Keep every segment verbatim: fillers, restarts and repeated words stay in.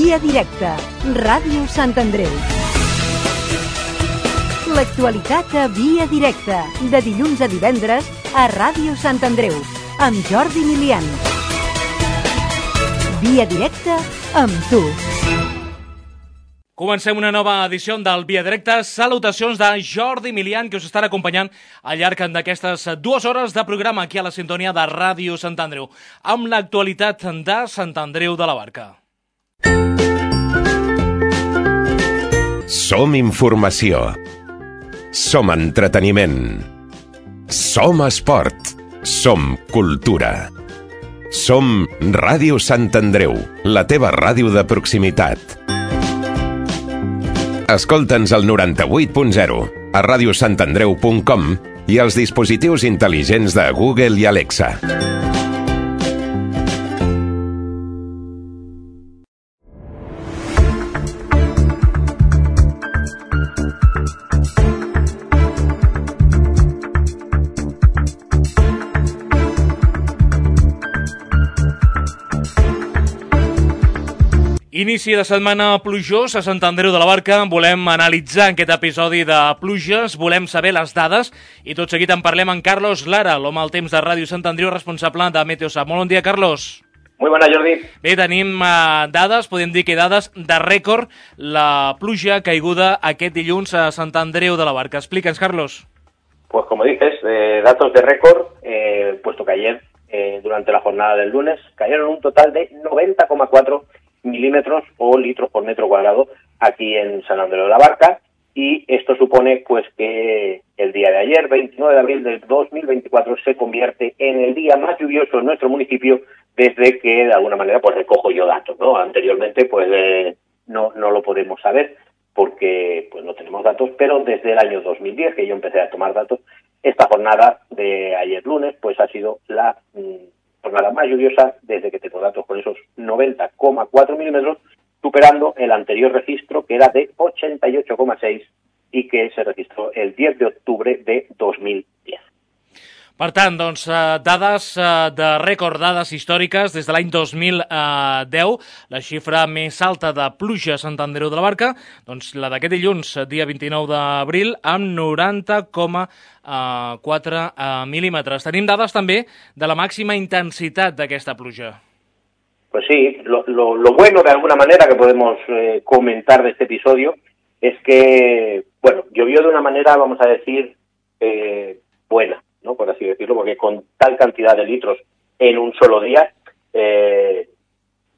Via Directa, Ràdio Sant Andreu. L'actualitat a Via Directa, de dilluns a divendres a Ràdio Sant Andreu, amb Jordi Milian. Via Directa amb tu. Comencem una nova edició del Via Directa. Salutacions de Jordi Milian, que us estarà acompanyant al llarg d'aquestes dues hores de programa aquí a la sintonia de Ràdio Sant Andreu, amb l'actualitat de Sant Andreu de la Barca. Som informació. Som entreteniment. Som esport. Som cultura. Som Ràdio Sant Andreu, la teva ràdio de proximitat. Escolta'ns al noranta-vuit punt zero, a radiosantandreu punt com i als dispositius intel·ligents de Google i Alexa. Inici de setmana plujós a Sant Andreu de la Barca. Volem analitzar aquest episodi de pluges, volem saber les dades i tot seguit en parlem amb Carlos Lara, l'home al temps de Ràdio Sant Andreu, responsable de Meteosat. Molt bon dia, Carlos. Muy bona, Jordi. Bé, tenim uh, dades, podem dir que dades de rècord, la pluja caiguda aquest dilluns a Sant Andreu de la Barca. Explica'ns, Carlos. Pues como dices, eh, datos de récord, eh, puesto que ayer, eh, durante la jornada del lunes, cayeron un total de noventa coma cuatro milímetros o litros por metro cuadrado aquí en San Andreu de la Barca, y esto supone pues que el día de ayer, veintinueve de abril del dos mil veinticuatro, se convierte en el día más lluvioso en nuestro municipio desde que de alguna manera pues recojo yo datos, ¿no? Anteriormente pues eh, no no lo podemos saber porque pues no tenemos datos, pero desde el año dos mil diez que yo empecé a tomar datos, esta jornada de ayer lunes pues ha sido la mmm, jornada más lluviosa desde que tengo datos, con esos noventa coma cuatro milímetros, superando el anterior registro que era de ochenta y ocho coma seis y que se registró el diez de octubre de dos mil diez. Per tant, doncs, dades de rècord, dades històriques des de l'any dos mil deu, la xifra més alta de pluja a Sant Andreu de la Barca, doncs la d'aquest dilluns, dia vint-i-nou d'abril, amb noranta coma quatre milímetres. Tenim dades també de la màxima intensitat d'aquesta pluja. Pues sí, lo, lo, lo bueno de alguna manera que podemos eh, comentar de este episodio es que, bueno, llovió de una manera, vamos a decir, eh, buena, ¿no? Por así decirlo, porque con tal cantidad de litros en un solo día, eh,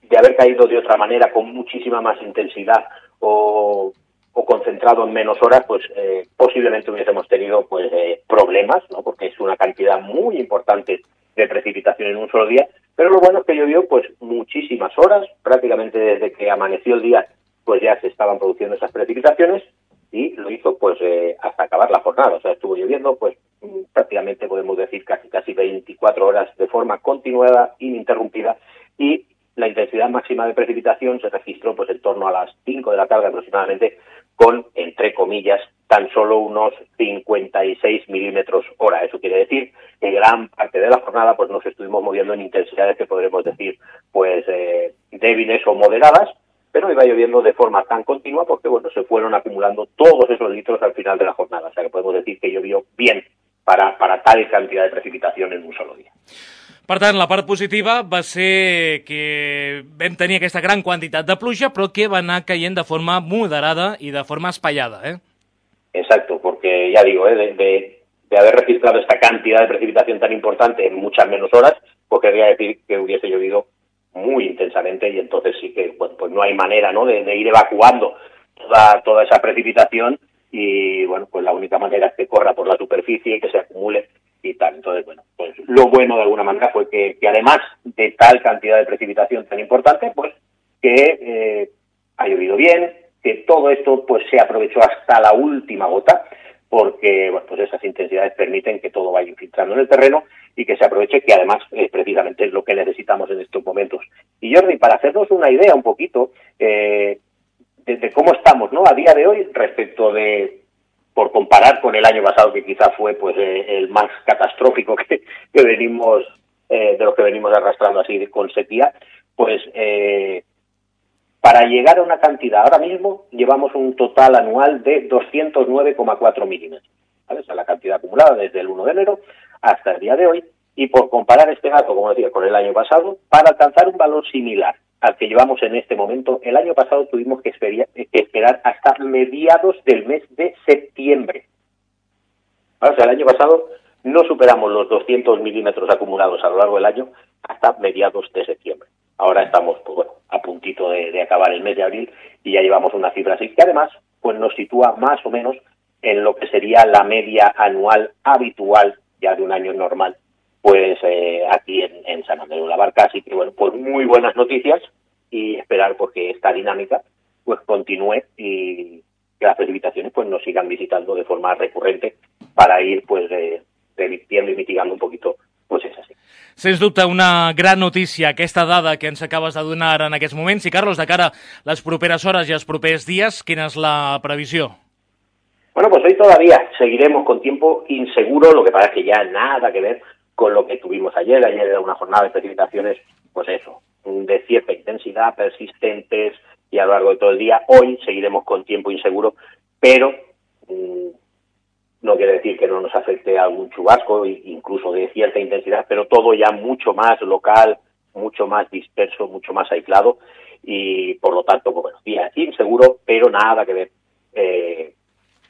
de haber caído de otra manera, con muchísima más intensidad o, o concentrado en menos horas, pues eh, posiblemente hubiésemos tenido pues eh, problemas, ¿no? Porque es una cantidad muy importante de precipitación en un solo día, pero lo bueno es que llovió pues muchísimas horas, prácticamente desde que amaneció el día pues ya se estaban produciendo esas precipitaciones, y lo hizo pues eh, hasta acabar la jornada. O sea, estuvo lloviendo pues prácticamente podemos decir casi casi veinticuatro horas de forma continuada, ininterrumpida, y la intensidad máxima de precipitación se registró pues en torno a las cinco de la tarde aproximadamente, con, entre comillas, tan solo unos cincuenta y seis milímetros hora. Eso quiere decir que gran parte de la jornada pues nos estuvimos moviendo en intensidades que podremos decir pues eh, débiles o moderadas, pero iba lloviendo de forma tan continua porque, bueno, se fueron acumulando todos esos litros al final de la jornada. O sea, que podemos decir que llovió bien para, para tal cantidad de precipitación en un solo día. Per tant, la part positiva va ser que vam tenir aquesta gran quantitat de pluja, però que va anar caient de forma moderada i de forma espaiada, ¿eh? Exacto, porque ya digo, ¿eh? de, de, de haber registrado esta cantidad de precipitación tan importante en muchas menos horas, pues querría decir que hubiese llovido muy intensamente, y entonces sí que bueno, pues no hay manera, ¿no? de, de ir evacuando toda, toda esa precipitación, y bueno, pues la única manera es que corra por la superficie y que se acumule y tal. Entonces, bueno, pues lo bueno de alguna manera fue que, que además de tal cantidad de precipitación tan importante, pues que eh, ha llovido bien, que todo esto pues se aprovechó hasta la última gota, porque bueno, pues esas intensidades permiten que todo vaya infiltrando en el terreno y que se aproveche, que además eh, precisamente es lo que necesitamos en estos momentos. Y Jordi, para hacernos una idea un poquito eh, de, de cómo estamos, ¿no? A día de hoy respecto de, por comparar con el año pasado, que quizá fue pues eh, el más catastrófico que, que venimos eh, de los que venimos arrastrando así con sequía, pues eh, para llegar a una cantidad. Ahora mismo llevamos un total anual de doscientos nueve coma cuatro milímetros, ¿vale? Esa es la cantidad acumulada desde el uno de enero hasta el día de hoy, y por comparar este dato, como decía, con el año pasado, para alcanzar un valor similar al que llevamos en este momento, el año pasado tuvimos que esperar hasta mediados del mes de septiembre. ¿Vale? O sea, el año pasado no superamos los doscientos milímetros acumulados a lo largo del año hasta mediados de septiembre. Ahora estamos, pues bueno, a puntito de, de acabar el mes de abril y ya llevamos una cifra así, que además pues nos sitúa más o menos en lo que sería la media anual habitual ya de un año normal, pues eh, aquí en, en San Andreu de la Barca. Así que bueno, pues muy buenas noticias y esperar pues que esta dinámica pues continúe y que las precipitaciones pues nos sigan visitando de forma recurrente para ir pues eh, revirtiendo y mitigando un poquito pues és així. Sens dubte, una gran notícia, aquesta dada que ens acabes de donar en aquests moments. I, Carlos, de cara a les properes hores i els propers días, quina és la previsió? Bueno, pues hoy todavía seguiremos con tiempo inseguro, lo que pasa es que ya nada que ver con lo que tuvimos ayer. Ayer era una jornada de precipitaciones, pues eso, de cierta intensidad, persistentes y a lo largo de todo el día. Hoy seguiremos con tiempo inseguro, pero mmm, no quiere decir que no nos afecte algún chubasco, incluso de cierta intensidad, pero todo ya mucho más local, mucho más disperso, mucho más aislado, y por lo tanto, pues bueno, día inseguro, pero nada que ver eh,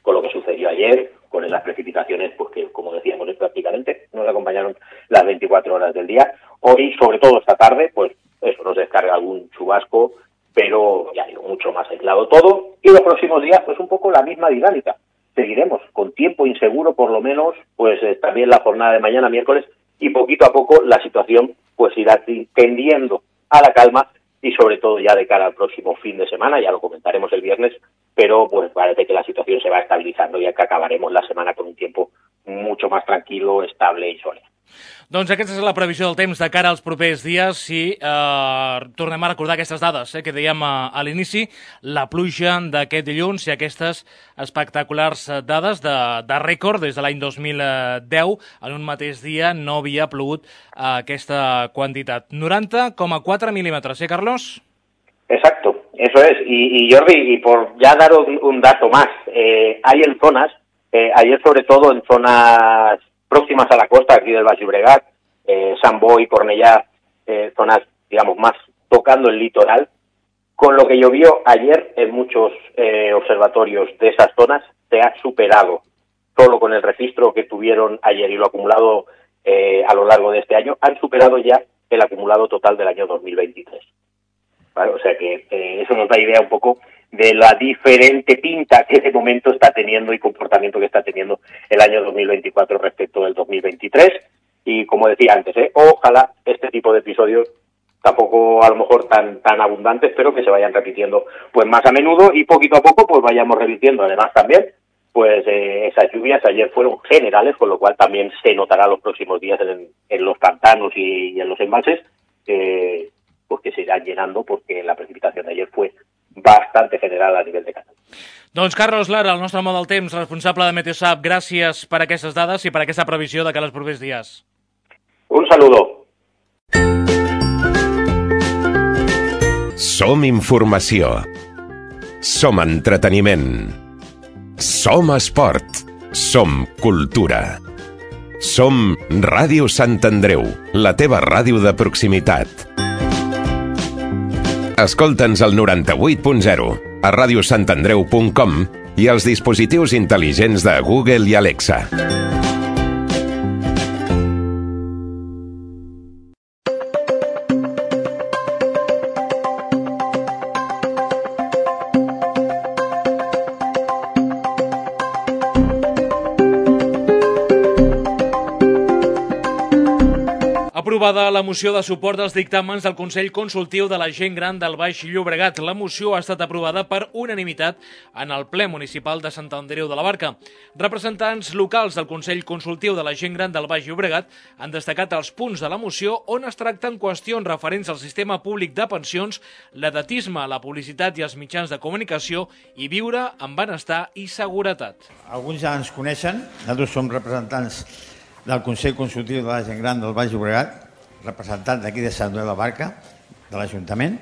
con lo que sucedió ayer, con las precipitaciones, pues que, como decíamos, prácticamente nos acompañaron las veinticuatro horas del día. Hoy, sobre todo esta tarde, pues eso, nos descarga algún chubasco, pero ya digo, mucho más aislado todo, y los próximos días, pues un poco la misma dinámica. Seguiremos con tiempo inseguro, por lo menos, pues eh, también la jornada de mañana, miércoles, y poquito a poco la situación pues irá tendiendo a la calma, y sobre todo ya de cara al próximo fin de semana, ya lo comentaremos el viernes, pero pues parece que la situación se va estabilizando y que acabaremos la semana con un tiempo mucho más tranquilo, estable i sòlid. Doncs aquesta és la previsió del temps de cara als propers dies i eh, tornem a recordar aquestes dades eh, que dèiem a, a l'inici, la pluja d'aquest dilluns i aquestes espectaculars dades de, de rècord des de l'any dos mil deu. En un mateix dia no havia plogut eh, aquesta quantitat. noranta coma quatre milímetres, ¿eh, Carlos? Exacto, eso es. Y, y Jordi, y por ya dar un, un dato más, eh, hay en zonas, eh, ayer sobre todo en zonas próximas a la costa, aquí del Baix Llobregat, eh, Sant Boi, Cornellà, eh, zonas, digamos, más tocando el litoral, con lo que llovió ayer en muchos eh, observatorios de esas zonas, se ha superado, solo con el registro que tuvieron ayer y lo acumulado eh, a lo largo de este año, han superado ya el acumulado total del año dos mil veintitrés. ¿Vale? O sea que eh, eso nos da idea un poco de la diferente pinta que de momento está teniendo y comportamiento que está teniendo el año dos mil veinticuatro respecto del dos mil veintitrés. Y como decía antes, ¿eh? ojalá este tipo de episodios, tampoco a lo mejor tan tan abundantes, pero que se vayan repitiendo pues más a menudo y poquito a poco pues vayamos repitiendo. Además también, pues eh, esas lluvias ayer fueron generales, con lo cual también se notará los próximos días en, en los pantanos y, y en los embalses, eh, pues que se irán llenando, porque la precipitación de ayer fue bastante general a nivell de Catalunya. Doncs Carlos Lara, el nostre home del temps, responsable de Meteosat, gràcies per aquestes dades i per aquesta previsió de cara als propers dies. Un saludo. Som informació. Som entreteniment. Som esport. Som cultura. Som Ràdio Sant Andreu, la teva ràdio de proximitat. Escolta'ns al noranta-vuit punt zero, a ràdio sant andreu punt com i als dispositius intel·ligents de Google i Alexa. Aprovada la moció de suport als dictàmens del Consell Consultiu de la Gent Gran del Baix Llobregat. La moció ha estat aprovada per unanimitat en el ple municipal de Sant Andreu de la Barca. Representants locals del Consell Consultiu de la Gent Gran del Baix Llobregat han destacat els punts de la moció on es tracten qüestions referents al sistema públic de pensions, l'edatisme, la publicitat i els mitjans de comunicació i viure amb benestar i seguretat. Alguns ja ens coneixen, nosaltres som representants del Consell Consultiu de la Gent Gran del Baix Llobregat, representant d'aquí de Sant Andreu de la Barca, de l'Ajuntament,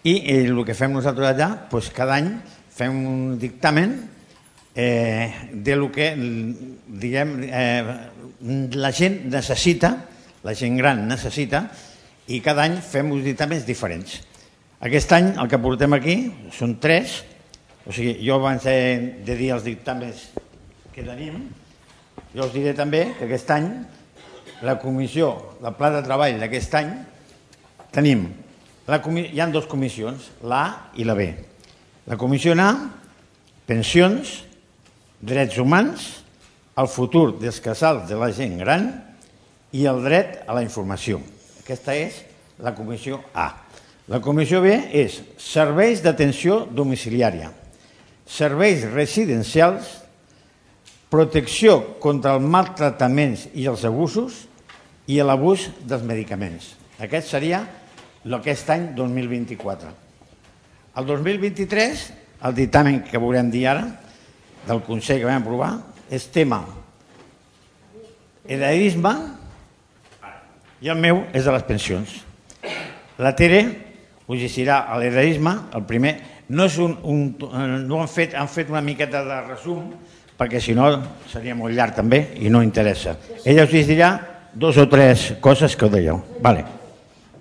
I el que fem nosaltres allà, doncs cada any fem un dictamen eh, de lo que diguem, eh, la gent necessita, la gent gran necessita, i cada any fem uns dictàmens diferents. Aquest any el que portem aquí són tres, o sigui, jo abans de, de dir els dictàmens que tenim, jo us diré també que aquest any la comissió, el pla de treball d'aquest any, tenim, la, hi ha dues comissions, l'A i la B. La comissió A, pensions, drets humans, el futur dels casals de la gent gran i el dret a la informació. Aquesta és la comissió A. La comissió B és serveis d'atenció domiciliària, serveis residencials, protecció contra els maltractaments i els abusos i l'abús dels medicaments. Aquest seria aquest any dos mil vint-i-quatre. El dos mil vint-i-tres, el dictamen que veurem dir ara, del Consell que vam aprovar, és tema heredarisme i el meu és de les pensions. La Tere us llegirà l'heredarisme, el primer. No és un, un, no han fet, han fet una miqueta de resum, perquè si no seria molt llarg també i no interessa. Ella us llegirà dos o tres coses que ho dèieu. Vale.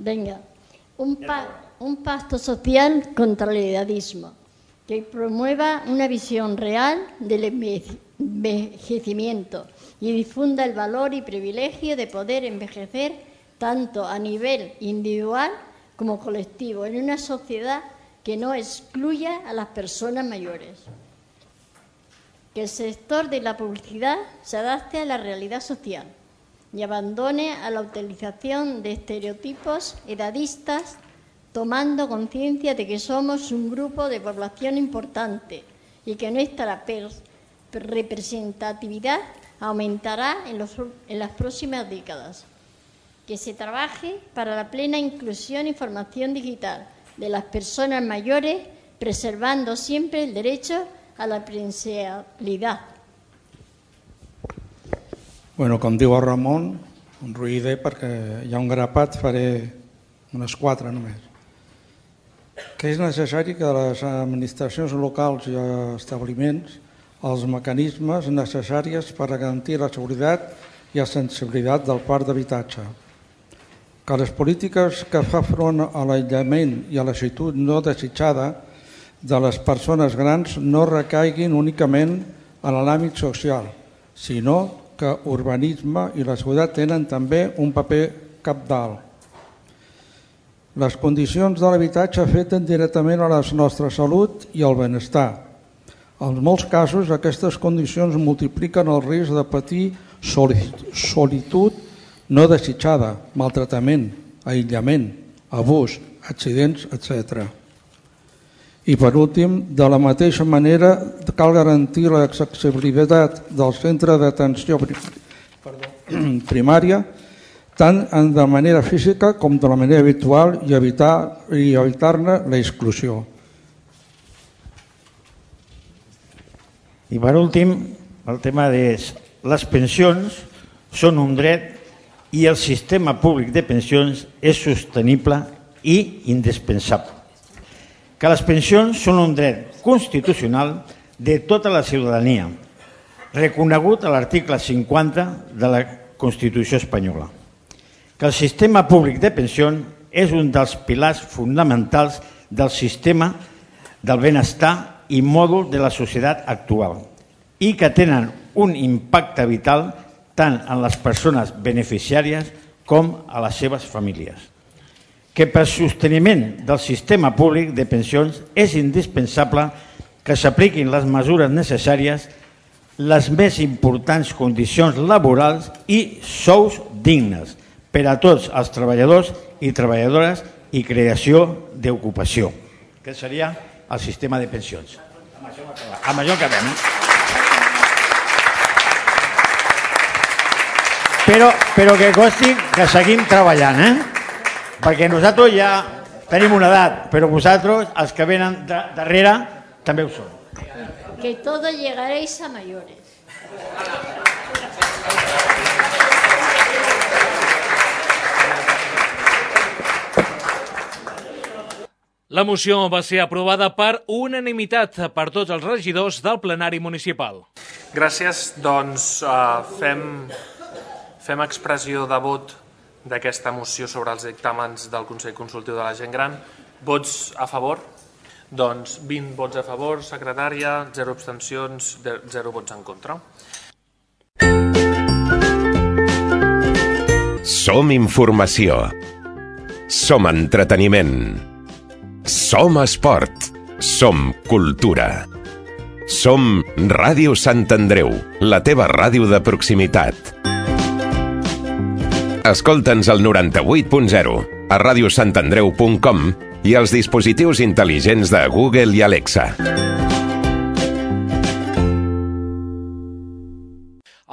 Venga, un, pa, un pacto social contra el heredadismo que promueva una visión real del envejecimiento y difunda el valor y privilegio de poder envejecer tanto a nivel individual como colectivo en una sociedad que no excluya a las personas mayores. Que el sector de la publicidad se adapte a la realidad social y abandone a la utilización de estereotipos edadistas, tomando conciencia de que somos un grupo de población importante y que nuestra representatividad aumentará en, los, en las próximas décadas. Que se trabaje para la plena inclusión y formación digital de las personas mayores, preservando siempre el derecho a la presencialidad. Bueno, com diu el Ramon, un ruïder perquè hi ha un grapat, faré unes quatre només. Que és necessari que les administracions locals i establiments els mecanismes necessaris per garantir la seguretat i la sensibilitat del parc d'habitatge. Que les polítiques que fa front a l'aïllament i a la situació no desitjada de les persones grans no recaiguin únicament en l'àmbit social, sinó que urbanisme i la seguretat tenen també un paper cabdal. Les condicions de l'habitatge afecten directament a la nostra salut i al benestar. En molts casos, aquestes condicions multipliquen el risc de patir solitud no desitjada, maltractament, aïllament, abús, accidents, etcètera. I per últim, de la mateixa manera, cal garantir l'accessibilitat del centre d'atenció primària tant de manera física com de la manera virtual i evitar i evitar-ne l'exclusió. I per últim, el tema és les pensions són un dret i el sistema públic de pensions és sostenible i indispensable. Que les pensions són un dret constitucional de tota la ciutadania, reconegut a l'article cinquanta de la Constitució espanyola. Que el sistema públic de pensions és un dels pilars fonamentals del sistema del benestar i mòdul de la societat actual i que tenen un impacte vital tant en les persones beneficiàries com a les seves famílies. Que per sosteniment del sistema públic de pensions és indispensable que s'apliquin les mesures necessàries, les més importants condicions laborals i sous dignes per a tots els treballadors i treballadores i creació d'ocupació. Aquest seria el sistema de pensions. Amb això acabem. Però, però que costi que seguim treballant, eh? Perquè nosaltres ja tenim una edat, però vosaltres, els que venen de, darrere, també ho són. Que todos llegaréis a mayores. La moció va ser aprovada per unanimitat per tots els regidors del plenari municipal. Gràcies, doncs uh, fem, fem expressió de vot d'aquesta moció sobre els dictàmens del Consell Consultiu de la Gent Gran. Vots a favor? Doncs vint vots a favor, secretària, zero abstencions, zero vots en contra. Som informació. Som entreteniment. Som esport. Som cultura. Som Ràdio Sant Andreu, la teva ràdio de proximitat. Escolta'ns al noranta-vuit punt zero, a ràdio sant andreu punt com i als dispositius intel·ligents de Google i Alexa.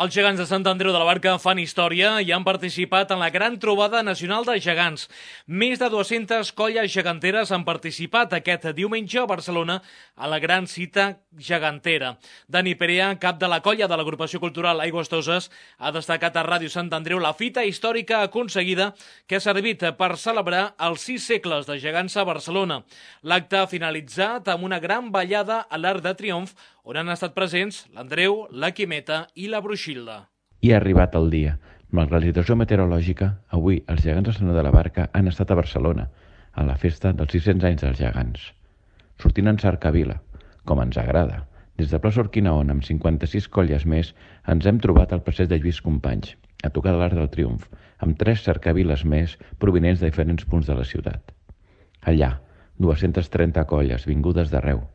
Els gegants de Sant Andreu de la Barca fan història i han participat en la Gran Trobada Nacional de Gegants. Més de dues-centes colles geganteres han participat aquest diumenge a Barcelona a la gran cita gegantera. Dani Perea, cap de la colla de l'agrupació cultural Aigües Toses, ha destacat a Ràdio Sant Andreu la fita històrica aconseguida que ha servit per celebrar els sis segles de gegants a Barcelona. L'acte ha finalitzat amb una gran ballada a l'Arc de Triomf on han estat presents l'Andreu, la Quimeta i la Bruixilda. I ha arribat el dia. Malgrat la situació meteorològica, avui els gegants de Sant Andreu de la Barca han estat a Barcelona, a la festa dels sis-cents anys dels gegants. Sortint en cercavila, com ens agrada. Des de plaça Urquinaona, amb cinquanta-sis colles més, ens hem trobat al passeig de Lluís Companys, a tocar de l'Arc del Triomf, amb tres cercaviles més provinents de diferents punts de la ciutat. Allà, dues-centes trenta colles vingudes d'arreu.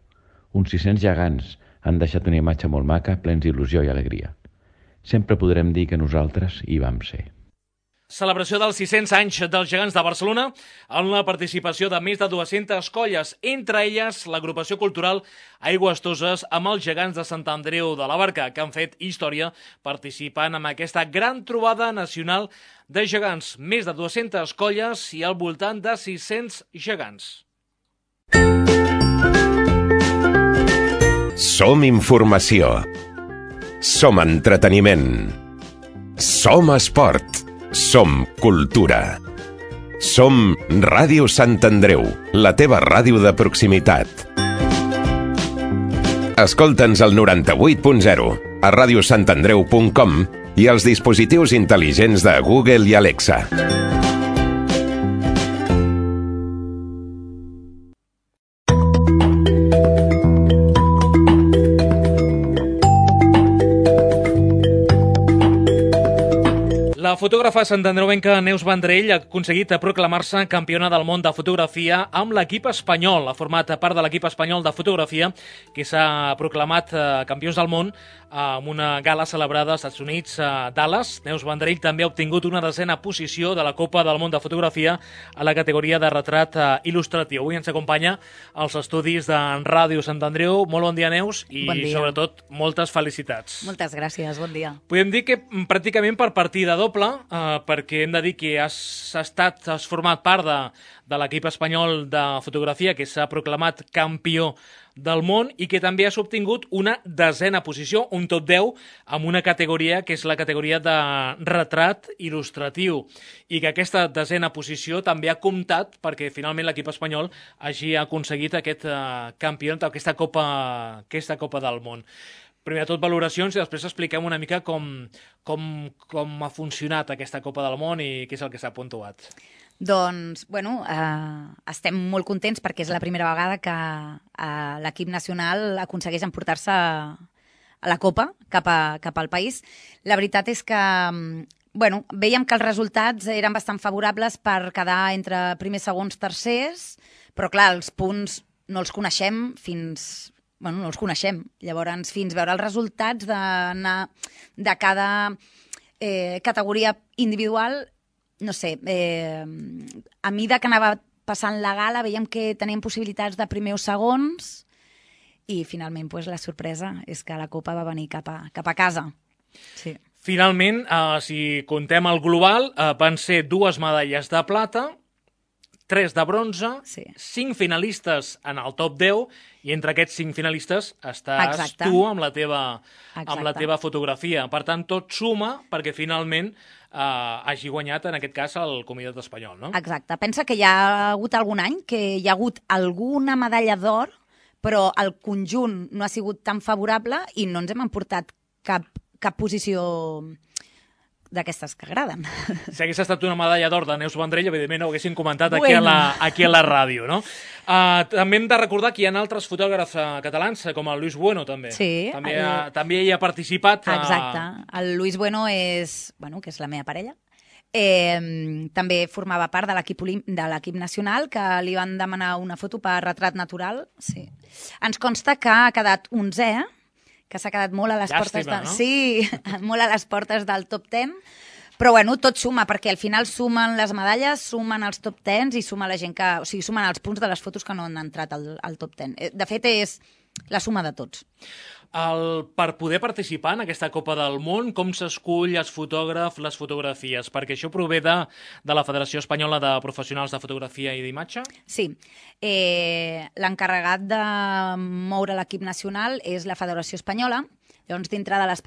Uns sis-cents gegants han deixat una imatge molt maca, plens d'il·lusió i alegria. Sempre podrem dir que nosaltres hi vam ser. Celebració dels sis-cents anys dels gegants de Barcelona amb la participació de més de dues-centes colles, entre elles l'agrupació cultural Aigües Toses amb els gegants de Sant Andreu de la Barca, que han fet història participant en aquesta gran trobada nacional de gegants. Més de dues-centes colles i al voltant de sis-cents gegants. Som informació. Som entreteniment. Som esport. Som cultura. Som Ràdio Sant Andreu, la teva ràdio de proximitat. Escolta'ns al noranta-vuit punt zero, a ràdio sant andreu punt com i als dispositius intel·ligents de Google i Alexa. La fotògrafa santandreuenca Neus Vendrell ha aconseguit proclamar-se campiona del món de fotografia amb l'equip espanyol. Ha format part de l'equip espanyol de fotografia que s'ha proclamat campions del món amb una gala celebrada als Estats Units, a Dallas. Neus Vendrell també ha obtingut una desena posició de la Copa del Món de Fotografia a la categoria de retrat il·lustratiu. Avui ens acompanya als estudis de Ràdio Sant Andreu. Molt bon dia, Neus, i bon dia. Sobretot moltes felicitats. Moltes gràcies, bon dia. Podem dir que pràcticament per partida doble, eh, perquè hem de dir que has estat, has format part de, de l'equip espanyol de fotografia que s'ha proclamat campió del món i que també has obtingut una desena posició, un top deu, amb una categoria que és la categoria de retrat il·lustratiu, i que aquesta desena posició també ha comptat perquè finalment l'equip espanyol hagi aconseguit aquest uh, campió, aquesta copa, aquesta copa del món. Primer de tot, valoracions, i després expliquem una mica com, com, com ha funcionat aquesta Copa del Món i què és el que s'ha puntuat. Doncs, bueno, eh, estem molt contents perquè és la primera vegada que eh, l'equip nacional aconsegueix emportar-se a la Copa cap, a, cap al país. La veritat és que bueno, veiem que els resultats eren bastant favorables per quedar entre primers, segons, tercers, però clar, els punts no els coneixem fins... Bueno, no els coneixem. Llavors, fins veure els resultats de, de cada eh, categoria individual, no sé, eh, a mida que anava passant la gala veiem que teníem possibilitats de primer o segons i finalment pues, la sorpresa és que la Copa va venir cap a, cap a casa. Sí. Finalment, eh, si contem el global, eh, van ser dues medalles de plata, tres de bronze, sí. cinc finalistes en el top deu, i entre aquests cinc finalistes estàs Exacte. tu amb la, teva, Exacte. amb la teva fotografia. Per tant, tot suma perquè finalment eh, hagi guanyat, en aquest cas, el Comitat Espanyol, no? Exacte. Pensa que hi ha hagut algun any que hi ha hagut alguna medalla d'or, però el conjunt no ha sigut tan favorable i no ens hem emportat cap, cap posició d'aquestes que agraden. Si hagués estat una medalla d'or de Neus Vendrell, evidentment ho haguessin comentat Bueno. aquí, a la, aquí a la ràdio, no? Uh, també hem de recordar que hi ha altres fotògrafs uh, catalans, com el Luis Bueno, també. Sí. També, El... ha, també hi ha participat. Uh... Exacte. El Luis Bueno és, bueno, que és la meva parella. Eh, també formava part de l'equip de l'equip nacional, que li van demanar una foto per retrat natural. Sí. Ens consta que ha quedat onzè, que s'ha quedat molt a les Llàstima, portes de... no? Sí, molt a les portes del top deu, però bueno, tot suma, perquè al final sumen les medalles, sumen els top deu i suma la gent que... O sigui, sumen els punts de les fotos que no han entrat al, al top deu. De fet, és la suma de tots. El, per poder participar en aquesta Copa del Món, com s'escull els fotògrafs, les fotografies? Perquè això prové de, de la Federació Espanyola de Professionals de Fotografia i d'Imatge? Sí. Eh, l'encarregat de moure l'equip nacional és la Federació Espanyola. Llavors, dintre de, les,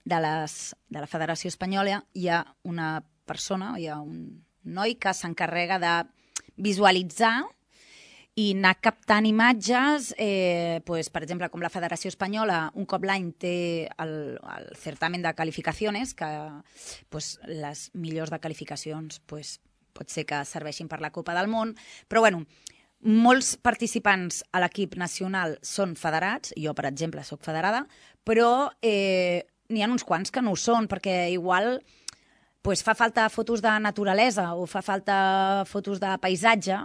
de, les, de la Federació Espanyola hi ha una persona, hi ha un noi que s'encarrega de visualitzar i anar captant imatges, eh, pues, per exemple, com la Federació Espanyola un cop l'any té el, el certamen de qualificacions, que pues, les millors de qualificacions pues, pot ser que serveixin per la Copa del Món, però bueno, molts participants a l'equip nacional són federats, jo, per exemple, sóc federada, però eh, n'hi ha uns quants que no ho són, perquè igual pues, fa falta fotos de naturalesa o fa falta fotos de paisatge,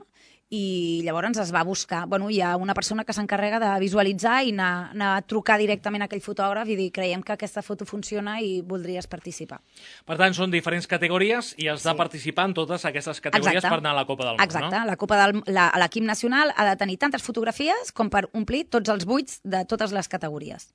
i llavors es va buscar. Bueno, hi ha una persona que s'encarrega de visualitzar i anar, anar a trucar directament a aquell fotògraf i dir, creiem que aquesta foto funciona i voldries participar. Per tant, són diferents categories i has sí. de participar en totes aquestes categories Exacte. Per anar a la Copa del Món, Exacte. no? La Copa del, la, l'equip nacional ha de tenir tantes fotografies com per omplir tots els buits de totes les categories.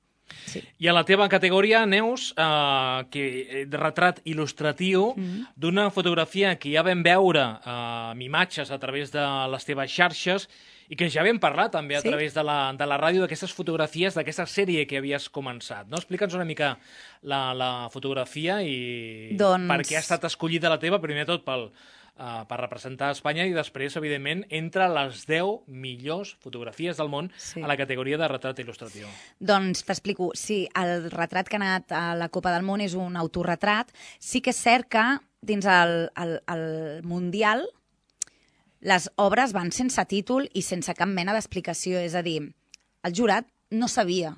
Sí. I a la teva categoria, Neus, eh, que de retrat il·lustratiu mm-hmm. d'una fotografia que ja vam veure eh, amb imatges a través de les teves xarxes i que ja vam parlar també a sí? través de la, de la ràdio d'aquestes fotografies, d'aquesta sèrie que havies començat. No? Explica'ns una mica la, la fotografia i doncs... per què ha estat escollida la teva, primer tot pel... Uh, per representar Espanya i després, evidentment, entre les deu millors fotografies del món sí. a la categoria de retrat il·lustratiu. Doncs t'explico. Sí, el retrat que ha anat a la Copa del Món és un autorretrat. Sí que és cert que dins el, el, el Mundial les obres van sense títol i sense cap mena d'explicació. És a dir, el jurat no sabia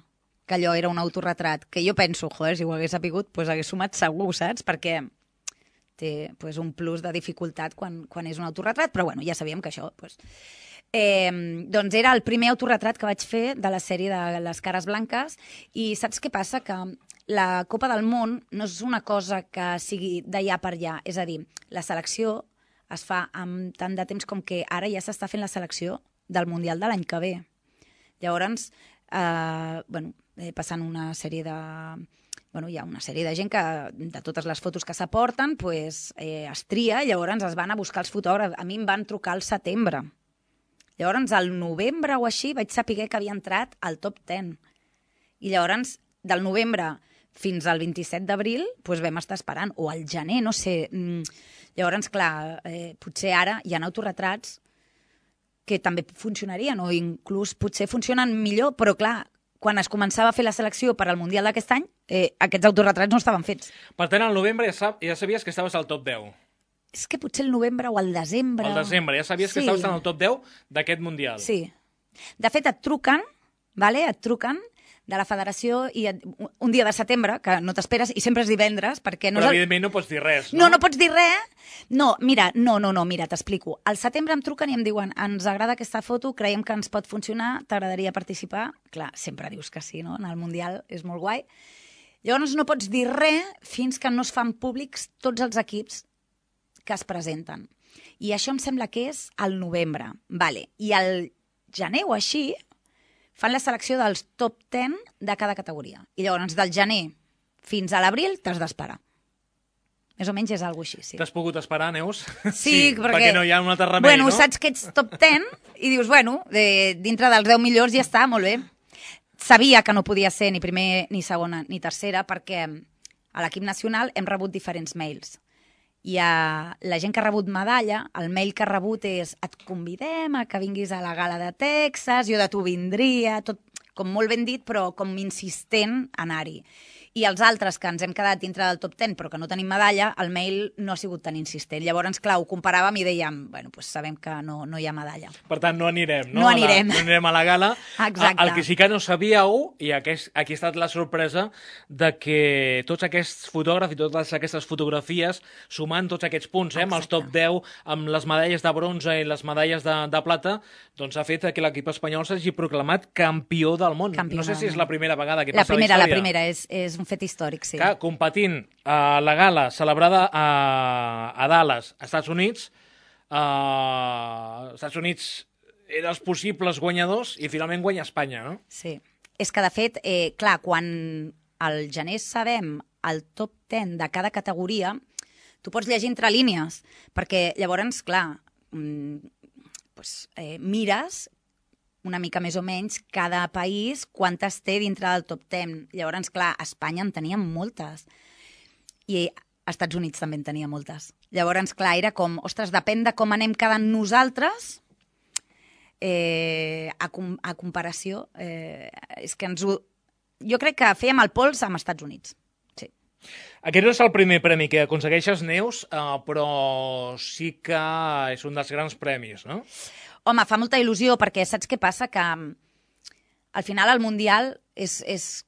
que allò era un autorretrat, que jo penso, joder, si ho hagués sapigut, doncs hagués sumat segur, saps? Perquè té pues, un plus de dificultat quan, quan és un autorretrat, però bueno, ja sabíem que això... Pues... Eh, doncs era el primer autorretrat que vaig fer de la sèrie de Les cares blanques i saps què passa? Que la Copa del Món no és una cosa que sigui d'allà per allà, és a dir, la selecció es fa amb tant de temps com que ara ja s'està fent la selecció del Mundial de l'any que ve. Llavors, eh, bueno, eh, passant una sèrie de... Bueno, hi ha una sèrie de gent que, de totes les fotos que s'aporten, pues, eh, es tria, llavors es van a buscar els fotògrafs. A mi em van trucar al setembre. Llavors, al novembre o així, vaig saber que havia entrat al top deu. I llavors, del novembre fins al vint-i-set d'abril, pues, vam estar esperant. O al gener, no sé. Llavors, clar, eh, potser ara hi ha autorretrats que també funcionarien, o inclús potser funcionen millor, però clar, quan es començava a fer la selecció per al Mundial d'aquest any, eh, aquests autorretrats no estaven fets. Per tant, al novembre ja, sab, ja sabies que estaves al top deu. És que potser el novembre o el desembre... Al desembre, ja sabies sí. que estaves en el top deu d'aquest Mundial. Sí. De fet, et truquen, vale? et truquen de la federació i et, un dia de setembre, que no t'esperes, i sempre és divendres, perquè... No Però, és el... evidentment, no pots dir res, no? No, no pots dir res. No, mira, no, no, no, mira, t'explico. Al setembre em truquen i em diuen ens agrada aquesta foto, creiem que ens pot funcionar, t'agradaria participar? Clar, sempre dius que sí, no? En el Mundial és molt guai. Llavors no pots dir res fins que no es fan públics tots els equips que es presenten. I això em sembla que és al novembre. Vale. I al gener o així fan la selecció dels top deu de cada categoria. I llavors, del gener fins a l'abril, t'has d'esperar. Més o menys és alguna cosa així, sí. T'has pogut esperar, Neus? Sí, sí perquè... perquè no hi ha un altre remei, bueno, no? Bueno, saps que ets top ten i dius, bueno, de, dintre dels deu millors ja està, molt bé. Sabia que no podia ser ni primer, ni segona, ni tercera, perquè a l'equip nacional hem rebut diferents mails. I a la gent que ha rebut medalla, el mail que ha rebut és et convidem a que vinguis a la gala de Texas, jo de tu vindria, tot com molt ben dit, però com insistent a anar-hi. I els altres que ens hem quedat dintre del top ten però que no tenim medalla, el mail no ha sigut tan insistent. Llavors, clar, ho comparàvem i dèiem, bueno, pues sabem que no, no hi ha medalla. Per tant, no anirem, no? No anirem. A la, no anirem a la gala. Exacte. El que sí que no sabíeu, i aquest, aquí ha estat la sorpresa, de que tots aquests fotògrafs i totes aquestes fotografies, sumant tots aquests punts, eh, amb els top deu, amb les medalles de bronze i les medalles de, de plata, doncs ha fet que l'equip espanyol s'hagi proclamat campió del món. Campió no sé si és la primera vegada que la passa primera, la història. La primera, és, és un fet històric, sí. Que, competint a la gala celebrada a, a Dallas, als Estats Units, als Estats Units eren els possibles guanyadors i finalment guanya Espanya, no? Sí. És que, de fet, eh, clar, quan al gener sabem el top ten de cada categoria, tu pots llegir entre línies, perquè llavors, clar, mm, pues, eh, mires una mica més o menys cada país quantes té dintre del top ten. Llavors, clar, a Espanya en teníem moltes. I als Estats Units també en tenia moltes. Llavors, clar, era com, ostres, depèn de com anem quedant nosaltres, eh, a, com, a comparació, eh, és que ens ho... Jo crec que fèiem el pols amb els Estats Units. Sí. Aquest no és el primer premi que aconsegueixes, Neus, eh, però sí que és un dels grans premis, no? Home, fa molta il·lusió, perquè saps què passa? Que al final el Mundial és, és,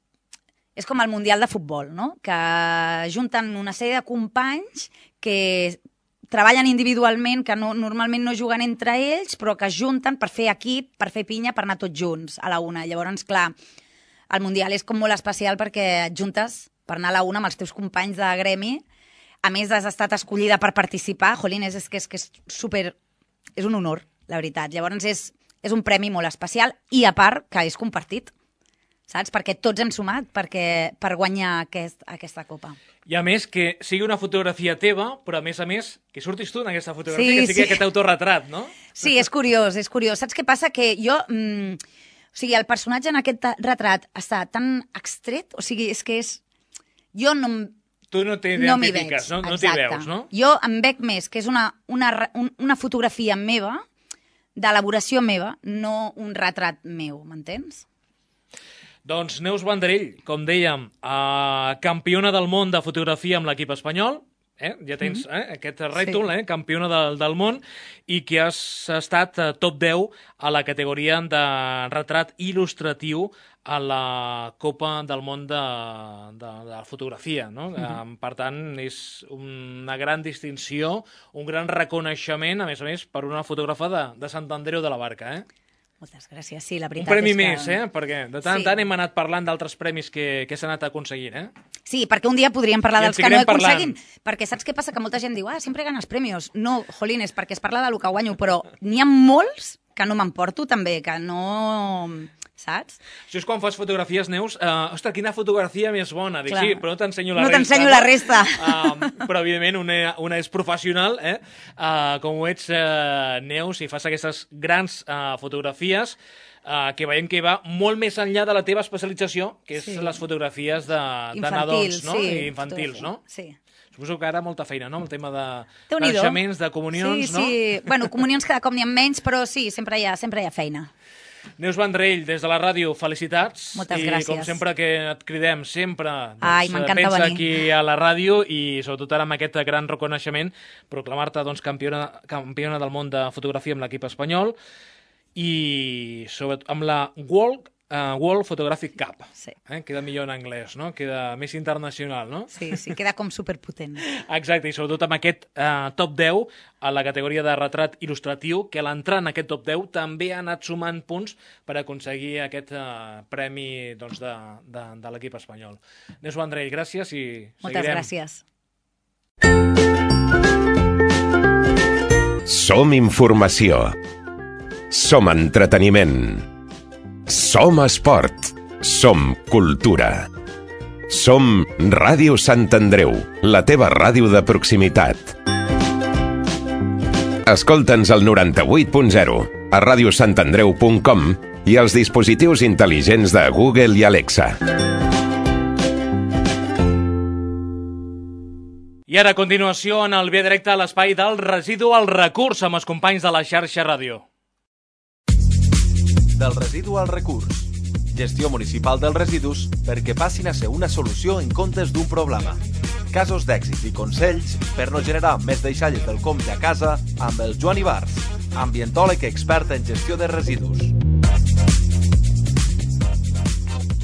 és com el Mundial de futbol, no? Que junten una sèrie de companys que treballen individualment, que no, normalment no juguen entre ells, però que es junten per fer equip, per fer pinya, per anar tots junts a la una. Llavors, clar, el Mundial és com molt especial perquè et juntes per anar a la una amb els teus companys de gremi. A més, has estat escollida per participar. Jolín, és, és que és, que és super... És un honor, la veritat. Llavors és, és un premi molt especial i, a part, que és compartit, saps? Perquè tots hem sumat perquè, per guanyar aquest, aquesta copa. I a més, que sigui una fotografia teva, però a més a més, que surtis tu en aquesta fotografia, sí, que sigui sí. aquest autoretrat, no? Sí, és curiós, és curiós. Saps què passa? Que jo... Mmm, o sigui, el personatge en aquest retrat està tan extret, o sigui, és que és... Jo no... Tu no t'identifiques, no, no t'hi veus, no? Jo em veig més que és una, una, una fotografia meva, d'elaboració meva, no un retrat meu, m'entens? Doncs Neus Vendrell, com dèiem, eh, campiona del món de fotografia amb l'equip espanyol, eh? Ja tens eh, aquest rètol, sí. eh? Campiona del, del món, i que has estat eh, top deu a la categoria de retrat il·lustratiu a la Copa del Món de, de, de la fotografia, no? Uh-huh. Per tant, és una gran distinció, un gran reconeixement, a més a més, per una fotògrafa de, de Sant Andreu de la Barca, eh? Moltes gràcies, sí, la veritat és que... Un premi és que... més, eh? Perquè de tant en sí. tant hem anat parlant d'altres premis que, que s'han anat aconseguint, eh? Sí, perquè un dia podríem parlar dels que no aconseguim. Perquè saps què passa? Que molta gent diu, ah, sempre ganes premis. No, jolín, és perquè es parla del que guanyo, però n'hi ha molts que no m'emporto també, que no... Saps? Això és quan fas fotografies, Neus, uh, ostres, quina fotografia més bona. Dic, sí, però no t'ensenyo la no resta. No t'ensenyo la resta. Uh, però, evidentment, una, una és professional, eh? Uh, com ho ets, uh, Neus, i fas aquestes grans uh, fotografies uh, que veiem que va molt més enllà de la teva especialització, que és sí. les fotografies de, de nadons, no? Sí, I infantils, no? Sí. Suposo que ara molta feina, no?, amb el tema de, de naixements, de comunions, sí, no? Sí, sí. Bueno, comunions cada cop n'hi ha menys, però sí, sempre hi ha, sempre hi ha feina. Neus Vendrell, des de la ràdio, felicitats. Moltes I gràcies. com sempre que et cridem, sempre doncs, Ai, m'encanta pensa venir. aquí a la ràdio i sobretot ara amb aquest gran reconeixement, proclamar-te doncs, campiona, campiona del món de fotografia amb l'equip espanyol i sobretot amb la World Uh, World Photographic Cup. Sí. Eh? Queda millor en anglès, no? Queda més internacional, no? Sí, sí, queda com superpotent. Exacte, i sobretot amb aquest uh, top deu a la categoria de retrat il·lustratiu, que a l'entrar en aquest top deu també ha anat sumant punts per aconseguir aquest uh, premi doncs, de, de, de l'equip espanyol. Neus Vendrell, gràcies i Moltes seguirem. gràcies. Som informació. Som entreteniment. Som esport. Som cultura. Som Ràdio Sant Andreu, la teva ràdio de proximitat. Escolta'ns al noranta-vuit punt zero, a radio sant andreu punt com i als dispositius intel·ligents de Google i Alexa. I ara, a continuació, en el Via Directa a l'espai del residu al recurs amb els companys de la xarxa ràdio. Del residu al recurs. Gestió municipal dels residus perquè passin a ser una solució en comptes d'un problema. Casos d'èxit i consells per no generar més deixalles del compte a casa amb el Joan Ibars, ambientòleg expert en gestió de residus.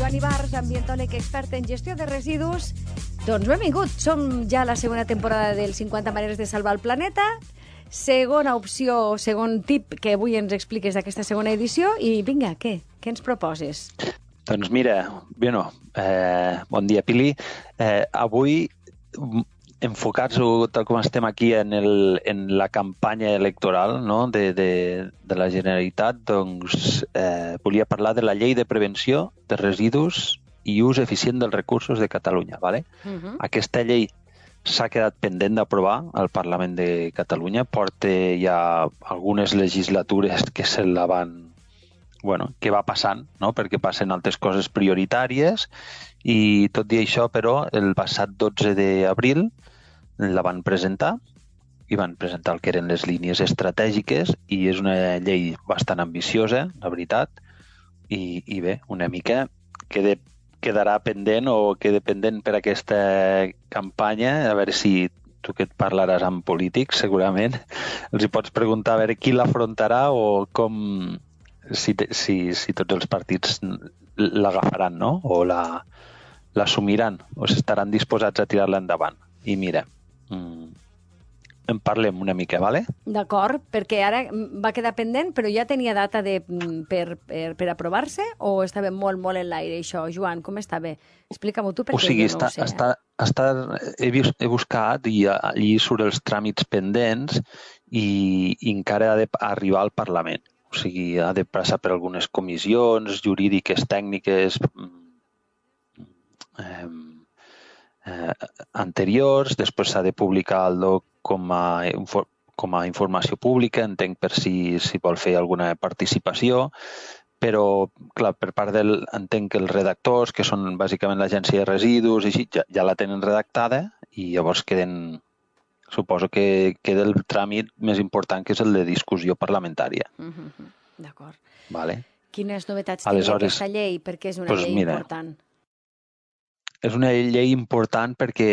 Joan Ibars, ambientòleg expert en gestió de residus. Doncs benvingut, som ja a la segona temporada del cinquanta maneres de salvar el planeta. Segona opció, segon tip que avui ens expliques d'aquesta segona edició. I vinga, què? Què ens proposes? Doncs mira, bueno, eh, bon dia, Pili. Eh, avui, enfocats tal com estem aquí en, el, en la campanya electoral, no?, de, de, de la Generalitat, doncs eh, volia parlar de la llei de prevenció de residus i ús eficient dels recursos de Catalunya. ¿Vale? Uh-huh. Aquesta llei s'ha quedat pendent d'aprovar al Parlament de Catalunya. Porta ja algunes legislatures que se la van... Bueno, que va passant, no?, perquè passen altres coses prioritàries i tot i això, però, el passat dotze d'abril la van presentar i van presentar el que eren les línies estratègiques i és una llei bastant ambiciosa, la veritat, i, i bé, una mica queda quedarà pendent o queda pendent per aquesta campanya, a veure si tu que et parlaràs amb polítics, segurament, els hi pots preguntar a veure qui l'afrontarà o com, si, si, si tots els partits l'agafaran, no?, o la, l'assumiran, o estaran disposats a tirar-la endavant. I mira, mm, en parlem una mica, ¿vale? D'acord, perquè ara va quedar pendent, però ja tenia data de, per, per, per aprovar-se o estava molt, molt en l'aire, això? Joan, com estava? Explica-m'ho tu, perquè o sigui, jo no està, ho sé. Està, està, he, he buscat i allí surt els tràmits pendents i, i encara ha d'arribar al Parlament. O sigui, ha de passar per algunes comissions jurídiques, tècniques eh, eh, anteriors, després s'ha de publicar el doc com a, com a informació pública, entenc per si, si vol fer alguna participació, però, clar, per part del... entenc que els redactors, que són bàsicament l'agència de residus, i així, ja, ja la tenen redactada i llavors queden... Suposo que queda el tràmit més important, que és el de discussió parlamentària. Mm-hmm. D'acord. Vale. Quines novetats Aleshores, té aquesta llei? Perquè és una pues llei mira, important. És una llei important perquè,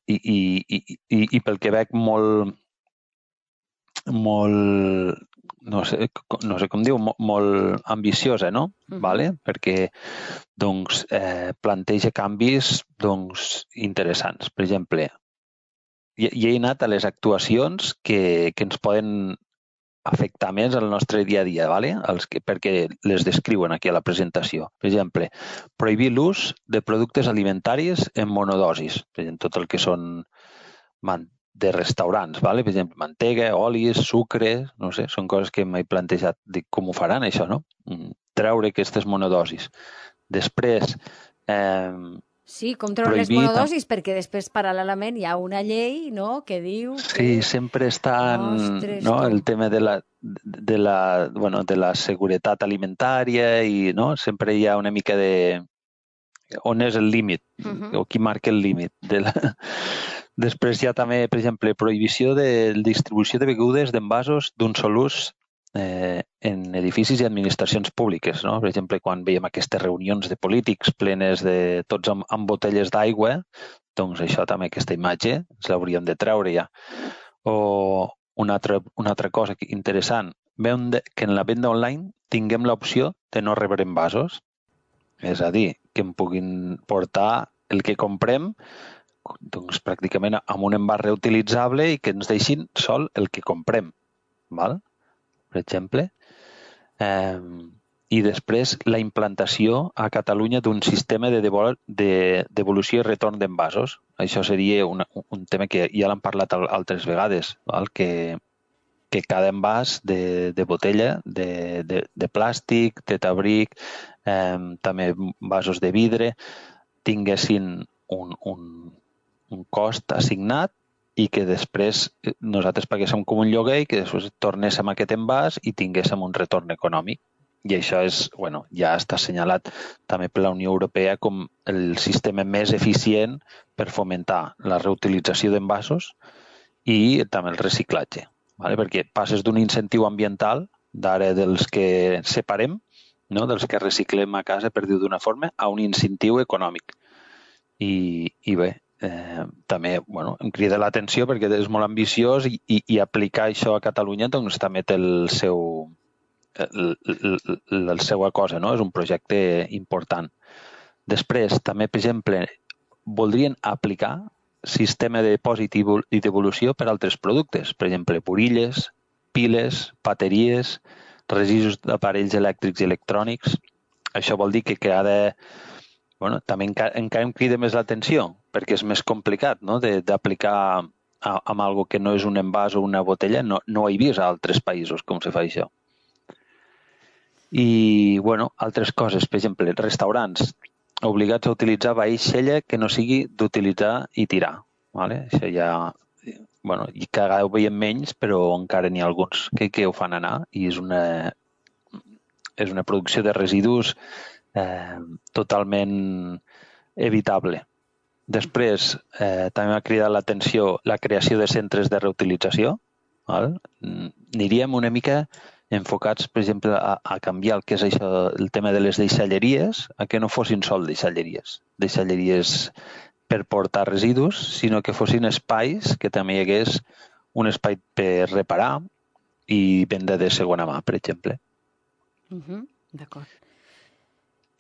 i, i, i, i, i pel que veig molt, molt, no sé, no sé com diu, molt, molt ambiciosa, no? Uh-huh. Vale? Perquè doncs, eh, planteja canvis doncs, interessants. Per exemple, hi, hi he anat a les actuacions que, que ens poden afectar més al nostre dia a dia, ¿vale? Els que, perquè les descriuen aquí a la presentació. Per exemple, prohibir l'ús de productes alimentaris en monodosis, per exemple, tot el que són de restaurants, ¿vale? Per exemple, mantega, olis, sucre, no sé, són coses que m'he plantejat, dic, com ho faran això, no? Treure aquestes monodosis. Després, eh, sí, com treure les monodosis, perquè després paral·lelament hi ha una llei, no?, que diu... Sí, sempre està no, el tema de la, de, la, bueno, de la seguretat alimentària i no, sempre hi ha una mica de... on és el límit, uh-huh. o qui marca el límit. De la... Després hi ha també, per exemple, prohibició de distribució de begudes d'envasos d'un sol ús Eh, en edificis i administracions públiques, no? Per exemple, quan veiem aquestes reunions de polítics plenes de tots amb, amb botelles d'aigua, doncs això també, aquesta imatge, ens l'hauríem de treure ja. O una altra, una altra cosa interessant, veiem que en la venda online tinguem l'opció de no rebre envasos, és a dir, que em puguin portar el que comprem doncs, pràcticament amb un envàs reutilitzable i que ens deixin sol el que comprem, val? Per exemple, eh, i després la implantació a Catalunya d'un sistema de devolució i retorn d'envasos. Això seria una, un tema que ja l'han parlat altres vegades, val? Que, que cada envàs de, de botella, de, de, de plàstic, de tabric, eh, també vasos de vidre, tinguessin un, un, un cost assignat i que després nosaltres paguéssim com un lloguer i que després tornéssim a aquest envàs i tinguéssim un retorn econòmic. I això és, bueno, ja està assenyalat també per la Unió Europea com el sistema més eficient per fomentar la reutilització d'envasos i també el reciclatge, ¿vale? Perquè passes d'un incentiu ambiental, d'ara dels que separem, no? Dels que reciclem a casa, per dir d'una forma, a un incentiu econòmic. I, i bé, eh, també bueno, em crida l'atenció perquè és molt ambiciós i, i, i aplicar això a Catalunya doncs, també té el seu... la seva cosa, no? És un projecte important. Després, també, per exemple, voldrien aplicar sistema de depòsit i devolució per altres productes. Per exemple, burilles, piles, bateries, residus d'aparells elèctrics i electrònics. Això vol dir que, que ha de... Bueno, també encara, encara em crida més l'atenció, perquè és més complicat, no? D'aplicar amb algo que no és un envàs o una botella. No, no ho he vist a altres països com se fa això. I, bueno, altres coses, per exemple, restaurants obligats a utilitzar vaixella que no sigui d'utilitzar i tirar. ¿Vale? Això ja, bueno, i cada ho veiem menys, però encara n'hi ha alguns que, que ho fan anar i és una, és una producció de residus eh, totalment evitable. Després, eh, també m'ha cridat l'atenció la creació de centres de reutilització. ¿Vale? Aniríem una mica enfocats, per exemple, a, a canviar el que és això, el tema de les deixalleries, a que no fossin sol deixalleries, deixalleries per portar residus, sinó que fossin espais que també hi hagués un espai per reparar i venda de segona mà, per exemple. Uh-huh. D'acord.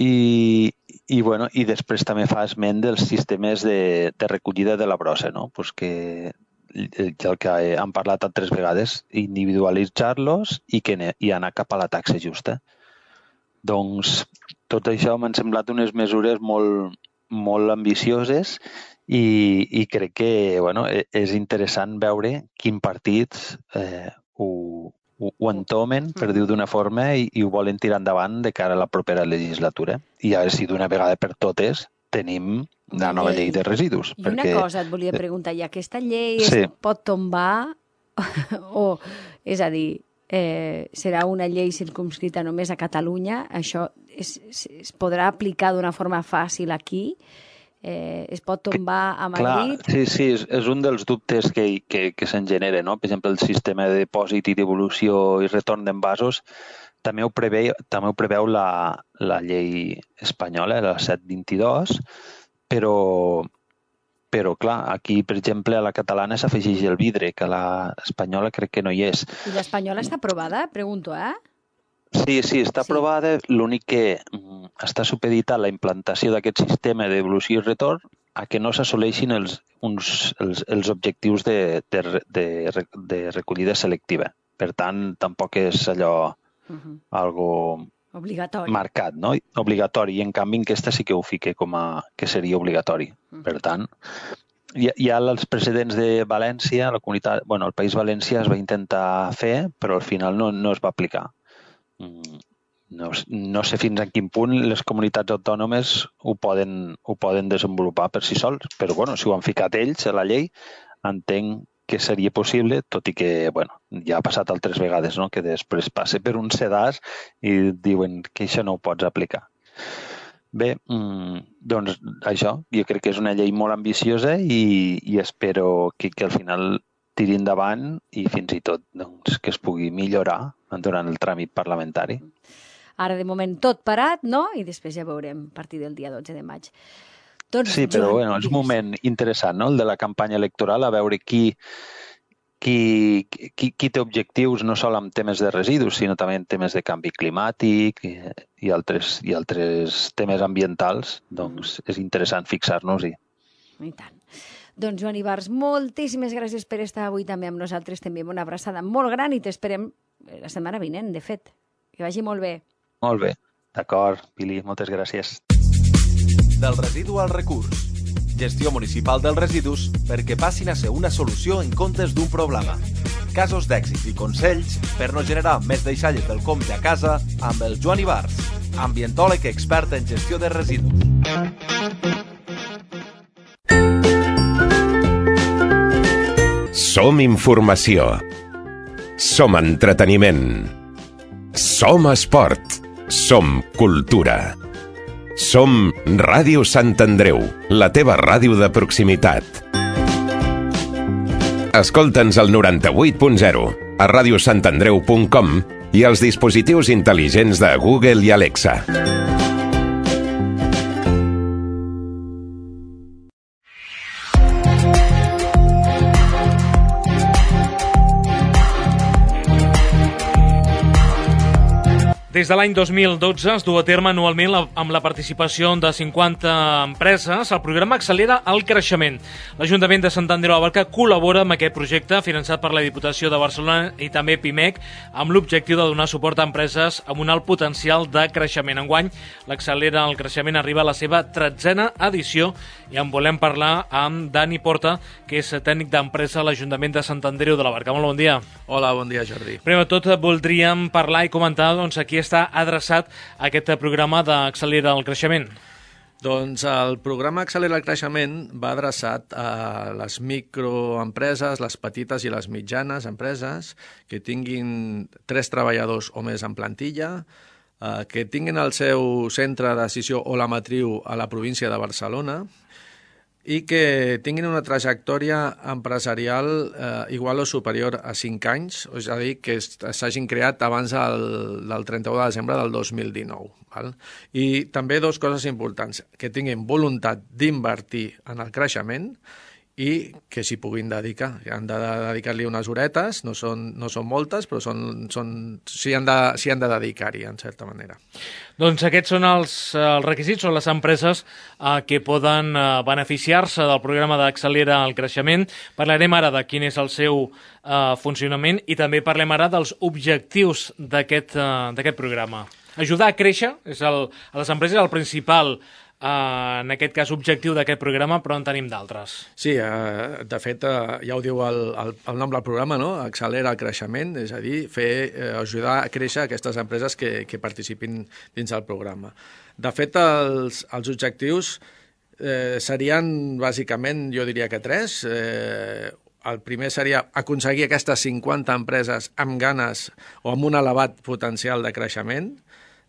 I, i, bueno, i després també fa esment dels sistemes de, de recollida de la brossa, no? Pues que el que han parlat altres vegades, individualitzar-los i, que, i anar cap a la taxa justa. Doncs tot això m'han semblat unes mesures molt, molt ambicioses i, i crec que bueno, és interessant veure quin partits eh, ho, ho, ho entomen, per dir-ho d'una forma, i, i ho volen tirar endavant de cara a la propera legislatura. I a veure si d'una vegada per totes tenim la nova llei de residus. I una perquè... cosa et volia preguntar, i aquesta llei sí. es pot tombar o, és a dir, eh, serà una llei circumscrita només a Catalunya? Això es, es podrà aplicar d'una forma fàcil aquí? Eh, es pot tombar a Madrid? Clar, sí, sí, és, és un dels dubtes que, que, que se'n genera, no? Per exemple, el sistema de depòsit i devolució i retorn d'envasos també ho preveu, també ho preveu la, la llei espanyola, la set vint-i-dos, però, però clar, aquí, per exemple, a la catalana s'afegeix el vidre, que a la espanyola crec que no hi és. I l'espanyola està aprovada? Pregunto, eh? Sí, sí, està sí. aprovada. L'únic que mm, està supeditat la implantació d'aquest sistema de devolució i retorn a que no s'assoleixin els, uns, els, els objectius de, de, de, de recollida selectiva. Per tant, tampoc és allò uh-huh. algo obligatori. Marcat, no? Obligatori. I en canvi aquesta sí que ho fica com a que seria obligatori. Uh-huh. Per tant, hi, hi ha els precedents de València, la comunitat, bueno, el País Valencià es va intentar fer, però al final no, no es va aplicar. No, no sé fins a quin punt les comunitats autònomes ho poden, ho poden desenvolupar per si sols, però bueno, si ho han ficat ells a la llei, entenc que seria possible, tot i que bueno, ja ha passat altres vegades, no? Que després passe per un sedàs i diuen que això no ho pots aplicar. Bé, doncs això, jo crec que és una llei molt ambiciosa i, i espero que, que al final tiri endavant i fins i tot doncs, que es pugui millorar durant el tràmit parlamentari. Ara, de moment, tot parat, no? I després ja veurem a partir del dia dotze de maig. Doncs, sí, però Joan, bueno, és un moment interessant, no?, el de la campanya electoral, a veure qui, qui, qui, qui té objectius no sol en temes de residus, sinó també en temes de canvi climàtic i, i, altres, i altres temes ambientals. Doncs és interessant fixar-nos-hi. I tant. Doncs, Joan Ibars, moltíssimes gràcies per estar avui també amb nosaltres. T'enviem una abraçada molt gran i t'esperem la setmana vinent, de fet. Que vagi molt bé. Molt bé. D'acord, Pili, moltes gràcies. Del residu al recurs. Gestió municipal dels residus perquè passin a ser una solució en comptes d'un problema. Casos d'èxit i consells per no generar més deixalles del compte a casa amb el Joan Ibars, ambientòleg expert en gestió de residus. Som informació. Som entreteniment. Som esport. Som cultura. Som Ràdio Sant Andreu, la teva ràdio de proximitat. Escolta'ns al noranta-vuit punt zero, a ràdio sant andreu punt com i als dispositius intel·ligents de Google i Alexa. Des de l'any dos mil dotze es du a terme anualment la, amb la participació de cinquanta empreses el programa Accelera el Creixement. L'Ajuntament de Sant Andreu de la Barca col·labora amb aquest projecte finançat per la Diputació de Barcelona i també Pimec amb l'objectiu de donar suport a empreses amb un alt potencial de creixement. Enguany, l'Accelera el Creixement arriba a la seva tretzena edició i en volem parlar amb Dani Porta, que és tècnic d'empresa a l'Ajuntament de Sant Andreu de la Barca. Molt bon dia. Hola, bon dia, Jordi. Primer de tot, voldríem parlar i comentar doncs, aquí està adreçat a aquest programa d'Accelera el Creixement. Doncs el programa Accelera el Creixement va adreçat a les microempreses, les petites i les mitjanes empreses que tinguin tres treballadors o més en plantilla, eh, que tinguin el seu centre de decisió o la matriu a la província de Barcelona i que tinguin una trajectòria empresarial eh, igual o superior a cinc anys, és a dir, que s'hagin creat abans del, del trenta-u de desembre del dos mil dinou. Val? I també dues coses importants, que tinguin voluntat d'invertir en el creixement i que s'hi puguin dedicar. Han de dedicar-li unes horetes, no són, no són moltes, però són, són, s'hi han de, s'hi han de dedicar-hi, en certa manera. Doncs aquests són els, els requisits, són les empreses eh, que poden eh, beneficiar-se del programa d'Accelera el Creixement. Parlarem ara de quin és el seu eh, funcionament i també parlem ara dels objectius d'aquest eh, d'aquest programa. Ajudar a créixer és el, a les empreses el principal Uh, en aquest cas objectiu d'aquest programa, però en tenim d'altres. Sí, uh, de fet, uh, ja ho diu el, el, el nom del programa, no? Accelera el creixement, és a dir, fer, uh, ajudar a créixer aquestes empreses que, que participin dins del programa. De fet, els, els objectius eh, serien, bàsicament, jo diria que tres. Eh, el primer seria aconseguir aquestes cinquanta empreses amb ganes o amb un elevat potencial de creixement,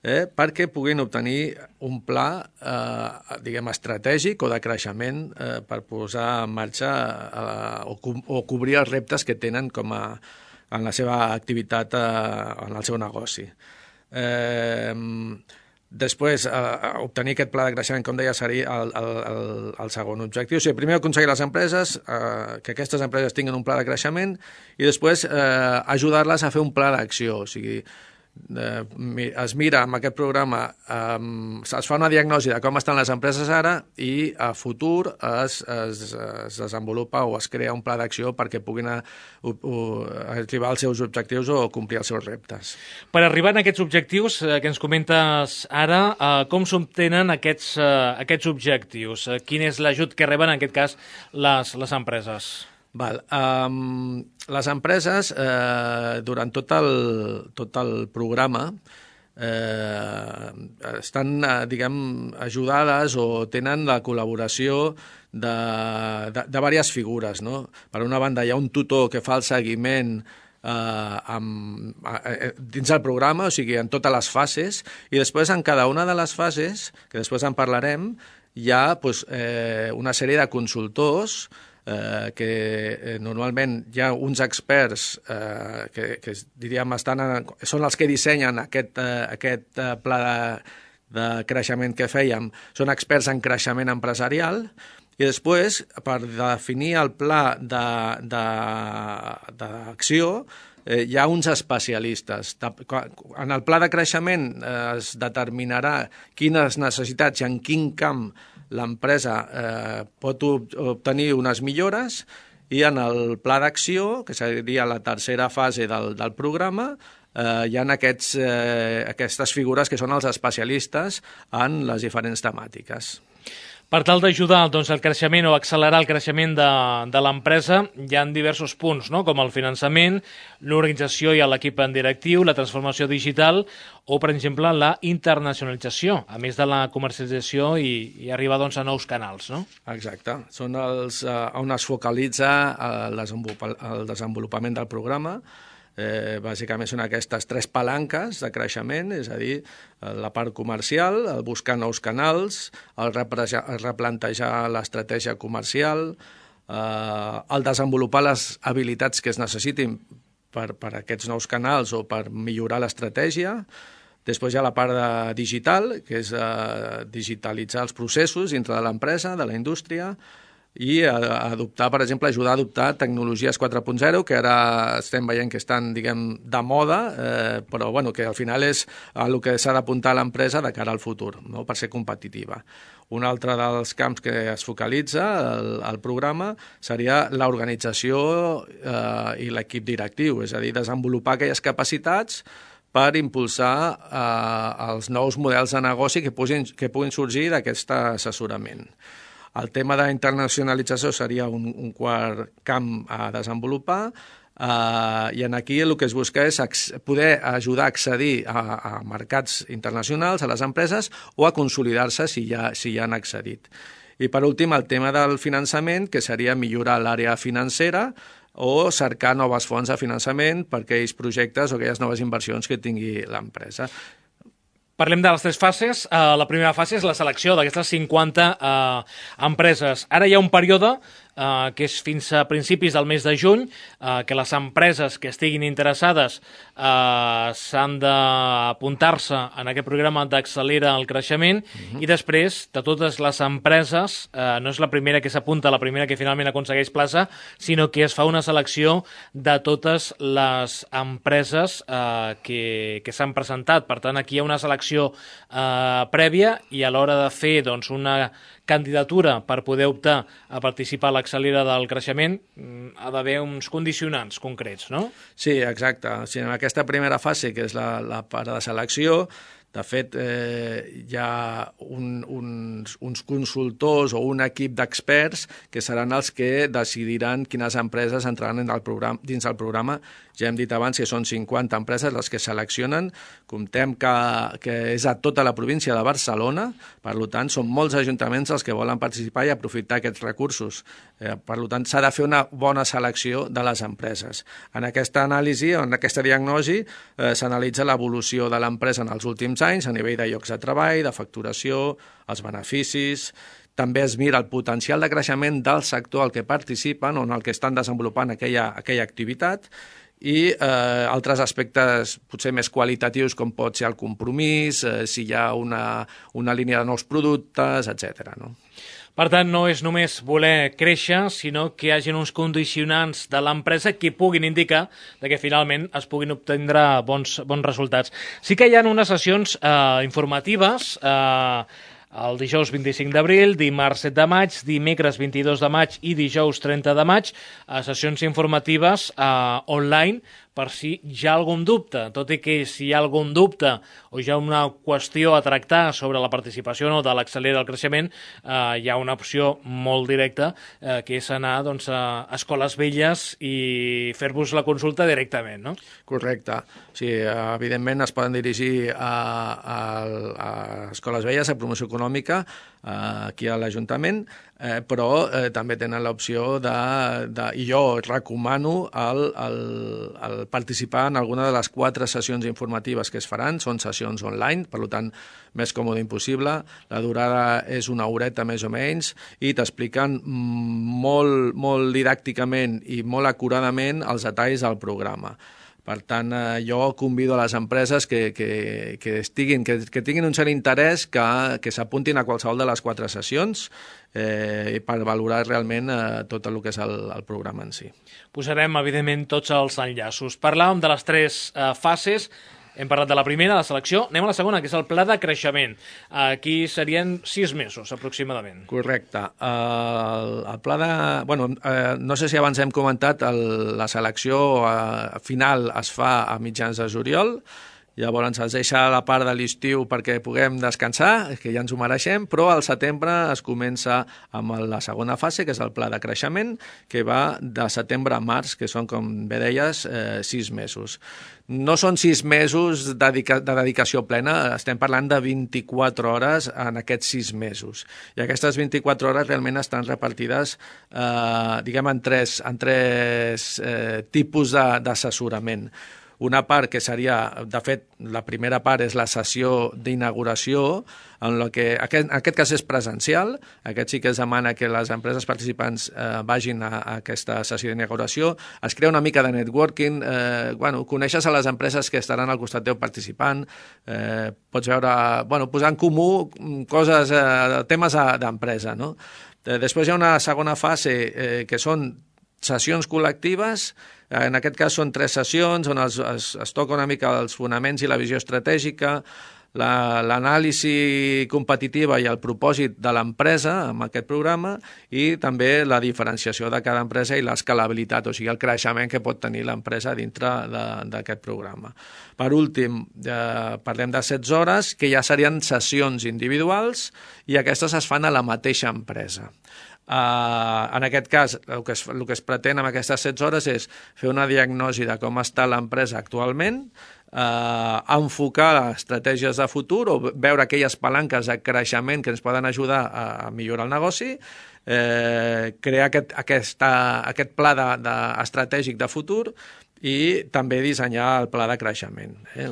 Eh, perquè puguin obtenir un pla eh, diguem, estratègic o de creixement eh, per posar en marxa eh, o, co o cobrir els reptes que tenen com a, en la seva activitat, eh, en el seu negoci. Eh, després, eh, obtenir aquest pla de creixement, com deia, seria el, el, el, el segon objectiu. O sigui, primer aconseguir les empreses, eh, que aquestes empreses tinguin un pla de creixement i després eh, ajudar-les a fer un pla d'acció. O sigui, Eh, es mira amb aquest programa, eh, es fa una diagnosi de com estan les empreses ara i a futur es, es, es desenvolupa o es crea un pla d'acció perquè puguin a, a, a arribar als seus objectius o complir els seus reptes. Per arribar a aquests objectius eh, que ens comentes ara, eh, com s'obtenen aquests, eh, aquests objectius? Eh, quin és l'ajut que reben en aquest cas les, les empreses? Val. Um, les empreses, eh, durant tot el, tot el programa, eh, estan, eh, diguem, ajudades o tenen la col·laboració de, de, de diverses figures, no? Per una banda, hi ha un tutor que fa el seguiment eh, amb, eh, dins del programa, o sigui, en totes les fases, i després en cada una de les fases, que després en parlarem, hi ha pues, eh, una sèrie de consultors Eh, que eh, normalment hi ha uns experts eh, que, que diríem estan en, són els que dissenyen aquest, eh, aquest eh, pla de, de creixement que fèiem, són experts en creixement empresarial i després per definir el pla d'acció eh, hi ha uns especialistes. En el pla de creixement eh, es determinarà quines necessitats i en quin camp l'empresa eh, pot obtenir unes millores i en el pla d'acció, que seria la tercera fase del, del programa, eh, hi ha aquests, eh, aquestes figures que són els especialistes en les diferents temàtiques. Per tal d'ajudar doncs, el creixement o accelerar el creixement de, de l'empresa, hi ha diversos punts, no? Com el finançament, l'organització i l'equip en directiu, la transformació digital o, per exemple, la internacionalització, a més de la comercialització i, i arribar doncs, a nous canals. No? Exacte. Són els uh, on es focalitza el, desenvolupament, el desenvolupament del programa. Eh, bàsicament són aquestes tres palanques de creixement, és a dir, la part comercial, el buscar nous canals, el, el replantejar l'estratègia comercial, eh, el desenvolupar les habilitats que es necessitin per, per aquests nous canals o per millorar l'estratègia. Després hi ha la part de digital, que és eh, digitalitzar els processos dintre de l'empresa, de la indústria, i adoptar, per exemple, ajudar a adoptar tecnologies quatre punt zero, que ara estem veient que estan, diguem, de moda, eh, però bueno, que al final és el que s'ha d'apuntar a l'empresa de cara al futur, no? Per ser competitiva. Un altre dels camps que es focalitza el, el programa seria l'organització eh, i l'equip directiu, és a dir, desenvolupar aquelles capacitats per impulsar eh, els nous models de negoci que puguin, que puguin sorgir d'aquest assessorament. El tema d'internacionalització seria un, un quart camp a desenvolupar uh, i en aquí el que es busca és poder ajudar a accedir a, a mercats internacionals, a les empreses, o a consolidar-se si ja, si ja han accedit. I per últim, el tema del finançament, que seria millorar l'àrea financera o cercar noves fonts de finançament per aquells projectes o aquelles noves inversions que tingui l'empresa. Parlem de les tres fases. Uh, la primera fase és la selecció d'aquestes cinquanta uh, empreses. Ara hi ha un període uh, que és fins a principis del mes de juny, uh, que les empreses que estiguin interessades uh, s'han d'apuntar-se en aquest programa d'Accelera el Creixement, uh-huh. i després de totes les empreses, uh, no és la primera que s'apunta, la primera que finalment aconsegueix plaça, sinó que es fa una selecció de totes les empreses uh, que, que s'han presentat. Per tant, aquí hi ha una selecció Uh, prèvia, i a l'hora de fer doncs, una candidatura per poder optar a participar a l'Accelera del Creixement ha d'haver uns condicionants concrets, no? Sí, exacte. O sigui, en aquesta primera fase, que és la, la part de selecció, de fet, eh, hi ha un, uns, uns consultors o un equip d'experts que seran els que decidiran quines empreses entraran en el programa, dins del programa. Ja hem dit abans que són cinquanta empreses les que seleccionen. Comptem que, que és a tota la província de Barcelona, per tant, són molts ajuntaments els que volen participar i aprofitar aquests recursos. Eh, per tant, s'ha de fer una bona selecció de les empreses. En aquesta anàlisi, en aquesta diagnosi, eh, s'analitza l'evolució de l'empresa en els últims anys a nivell de llocs de treball, de facturació, els beneficis. També es mira el potencial de creixement del sector al que participen o en el que estan desenvolupant aquella, aquella activitat, i eh, altres aspectes potser més qualitatius, com pot ser el compromís, eh, si hi ha una, una línia de nous productes, etcètera, no? Per tant, no és només voler créixer, sinó que hi hagi uns condicionants de l'empresa que puguin indicar que finalment es puguin obtindre bons, bons resultats. Sí que hi ha unes sessions eh, informatives, eh, el dijous vint-i-cinc d'abril, dimarts set de maig, dimecres vint-i-dos de maig i dijous trenta de maig, a sessions informatives eh, online, per si hi ha algun dubte, tot i que si hi ha algun dubte o hi ha una qüestió a tractar sobre la participació no, de l'Accelera del Creixement, eh, hi ha una opció molt directa, eh, que és anar doncs, a escoles velles i fer-vos la consulta directament, no? Correcte. Sí, evidentment es poden dirigir a, a, a escoles velles, a promoció econòmica, aquí a l'Ajuntament, eh, però eh, també tenen l'opció de, de... I jo recomano el, el, el participar en alguna de les quatre sessions informatives que es faran. Són sessions online, per tant, més còmode impossible. La durada és una horeta més o menys i t'expliquen molt, molt didàcticament i molt acuradament els detalls del programa. Per tant, eh, jo convido a les empreses que, que, que, estiguin, que, que tinguin un cert interès que, que s'apuntin a qualsevol de les quatre sessions eh, per valorar realment eh, tot el que és el, el programa en si. Posarem, evidentment, tots els enllaços. Parlàvem de les tres eh, fases. Hem parlat de la primera, la selecció. Anem a la segona, que és el pla de creixement. Aquí serien sis mesos, aproximadament. Correcte. El, el pla de... Bueno, eh, no sé si abans hem comentat, el, la selecció eh, final es fa a mitjans de juliol llavors ens deixa la part de l'estiu perquè puguem descansar, que ja ens ho mereixem, però al setembre es comença amb la segona fase, que és el pla de creixement, que va de setembre a març, que són, com bé deies, eh, sis mesos. No són sis mesos de, dedica de dedicació plena, estem parlant de vint-i-quatre hores en aquests sis mesos. I aquestes vint-i-quatre hores realment estan repartides eh, diguem, en tres, en tres eh, tipus d'assessorament. Una part que seria, de fet, la primera part és la sessió d'inauguració, en la que aquest, en aquest cas és presencial, aquest sí que es demana que les empreses participants eh, vagin a, a aquesta sessió d'inauguració, es crea una mica de networking, eh, bueno, coneixes a les empreses que estaran al costat teu participant, eh, pots veure, bueno, posar en comú coses, eh, temes d'empresa, no? Eh, després hi ha una segona fase eh, que són sessions col·lectives. En aquest cas són tres sessions on es, es, es toca una mica els fonaments i la visió estratègica, l'anàlisi la, competitiva i el propòsit de l'empresa amb aquest programa i també la diferenciació de cada empresa i l'escalabilitat, o sigui, el creixement que pot tenir l'empresa dintre d'aquest programa. Per últim, eh, parlem de setze hores, que ja serien sessions individuals i aquestes es fan a la mateixa empresa. Uh, en aquest cas, el que, es, el que es pretén amb aquestes setze hores és fer una diagnosi de com està l'empresa actualment, uh, enfocar estratègies de futur o veure aquelles palanques de creixement que ens poden ajudar a, a millorar el negoci, eh, crear aquest, aquesta, aquest pla de, de, estratègic de futur i també dissenyar el pla de creixement. Eh?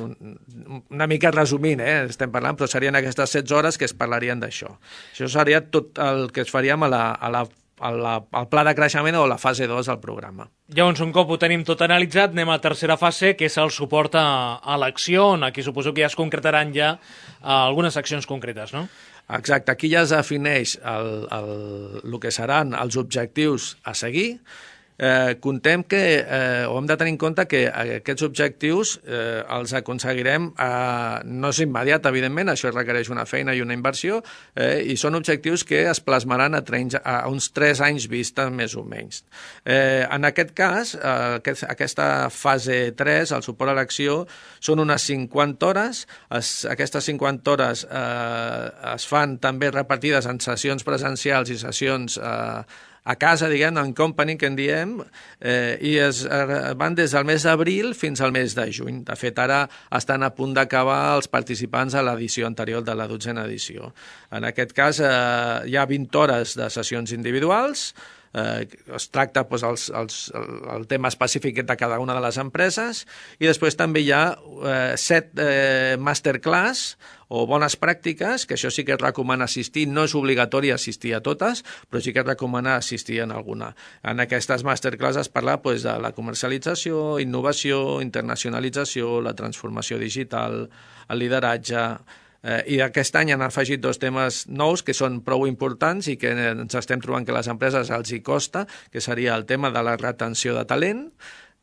Una mica resumint, eh? estem parlant, però serien aquestes setze hores que es parlarien d'això. Això seria tot el que es faríem a la, a la, a la, al pla de creixement o la fase dos del programa. Llavors, un cop ho tenim tot analitzat, anem a la tercera fase, que és el suport a, a l'acció, on aquí suposo que ja es concretaran ja uh, algunes accions concretes, no? Exacte, aquí ja es defineix el, el, el que seran els objectius a seguir. Eh, contem que, eh, o hem de tenir en compte que aquests objectius eh, els aconseguirem, eh, no és immediat, evidentment, això requereix una feina i una inversió, eh, i són objectius que es plasmaran a, trenys, a uns tres anys vista, més o menys. Eh, en aquest cas, eh, aquest, aquesta fase tres, el suport a l'acció, són unes cinquanta hores, es, aquestes cinquanta hores eh, es fan també repartides en sessions presencials i sessions eh, a casa, diguem, en company, que en diem, eh, i es eh, van des del mes d'abril fins al mes de juny. De fet, ara estan a punt d'acabar els participants a l'edició anterior de la dotzena edició. En aquest cas, eh, hi ha vint hores de sessions individuals, eh, es tracta doncs, els, els, el tema específic de cada una de les empreses, i després també hi ha eh, set eh, masterclass o bones pràctiques, que això sí que es recomana assistir, no és obligatori assistir a totes, però sí que es recomana assistir en alguna. En aquestes masterclass es parla doncs, de la comercialització, innovació, internacionalització, la transformació digital, el lideratge. Eh, I aquest any han afegit dos temes nous que són prou importants i que ens estem trobant que a les empreses els hi costa, que seria el tema de la retenció de talent,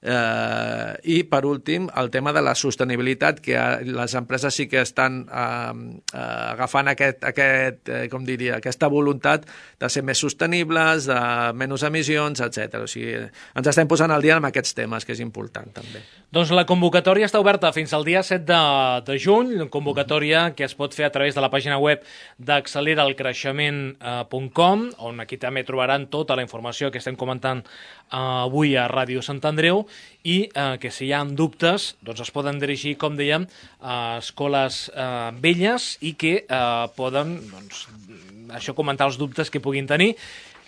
Eh, i per últim el tema de la sostenibilitat, que les empreses sí que estan eh, eh, agafant aquest, aquest, eh, com diria, aquesta voluntat de ser més sostenibles, de menys emissions, etcètera. O sigui, ens estem posant al dia amb aquests temes, que és important també. Doncs la convocatòria està oberta fins al dia set de, de juny, una convocatòria que es pot fer a través de la pàgina web d'accelera el creixement punt com, on aquí també trobaran tota la informació que estem comentant eh, avui a Ràdio Sant Andreu, i eh, que si hi ha dubtes doncs es poden dirigir, com dèiem, a escoles eh, velles i que eh, poden, doncs, això, comentar els dubtes que puguin tenir.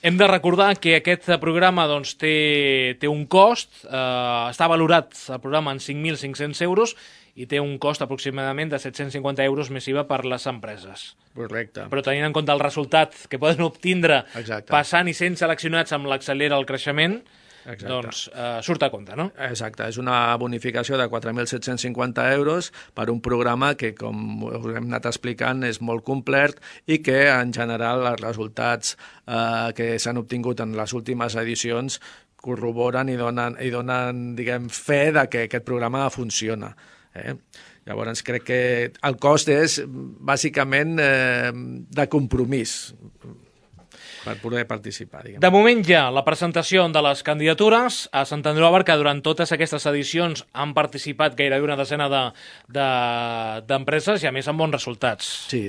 Hem de recordar que aquest programa doncs, té, té un cost, eh, està valorat el programa en cinc mil cinc-cents euros i té un cost aproximadament de set-cents cinquanta euros més I V A per les empreses. Correcte. Però tenint en compte el resultat que poden obtindre Exacte. Passant i sent seleccionats amb l'accelera el creixement, Exacte. doncs eh, surt a compte, no? Exacte, és una bonificació de quatre mil set-cents cinquanta euros per un programa que, com us hem anat explicant, és molt complet i que, en general, els resultats eh, que s'han obtingut en les últimes edicions corroboren i donen, i donen diguem, fe de que aquest programa funciona. Eh? Llavors, crec que el cost és, bàsicament, eh, de compromís. per poder participar. Diguem. De moment ja la presentació de les candidatures a Sant Andreu de la Barca. Durant totes aquestes edicions han participat gairebé una desena d'empreses de, de, i a més amb bons resultats. Sí.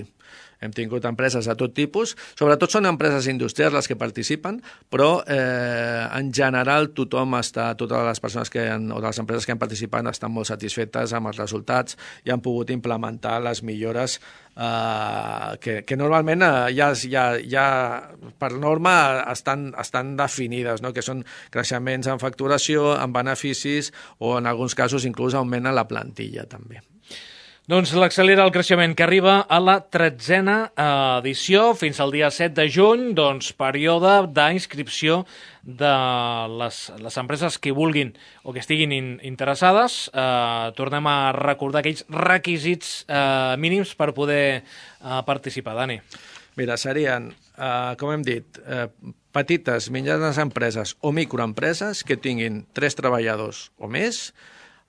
Hem tingut empreses de tot tipus, sobretot són empreses industrials les que participen, però eh, en general tothom està, totes les persones que han, o les empreses que han participat estan molt satisfetes amb els resultats i han pogut implementar les millores eh, que, que normalment eh, ja, ja, ja per norma estan, estan definides, no? Que són creixements en facturació, en beneficis o en alguns casos inclús augmenten la plantilla també. Doncs l'accelera el creixement, que arriba a la tretzena edició fins al dia set de juny, doncs període d'inscripció de les, les empreses que vulguin o que estiguin in, interessades. Eh, tornem a recordar aquells requisits eh, mínims per poder eh, participar. Dani. Mira, serien, eh, com hem dit, eh, petites, mitjanes empreses o microempreses que tinguin tres treballadors o més,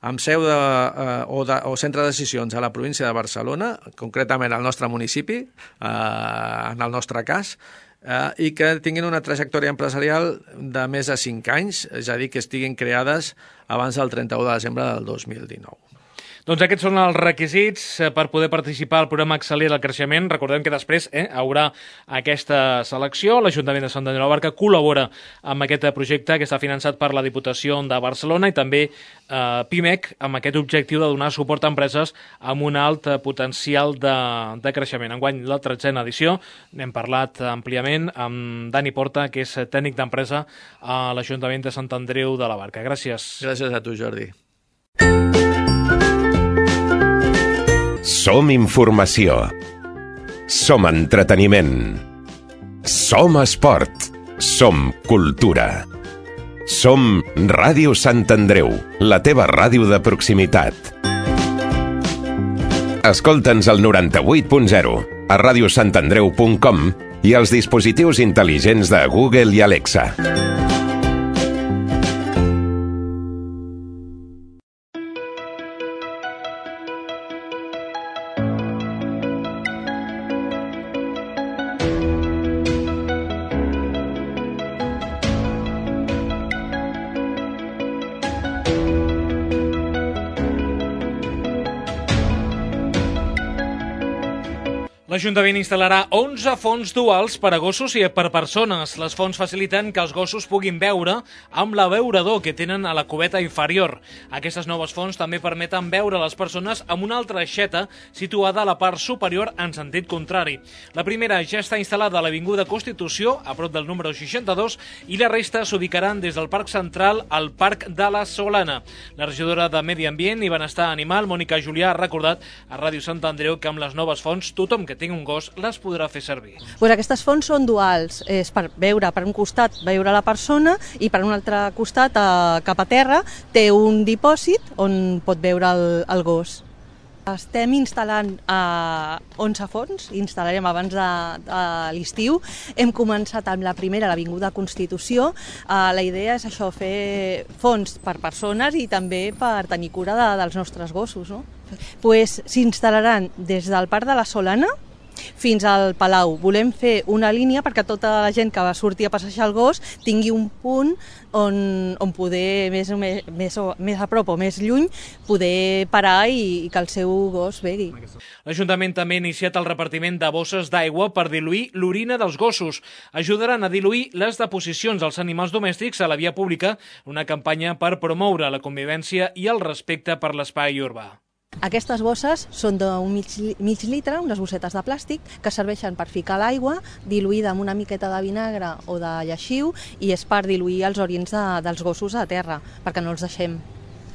amb seu de, eh, o, de, o centre de decisions a la província de Barcelona, concretament al nostre municipi, eh, en el nostre cas, eh, i que tinguin una trajectòria empresarial de més de cinc anys, és a dir, que estiguin creades abans del trenta-u de desembre del dos mil dinou. Doncs aquests són els requisits per poder participar al programa Accelera el Creixement. Recordem que després eh, haurà aquesta selecció. L'Ajuntament de Sant Andreu de la Barca col·labora amb aquest projecte que està finançat per la Diputació de Barcelona i també eh, Pimec amb aquest objectiu de donar suport a empreses amb un alt potencial de, de creixement. Enguany la tretzena edició. N'hem parlat àmpliament amb Dani Porta, que és tècnic d'empresa a l'Ajuntament de Sant Andreu de la Barca. Gràcies. Gràcies a tu, Jordi. Som informació. Som entreteniment. Som esport. Som cultura. Som Ràdio Sant Andreu, la teva ràdio de proximitat. Escolta'ns al noranta-vuit punt zero, a ràdio sant andreu punt com i als dispositius intel·ligents de Google i Alexa. L'Ajuntament instal·larà onze fonts duals per a gossos i per persones. Les fonts faciliten que els gossos puguin beure amb l'abeurador que tenen a la cubeta inferior. Aquestes noves fonts també permeten beure les persones amb una altra aixeta situada a la part superior en sentit contrari. La primera ja està instal·lada a l'Avinguda Constitució, a prop del número seixanta-dos, i la resta s'ubicaran des del Parc Central al Parc de la Solana. La regidora de Medi Ambient i Benestar Animal, Mònica Julià, ha recordat a Ràdio Sant Andreu que amb les noves fonts tothom que tingui un gos les podrà fer servir. Pues aquestes fonts són duals, és per veure per un costat veure la persona i per un altre costat eh, cap a terra té un dipòsit on pot veure el, el gos. Estem instal·lant eh, onze fonts, instal·larem abans de, de l'estiu. Hem començat amb la primera, l'Avinguda Constitució. Eh, la idea és això, fer fonts per persones i també per tenir cura de, dels nostres gossos. No? Pues, s'instal·laran des del Parc de la Solana fins al Palau. Volem fer una línia perquè tota la gent que va sortir a passejar el gos tingui un punt on, on poder, més, més, més, més a prop o més lluny, poder parar i, i que el seu gos begui. L'Ajuntament també ha iniciat el repartiment de bosses d'aigua per diluir l'orina dels gossos. Ajudaran a diluir les deposicions dels animals domèstics a la via pública, una campanya per promoure la convivència i el respecte per l'espai urbà. Aquestes bosses són d'un mig, mig litre, unes bossetes de plàstic, que serveixen per ficar l'aigua diluïda amb una miqueta de vinagre o de lleixiu i és per diluir els orins de, dels gossos a terra, perquè no els deixem.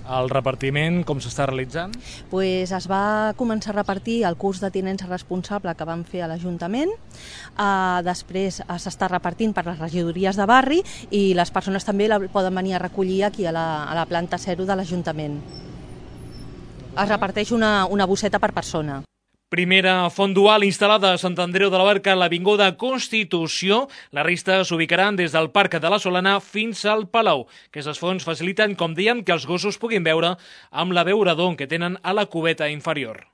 El repartiment, com s'està realitzant? Pues es va començar a repartir el curs de tinença responsable que vam fer a l'Ajuntament, uh, després s'està repartint per les regidories de barri i les persones també la poden venir a recollir aquí a la, a la planta zero de l'Ajuntament. Es reparteix una, una bosseta per persona. Primera font dual instal·lada a Sant Andreu de la Barca a l'Avinguda Constitució. La resta s'ubicaran des del Parc de la Solana fins al Palau. Aquestes fonts faciliten, com dèiem, que els gossos puguin beure amb l'abeurador que tenen a la cubeta inferior.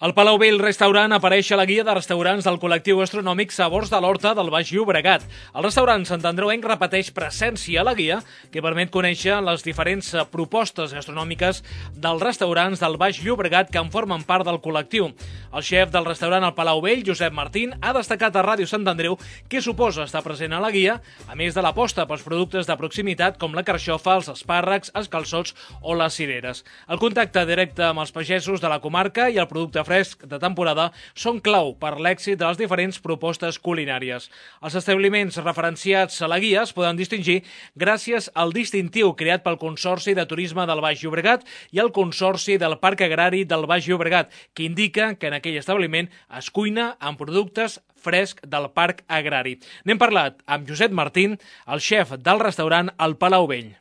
El Palau Vell Restaurant apareix a la guia de restaurants del col·lectiu gastronòmic Sabors de l'Horta del Baix Llobregat. El restaurant santandreuenc repeteix presència a la guia, que permet conèixer les diferents propostes gastronòmiques dels restaurants del Baix Llobregat que en formen part del col·lectiu. El xef del restaurant al Palau Vell, Josep Martín, ha destacat a Ràdio Sant Andreu què suposa estar present a la guia, a més de l'aposta pels productes de proximitat com la carxofa, els espàrrecs, els calçots o les cireres. El contacte directe amb els pagesos de la comarca i el producte fresc de temporada són clau per l'èxit de les diferents propostes culinàries. Els establiments referenciats a la guia es poden distingir gràcies al distintiu creat pel Consorci de Turisme del Baix Llobregat i el Consorci del Parc Agrari del Baix Llobregat, que indica que en aquell establiment es cuina amb productes fresc del Parc Agrari. N'hem parlat amb Josep Martín, el xef del restaurant al Palau Vell.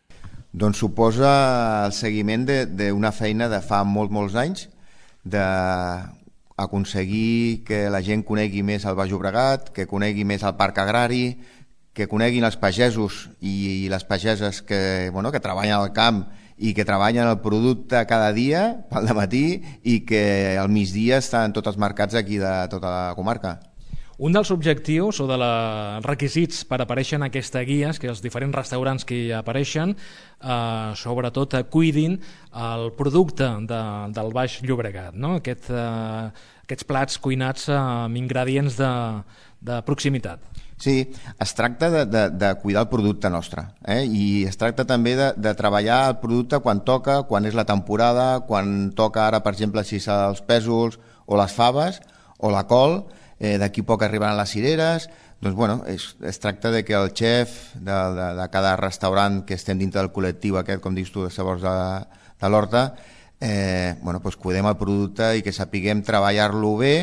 Doncs suposa el seguiment d'una feina de fa molts, molts anys, d'aconseguir que la gent conegui més el Baix Llobregat, que conegui més el Parc Agrari, que coneguin els pagesos i les pageses que, bueno, que treballen al camp i que treballen el producte cada dia pel dematí i que al migdia estan tots els mercats aquí de tota la comarca. Un dels objectius o dels requisits per aparèixer en aquesta guia és que els diferents restaurants que hi apareixen eh, sobretot cuidin el producte de, del Baix Llobregat, no? Aquest, eh, aquests plats cuinats amb ingredients de, de proximitat. Sí, es tracta de, de, de cuidar el producte nostre, eh? I es tracta també de, de treballar el producte quan toca, quan és la temporada, quan toca ara, per exemple, si són els pèsols o les faves o la col. Eh, d'aquí poc arribaran les cireres. Doncs bueno, es, es tracta de que el xef de, de, de cada restaurant que estem dintre del col·lectiu aquest, com dius tu, de Sabors de, de l'Horta, eh, bueno, pues cuidem el producte i que sapiguem treballar-lo bé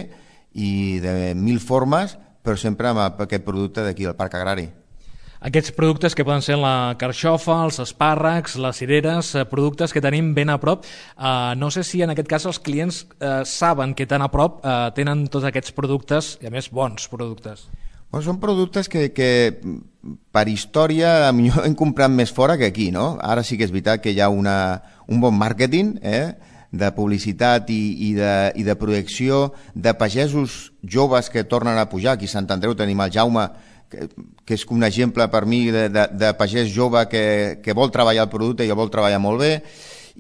i de mil formes, però sempre amb aquest producte d'aquí del Parc Agrari. Aquests productes que poden ser la carxofa, els espàrrecs, les cireres, productes que tenim ben a prop. Uh, no sé si en aquest cas els clients uh, saben que tan a prop uh, tenen tots aquests productes, i a més bons productes. Bueno, són productes que, que per història millor hem comprat més fora que aquí, no? Ara sí que és veritat que hi ha una, un bon màrqueting, eh? de publicitat i, i, de, i de projecció de pagesos joves que tornen a pujar. Aquí a Sant Andreu tenim el Jaume, que, que és un exemple per mi de, de, de pagès jove que, que vol treballar el producte i el vol treballar molt bé,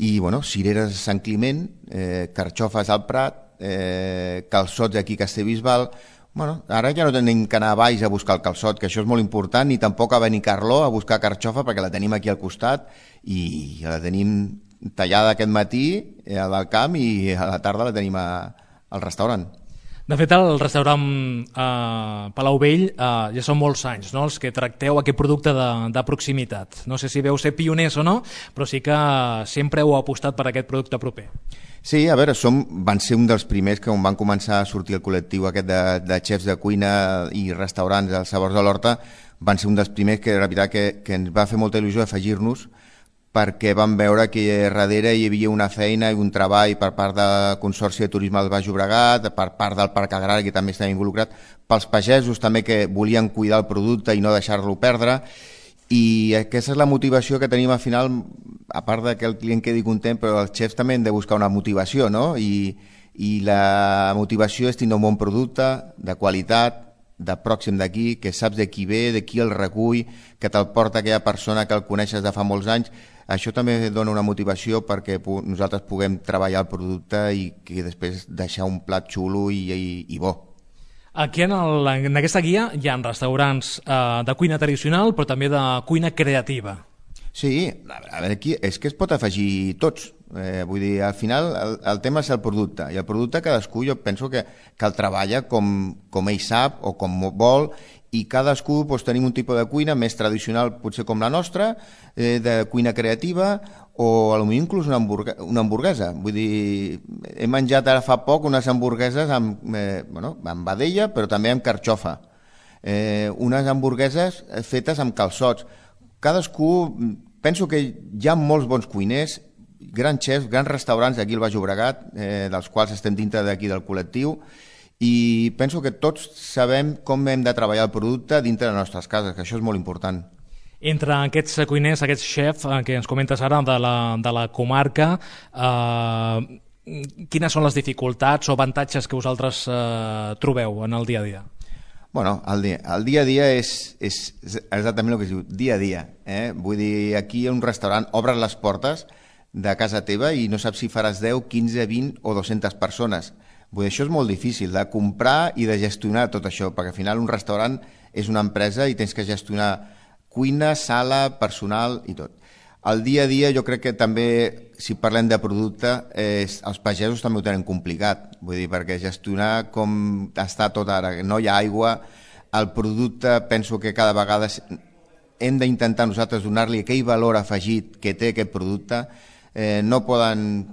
i bueno, cireres a Sant Climent, eh, carxofes al Prat, eh, calçots aquí a Castellbisbal. Bueno, ara ja no tenim que anar a baix a buscar el calçot, que això és molt important, ni tampoc a Benicarló a buscar carxofa, perquè la tenim aquí al costat i la tenim tallada aquest matí al camp i a la tarda la tenim a, al restaurant. De fet, el restaurant eh, Palau Vell eh, ja són molts anys, no?, els que tracteu aquest producte de, de proximitat. No sé si veu ser pioners o no, però sí que sempre heu apostat per aquest producte proper. Sí, a veure, som, van ser un dels primers que on van començar a sortir el col·lectiu aquest de, de xefs de cuina i restaurants als Sabors de l'Horta. Van ser un dels primers que, la veritat, que, que ens va fer molta il·lusió afegir-nos, perquè vam veure que darrere hi havia una feina i un treball per part del Consorci de Turisme del Baix Llobregat, per part del Parc Agrari, que també estava involucrat, pels pagesos també que volien cuidar el producte i no deixar-lo perdre, i aquesta és la motivació que tenim al final, a part de que el client quedi content, però els xefs també han de buscar una motivació, no? I, i la motivació és tindre un bon producte, de qualitat, de pròxim d'aquí, que saps de qui ve, de qui el recull, que te'l porta aquella persona que el coneixes de fa molts anys. Això també dona una motivació perquè nosaltres puguem treballar el producte i que després deixar un plat xulo i, i, i bo. Aquí en, el, en aquesta guia hi ha restaurants eh, de cuina tradicional, però també de cuina creativa. Sí, a veure, aquí és que es pot afegir tots. Eh, vull dir, al final el, el tema és el producte, i el producte cadascú jo penso que, que el treballa com, com ell sap o com vol, i cadascú doncs, tenim un tipus de cuina més tradicional, potser com la nostra, eh, de cuina creativa, o potser inclús una, hamburg una hamburguesa. Vull dir, he menjat ara fa poc unes hamburgueses amb, eh, bueno, amb vedella, però també amb carxofa. Eh, unes hamburgueses fetes amb calçots. Cadascú, penso que hi ha molts bons cuiners, grans xefs, grans restaurants aquí al Baix Llobregat, eh, dels quals estem dintre d'aquí del col·lectiu, i penso que tots sabem com hem de treballar el producte dintre de les nostres cases, que això és molt important. Entre aquests cuiners, aquests xefs que ens comentes ara de la, de la comarca, eh, quines són les dificultats o avantatges que vosaltres eh, trobeu en el dia a dia? Bueno, el dia, el dia a dia és, és exactament el que es diu, dia a dia. Eh? Vull dir, aquí a un restaurant obres les portes de casa teva i no saps si faràs deu, quinze, vint o dues-centes persones. Vull dir, això és molt difícil, de comprar i de gestionar tot això, perquè al final un restaurant és una empresa i tens que gestionar cuina, sala, personal i tot. El dia a dia jo crec que també, si parlem de producte, eh, els pagesos també ho tenen complicat, vull dir, perquè gestionar com està tot ara, no hi ha aigua, el producte penso que cada vegada hem d'intentar nosaltres donar-li aquell valor afegit que té aquest producte, eh, no poden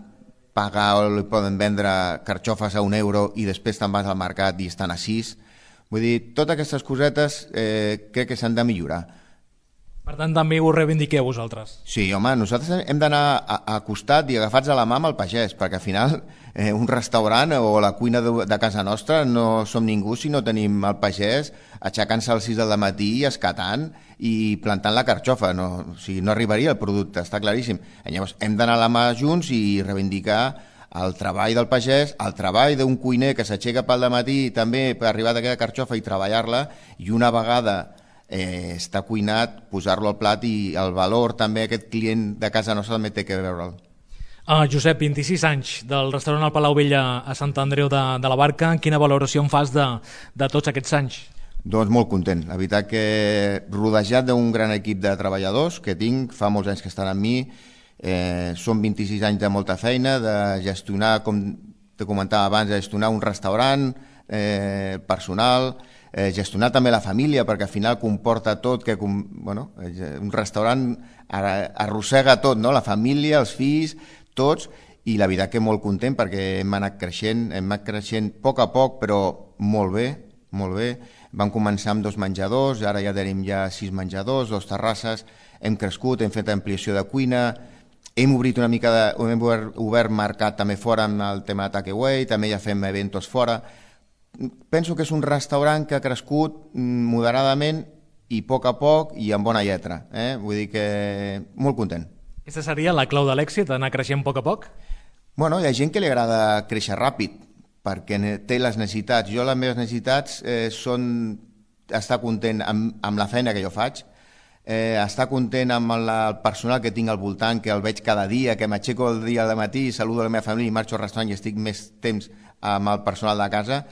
pagar o li poden vendre carxofes a un euro i després te'n vas al mercat i estan a sis, vull dir, totes aquestes cosetes eh, crec que s'han de millorar. Per tant, també ho reivindiqueu vosaltres. Sí, home, nosaltres hem d'anar a, a costat i agafats a la mà amb el pagès, perquè al final eh, un restaurant o la cuina de, de casa nostra no som ningú si no tenim el pagès aixecant-se a les sis del matí i escatant i plantant la carxofa. No, o sigui, no arribaria el producte, està claríssim. I llavors hem d'anar a la mà junts i reivindicar el treball del pagès, el treball d'un cuiner que s'aixeca pel dematí també per arribar d'aquella carxofa i treballar-la, i una vegada Eh, està cuinat, posar-lo al plat i el valor també aquest client de casa nostra també té que veure'l. Uh, Josep, vint-i-sis anys del restaurant al Palau Vell a Sant Andreu de, de la Barca. Quina valoració en fas de, de tots aquests anys? Doncs molt content. La veritat que rodejat d'un gran equip de treballadors que tinc, fa molts anys que estan amb mi, eh, són vint-i-sis anys de molta feina, de gestionar, com te comentava abans, de gestionar un restaurant, eh, personal, Eh, gestionar també la família, perquè al final comporta tot, que bueno, un restaurant arrossega tot, no? La família, els fills, tots, i la veritat que molt content perquè hem anat creixent, hem anat creixent a poc a poc, però molt bé, molt bé. Vam començar amb dos menjadors, ara ja tenim ja sis menjadors, dos terrasses, hem crescut, hem fet ampliació de cuina, hem obrit una mica de, hem obert, obert mercat també fora amb el tema de takeaway, també ja fem eventos fora. Penso que és un restaurant que ha crescut moderadament i a poc a poc i amb bona lletra. Eh? Vull dir que molt content. Aquesta seria la clau de l'èxit, anar creixent a poc a poc? Bueno, hi ha gent que li agrada créixer ràpid perquè té les necessitats. Jo les meves necessitats eh, són estar content amb, amb la feina que jo faig, eh, estar content amb el, el personal que tinc al voltant, que el veig cada dia, que m'aixeco el dia de matí, saludo la meva família i marxo al restaurant i estic més temps amb el personal de casa.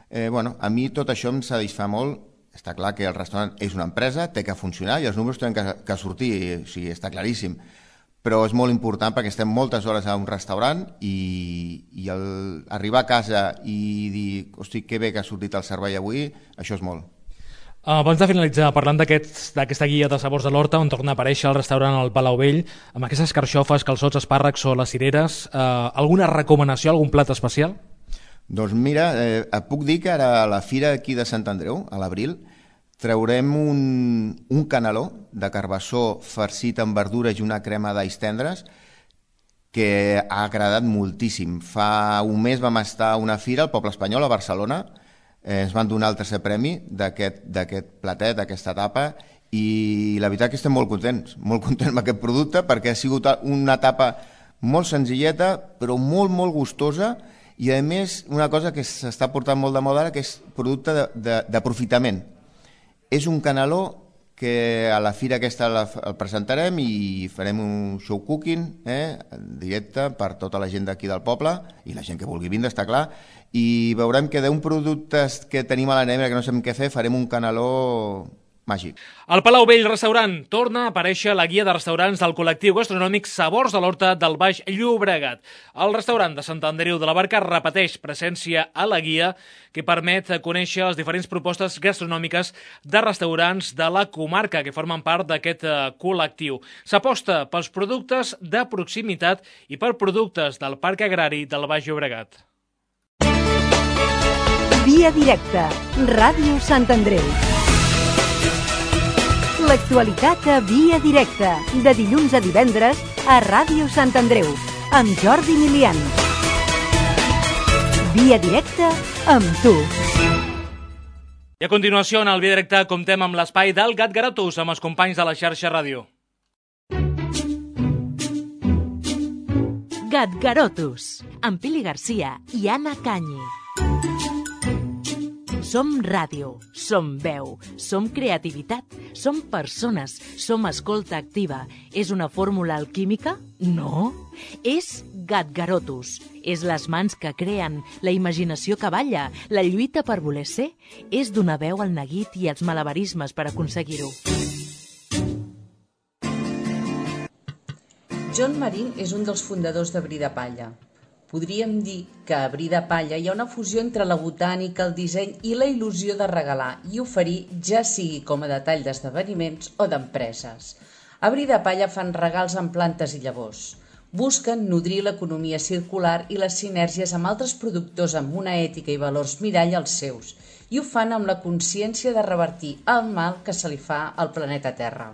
Eh, bueno, a mi tot això em satisfà molt. Està clar que el restaurant és una empresa, té que funcionar i els números tenen que, que sortir, o sigui, està claríssim. Però és molt important perquè estem moltes hores a un restaurant i, i el, arribar a casa i dir, hosti, que bé que ha sortit el servei avui, això és molt. Abans de finalitzar, parlant d'aquesta aquest, guia de sabors de l'Horta, on torna a aparèixer el restaurant al Palau Vell, amb aquestes carxofes, calçots, espàrrecs o les cireres, eh, alguna recomanació, algun plat especial? Doncs mira, eh, et puc dir que ara a la fira aquí de Sant Andreu, a l'abril, traurem un, un caneló de carbassó farcit amb verdures i una crema d'alls tendres que ha agradat moltíssim. Fa un mes vam estar a una fira al Poble Espanyol, a Barcelona, eh, ens van donar el tercer premi d'aquest platet, d'aquesta etapa, i la veritat que estem molt contents, molt contents amb aquest producte perquè ha sigut una etapa molt senzilleta però molt, molt gustosa. I a més, una cosa que s'està portant molt de moda ara, que és producte d'aprofitament. És un caneló que a la fira aquesta el presentarem i farem un show cooking eh, directe per tota la gent d'aquí del poble i la gent que vulgui vindre, està clar, i veurem que d'un producte que tenim a la nevera que no sabem què fer, farem un caneló màgic. Al Palau Vell Restaurant torna a aparèixer la guia de restaurants del col·lectiu gastronòmic Sabors de l'Horta del Baix Llobregat. El restaurant de Sant Andreu de la Barca repeteix presència a la guia que permet conèixer les diferents propostes gastronòmiques de restaurants de la comarca que formen part d'aquest col·lectiu. S'aposta pels productes de proximitat i per productes del Parc Agrari del Baix Llobregat. Via directa, Ràdio Sant Andreu. L'actualitat a Via Directa, de dilluns a divendres a Ràdio Sant Andreu, amb Jordi Milian. Via Directa amb tu. I a continuació, en el Via Directa, comptem amb l'espai del Gat Garotus, amb els companys de la xarxa ràdio. Gat Garotus. amb Pili Garcia i Anna Canyi. Som ràdio, som veu, som creativitat, som persones, som escolta activa. És una fórmula alquímica? No. És Gatgarotus. És les mans que creen, la imaginació que balla, la lluita per voler ser. És donar veu al neguit i als malabarismes per aconseguir-ho. John Marín és un dels fundadors de Bri de Palla. Podríem dir que a Bri de Palla hi ha una fusió entre la botànica, el disseny i la il·lusió de regalar i oferir, ja sigui com a detall d'esdeveniments o d'empreses. A Bri de Palla fan regals amb plantes i llavors. Busquen nodrir l'economia circular i les sinergies amb altres productors amb una ètica i valors mirall als seus, i ho fan amb la consciència de revertir el mal que se li fa al planeta Terra.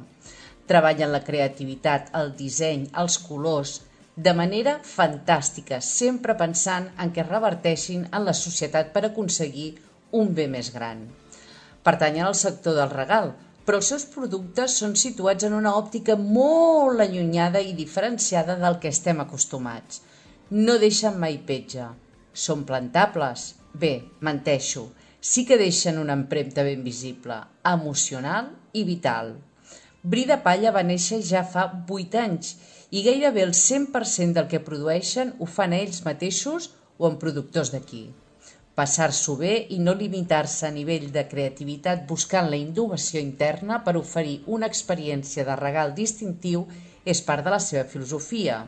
Treballen la creativitat, el disseny, els colors, de manera fantàstica, sempre pensant en què reverteixin en la societat per aconseguir un bé més gran. Pertanyen al sector del regal, però els seus productes són situats en una òptica molt allunyada i diferenciada del que estem acostumats. No deixen mai petja. Són plantables? Bé, menteixo. Sí que deixen una empremta ben visible, emocional i vital. Bri de Palla va néixer ja fa vuit anys i gairebé el cent per cent del que produeixen ho fan ells mateixos o amb productors d'aquí. Passar-s'ho bé i no limitar-se a nivell de creativitat buscant la innovació interna per oferir una experiència de regal distintiu és part de la seva filosofia.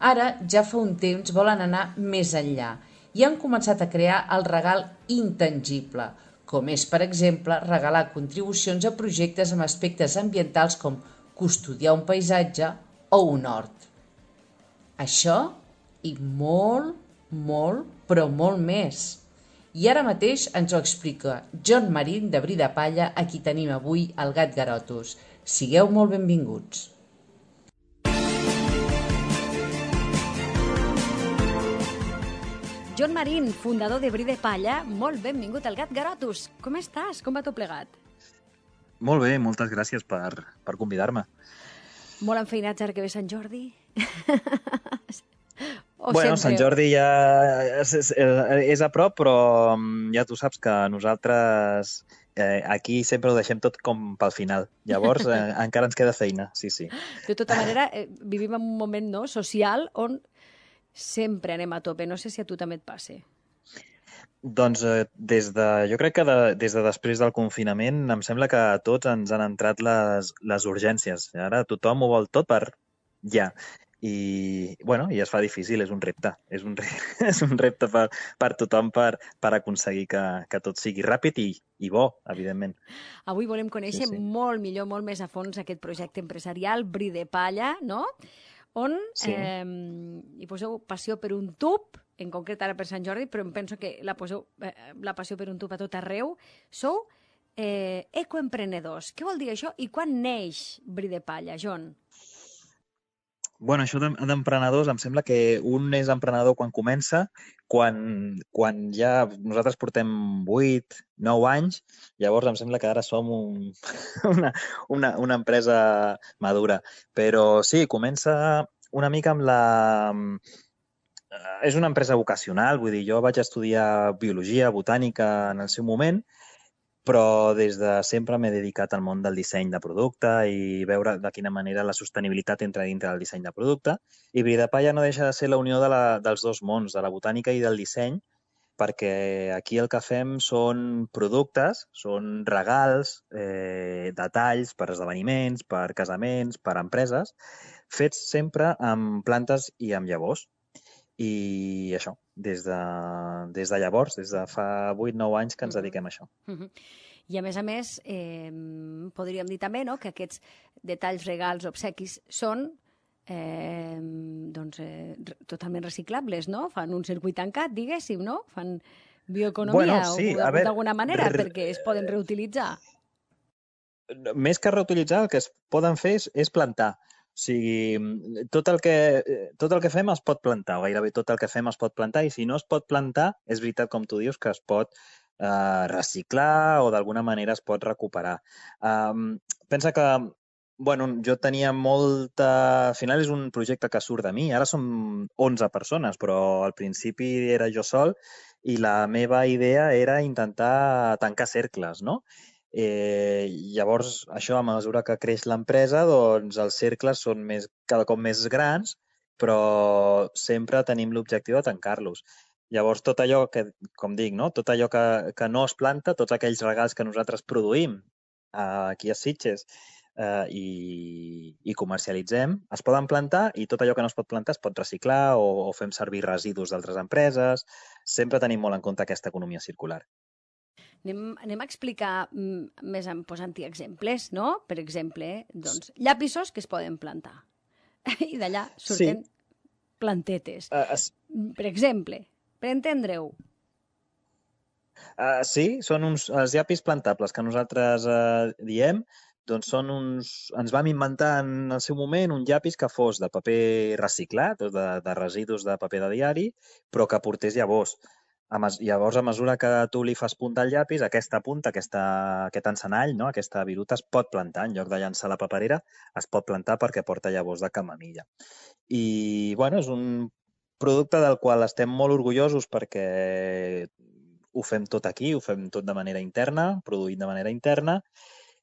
Ara, ja fa un temps, volen anar més enllà i han començat a crear el regal intangible, com és, per exemple, regalar contribucions a projectes amb aspectes ambientals com custodiar un paisatge o un hort. Això i molt, molt, però molt més. I ara mateix ens ho explica John Marín de Bri de Palla, a qui tenim avui al Gatgarotus. Sigueu molt benvinguts. John Marín, fundador de Bri de Palla, molt benvingut al Gatgarotus. Com estàs? Com va tot plegat? Molt bé, moltes gràcies per, per convidar-me. Molt enfeinats ara que ve Sant Jordi? O bueno, sempre... Sant Jordi ja és, és, és a prop, però ja tu saps que nosaltres eh, aquí sempre ho deixem tot com pel final. Llavors eh, encara ens queda feina, sí, sí. De tota manera, eh, vivim en un moment no, social on sempre anem a tope. No sé si a tu també et passa. Doncs eh, des de, jo crec que de, des de després del confinament em sembla que a tots ens han entrat les, les urgències. Ara tothom ho vol tot per ja. I, bueno, i es fa difícil, és un repte. És un, re, és un repte per, per tothom per, per aconseguir que, que tot sigui ràpid i, i bo, evidentment. Avui volem conèixer sí, sí. molt millor, molt més a fons aquest projecte empresarial, Bri de Palla, no?, on sí. eh, hi poseu passió per un tub, en concret ara per Sant Jordi, però em penso que la, poseu, eh, la passió per un tub a tot arreu. Sou eh, ecoemprenedors. Què vol dir això i quan neix Bri de Palla, John? Bueno, això d'emprenedors em sembla que un és emprenedor quan comença, quan, quan ja nosaltres portem vuit, nou anys, llavors em sembla que ara som un, una, una, una empresa madura. Però sí, comença una mica amb la... És una empresa vocacional, vull dir, jo vaig estudiar biologia, botànica en el seu moment, però des de sempre m'he dedicat al món del disseny de producte i veure de quina manera la sostenibilitat entra dintre del disseny de producte. I Bri de Palla no deixa de ser la unió de la, dels dos mons, de la botànica i del disseny, perquè aquí el que fem són productes, són regals, eh, detalls per esdeveniments, per casaments, per empreses, fets sempre amb plantes i amb llavors. I això, des de, des de llavors, des de fa vuit nou anys que ens dediquem a això. Uh-huh. I a més a més, eh, podríem dir també no, que aquests detalls, regals, obsequis són eh, doncs, eh, totalment reciclables, no? Fan un circuit tancat, diguéssim, no? Fan bioeconomia bueno, sí, o d'alguna manera re... perquè es poden reutilitzar. Més que reutilitzar, el que es poden fer és, és plantar. O sigui, tot el, que, tot el que fem es pot plantar, o gairebé tot el que fem es pot plantar, i si no es pot plantar, és veritat, com tu dius, que es pot eh, reciclar o d'alguna manera es pot recuperar. Um, pensa que Bueno, jo tenia molta... Al final és un projecte que surt de mi. Ara som onze persones, però al principi era jo sol i la meva idea era intentar tancar cercles, no? Eh, llavors, això, a mesura que creix l'empresa, doncs els cercles són més, cada cop més grans, però sempre tenim l'objectiu de tancar-los. Llavors, tot allò que, com dic, no? Tot allò que, que no es planta, tots aquells regals que nosaltres produïm eh, aquí a Sitges, eh, i, i comercialitzem, es poden plantar i tot allò que no es pot plantar es pot reciclar o, o fem servir residus d'altres empreses. Sempre tenim molt en compte aquesta economia circular. Anem, anem a explicar mm, més en posant-hi exemples, no? Per exemple, doncs, llapisos que es poden plantar. I d'allà surten sí. plantetes. Uh, es... Per exemple, per entendre-ho. Uh, sí, són uns els llapis plantables que nosaltres uh, diem. Doncs són uns... Ens vam inventar en el seu moment un llapis que fos de paper reciclat, de, de residus de paper de diari, però que portés llavors. A mes... Llavors, a mesura que tu li fas punta al llapis, aquesta punta, aquesta, aquest encenall, no? Aquesta viruta es pot plantar. En lloc de llançar la paperera, es pot plantar perquè porta llavors de camamilla. I, bueno, és un producte del qual estem molt orgullosos perquè ho fem tot aquí, ho fem tot de manera interna, produït de manera interna.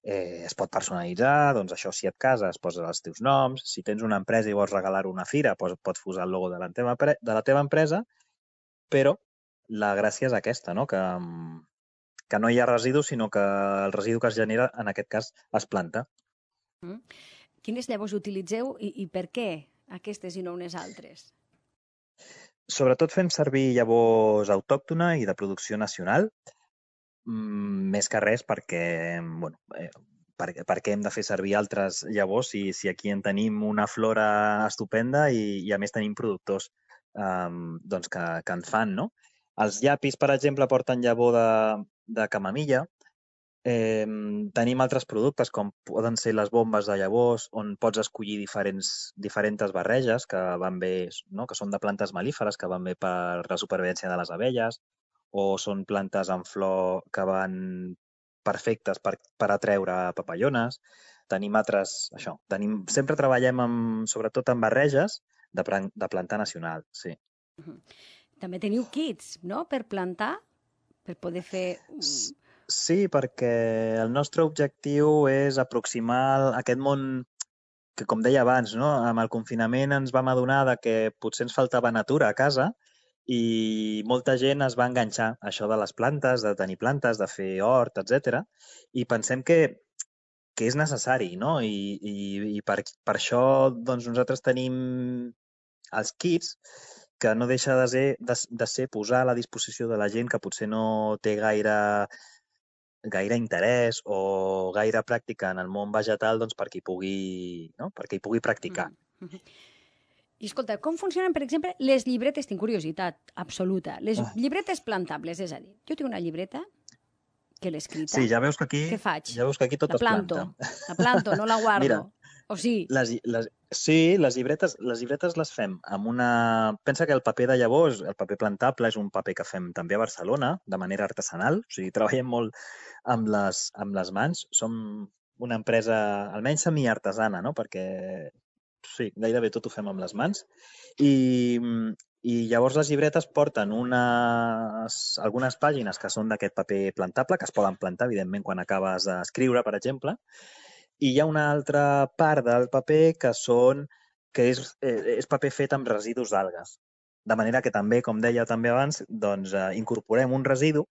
Eh, es pot personalitzar, doncs això, si et cases, poses els teus noms, si tens una empresa i vols regalar-ho a una fira, pots, pots posar el logo de la, teva, de la teva empresa, però la gràcia és aquesta, no? que, que no hi ha residus, sinó que el residu que es genera, en aquest cas, es planta. Mm. Quines llavors utilitzeu i, i per què aquestes i no unes altres? Sobretot fem servir llavors autòctona i de producció nacional, més que res perquè, bueno, eh, perquè, perquè hem de fer servir altres llavors si, si aquí en tenim una flora estupenda i, i a més tenim productors eh, doncs que, que en fan, no? Els llapis, per exemple, porten llavor de, de camamilla. Eh, tenim altres productes com poden ser les bombes de llavors on pots escollir diferents, diferents barreges que van bé, no? Que són de plantes melíferes que van bé per la supervivència de les abelles, o són plantes en flor que van perfectes per, per atreure papallones. Tenim altres, això, tenim, sempre treballem amb, sobretot amb barreges de, de plantar nacional, sí. També teniu kits, no?, per plantar, per poder fer... Sí, perquè el nostre objectiu és aproximar aquest món que, com deia abans, no? Amb el confinament ens vam adonar de que potser ens faltava natura a casa i molta gent es va enganxar a això de les plantes, de tenir plantes, de fer hort, etcètera. I pensem que, que és necessari, no? I, i, i per, per això doncs, nosaltres tenim els kits que no deixa de ser, de, de ser posar a la disposició de la gent que potser no té gaire, gaire interès o gaire pràctica en el món vegetal doncs, perquè, hi pugui, no? perquè hi pugui practicar. Mm-hmm. I escolta, com funcionen, per exemple, les llibretes? Tinc curiositat absoluta. Les oh. llibretes plantables, és a dir, jo tinc una llibreta que l'he escrita. Sí, ja veus que aquí, què faig? Ja veus que aquí tot la es planta. La planto, no la guardo. Mira, o sí? Les, les, sí, les llibretes, les llibretes les fem amb una... Pensa que el paper de llavors, el paper plantable, és un paper que fem també a Barcelona, de manera artesanal. O sigui, treballem molt amb les, amb les mans. Som una empresa, almenys semi-artesana, no?, perquè... Sí, gairebé tot ho fem amb les mans. I, i llavors les llibretes porten unes, algunes pàgines que són d'aquest paper plantable, que es poden plantar, evidentment, quan acabes d'escriure, per exemple. I hi ha una altra part del paper que són que és, és paper fet amb residus d'algues. De manera que també, com deia també abans, doncs, eh, incorporem un residu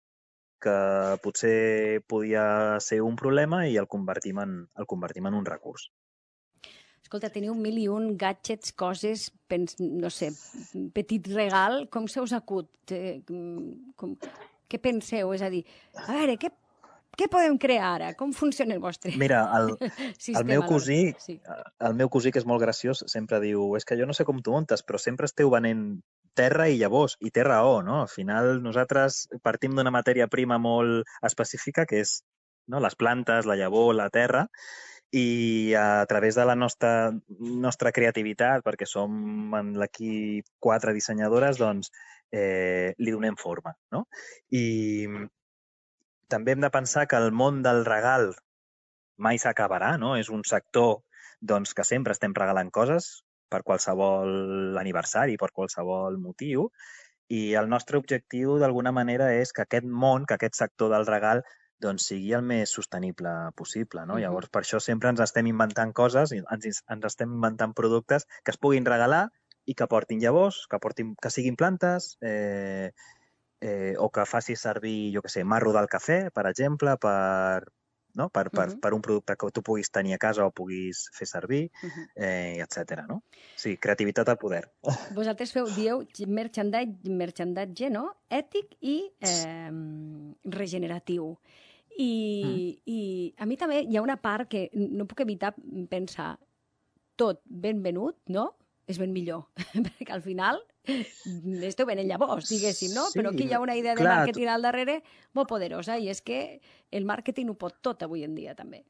que potser podia ser un problema i el convertim en, el convertim en un recurs. Escolta, teniu mil i un gadgets, coses, pens, no sé, petit regal, com se us acut? Com, què penseu? És a dir, a veure, què, què podem crear ara? Com funciona el vostre Mira, el, sistema? El meu cosí, sí. el meu cosí, que és molt graciós, sempre diu, és que jo no sé com t'ho muntes, però sempre esteu venent terra i llavors, i té raó, no? Al final nosaltres partim d'una matèria prima molt específica, que és, no?, les plantes, la llavor, la terra, i a través de la nostra, nostra creativitat, perquè som en l'equip quatre dissenyadores, doncs eh, li donem forma, no? I també hem de pensar que el món del regal mai s'acabarà, no? És un sector doncs que sempre estem regalant coses per qualsevol aniversari, per qualsevol motiu, i el nostre objectiu d'alguna manera és que aquest món, que aquest sector del regal doncs sigui el més sostenible possible, no? Uh-huh. Llavors, per això sempre ens estem inventant coses, ens, ens estem inventant productes que es puguin regalar i que portin llavors, que, portin, que siguin plantes, eh, eh, o que faci servir, jo què sé, marro del cafè, per exemple, per, no? per, per, uh-huh. per un producte que tu puguis tenir a casa o puguis fer servir, uh-huh. eh, etcètera. No? Sí, creativitat al poder. Vosaltres feu, dieu, merchandise, merchandise no? Ètic i eh, regeneratiu. I, mm. I a mi també hi ha una part que no puc evitar pensar tot ben venut, no? És ben millor, perquè al final esteu venent llavors, diguéssim, no? Sí, però aquí hi ha una idea de clar, màrqueting al darrere molt poderosa i és que el màrqueting ho pot tot avui en dia també.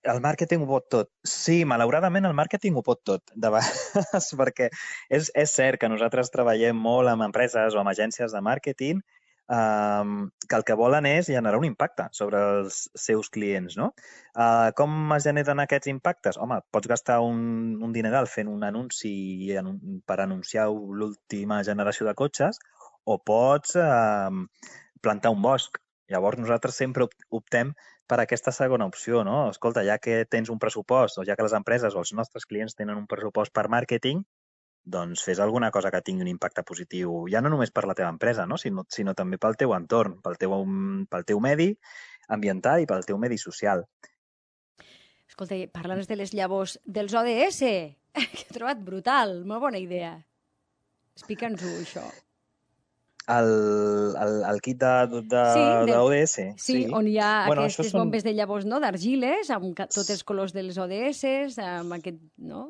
El màrqueting ho pot tot. Sí, malauradament el màrqueting ho pot tot, de vegades, perquè és, és cert que nosaltres treballem molt amb empreses o amb agències de màrqueting Um, que el que volen és generar un impacte sobre els seus clients, no? Uh, com es generen aquests impactes? Home, pots gastar un, un dineral fent un anunci per anunciar l'última generació de cotxes o pots uh, plantar un bosc. Llavors nosaltres sempre optem per aquesta segona opció, no? Escolta, ja que tens un pressupost o ja que les empreses o els nostres clients tenen un pressupost per màrqueting, doncs fes alguna cosa que tingui un impacte positiu, ja no només per la teva empresa, no? sinó, sinó també pel teu entorn, pel teu, pel teu medi ambiental i pel teu medi social. Escolta, parla'ns de les llavors dels O D S, que he trobat brutal, molt bona idea. Explica'ns-ho, això. El, el, el kit de, de, sí, de O D S. Sí, sí, on hi ha bueno, aquestes són... bombes de llavors, no?, d'argiles, amb tots els colors dels O D S, amb aquest, no?,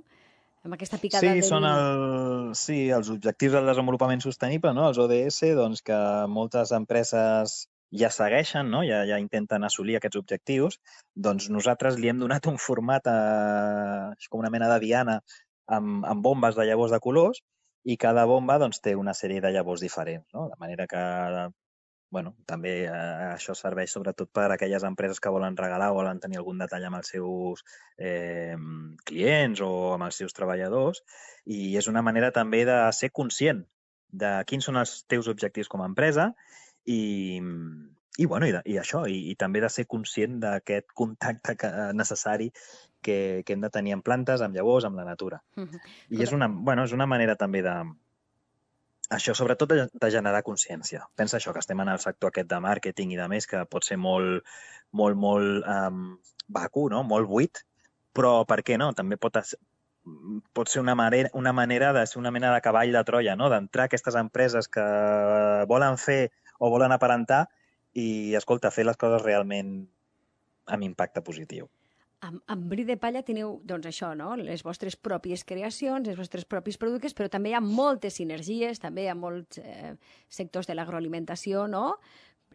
amb aquesta picada sí, del... són el, sí, els objectius del desenvolupament sostenible, no? Els O D S, doncs, que moltes empreses ja segueixen, no? ja, ja intenten assolir aquests objectius, doncs nosaltres li hem donat un format, a, com una mena de diana, amb, amb bombes de llavors de colors, i cada bomba doncs, té una sèrie de llavors diferents, no? De manera que bueno, també eh, això serveix sobretot per a aquelles empreses que volen regalar o volen tenir algun detall amb els seus eh, clients o amb els seus treballadors, i és una manera també de ser conscient de quins són els teus objectius com a empresa i, i, bueno, i, de, i això, i, i també de ser conscient d'aquest contacte que, necessari que, que hem de tenir amb plantes, amb llavors, amb la natura. Uh-huh. I és una, bueno, és una manera també de... Això, sobretot, de, de generar consciència. Pensa això, que estem en el sector aquest de màrqueting i de més, que pot ser molt, molt, molt um, vacu, no? Molt buit, però per què no? També pot, pot ser una manera, una manera de ser una mena de cavall de Troia, no? D'entrar a aquestes empreses que volen fer o volen aparentar i, escolta, fer les coses realment amb impacte positiu. Amb, amb Bri de Palla teniu, doncs això, no? Les vostres pròpies creacions, els vostres propis productes, però també hi ha moltes sinergies, també hi ha molts eh, sectors de l'agroalimentació, no?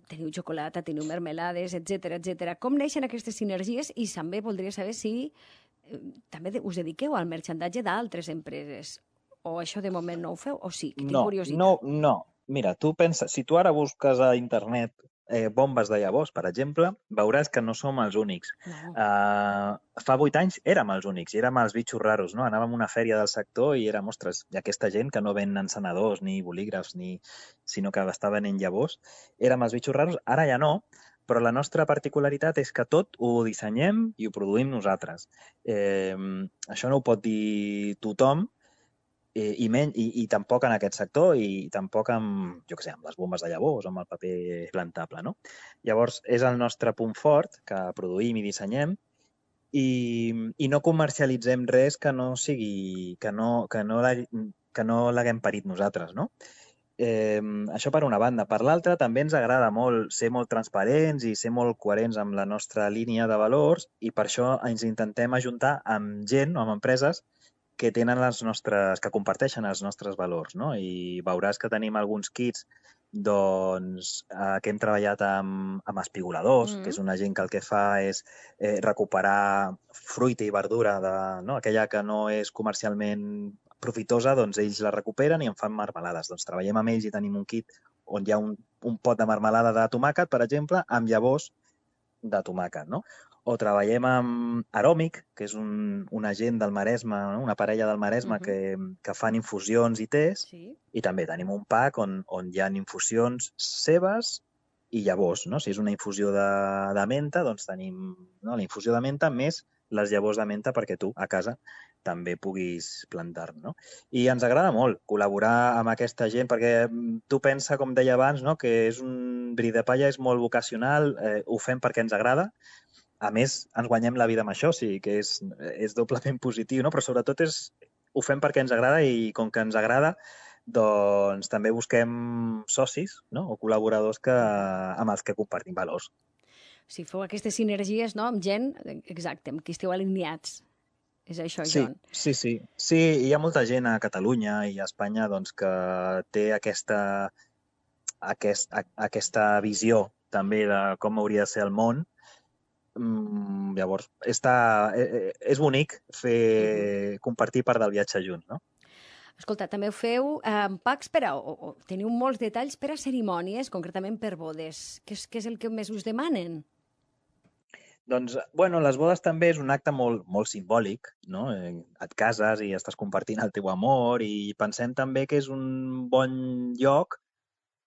Teniu xocolata, teniu mermelades, etcètera, etcètera. Com neixen aquestes sinergies? I també voldria saber si eh, també us dediqueu al merchandatge d'altres empreses. O això de moment no ho feu? O sí? Que tinc no, curiositat. No, no. Mira, tu pensa, si tu ara busques a internet eh, bombes de llavors, per exemple, veuràs que no som els únics. No. Uh, fa vuit anys érem els únics i érem els bitxos raros, no? Anàvem a una fèria del sector i érem, ostres, i aquesta gent que no ven encenedors ni bolígrafs, ni, sinó que està venent llavors, érem els bitxos raros, ara ja no, però la nostra particularitat és que tot ho dissenyem i ho produïm nosaltres. Eh, això no ho pot dir tothom, I, i, men, i, i tampoc en aquest sector i tampoc amb, jo què sé, amb les bombes de llavors o amb el paper plantable, no? Llavors, és el nostre punt fort que produïm i dissenyem i, i no comercialitzem res que no sigui, que no, que no, la, que no l'haguem parit nosaltres, no? Eh, això per una banda. Per l'altra, també ens agrada molt ser molt transparents i ser molt coherents amb la nostra línia de valors i per això ens intentem ajuntar amb gent o amb empreses que tenen les nostres, que comparteixen els nostres valors, no? I veuràs que tenim alguns kits doncs, eh, que hem treballat amb, amb espigoladors, mm. que és una gent que el que fa és eh, recuperar fruita i verdura, de, no? Aquella que no és comercialment profitosa, doncs ells la recuperen i en fan marmelades. Doncs treballem amb ells i tenim un kit on hi ha un, un pot de marmelada de tomàquet, per exemple, amb llavors de tomàquet, no? o treballem amb Aròmic, que és un, un agent del Maresme, no? Una parella del Maresme uh-huh. que, que fan infusions i tés, sí. I també tenim un pack on, on hi ha infusions seves i llavors, no? Si és una infusió de, de menta, doncs tenim no? La infusió de menta més les llavors de menta perquè tu, a casa, també puguis plantar, no? I ens agrada molt col·laborar amb aquesta gent, perquè tu pensa, com deia abans, no? Que és un bri de palla, és molt vocacional, eh, ho fem perquè ens agrada. A més, ens guanyem la vida amb això, o sigui que és, és doblement positiu, no? Però sobretot és, ho fem perquè ens agrada i com que ens agrada, doncs també busquem socis, no? O col·laboradors que, amb els que compartim valors. Si feu aquestes sinergies, no?, amb gent, exacte, amb qui esteu alineats. És això, sí, John. Sí, sí. Sí, hi ha molta gent a Catalunya i a Espanya doncs, que té aquesta, aquest, a, aquesta visió també de com hauria de ser el món. Mm, llavors, està, és bonic fer, uh-huh. compartir part del viatge junts, no? Escolta, també ho feu eh, packs per a, o, o teniu molts detalls per a cerimònies, concretament per bodes. Què és, què és el que més us demanen? Doncs, bueno, les bodes també és un acte molt, molt simbòlic, no? Et cases i estàs compartint el teu amor i pensem també que és un bon lloc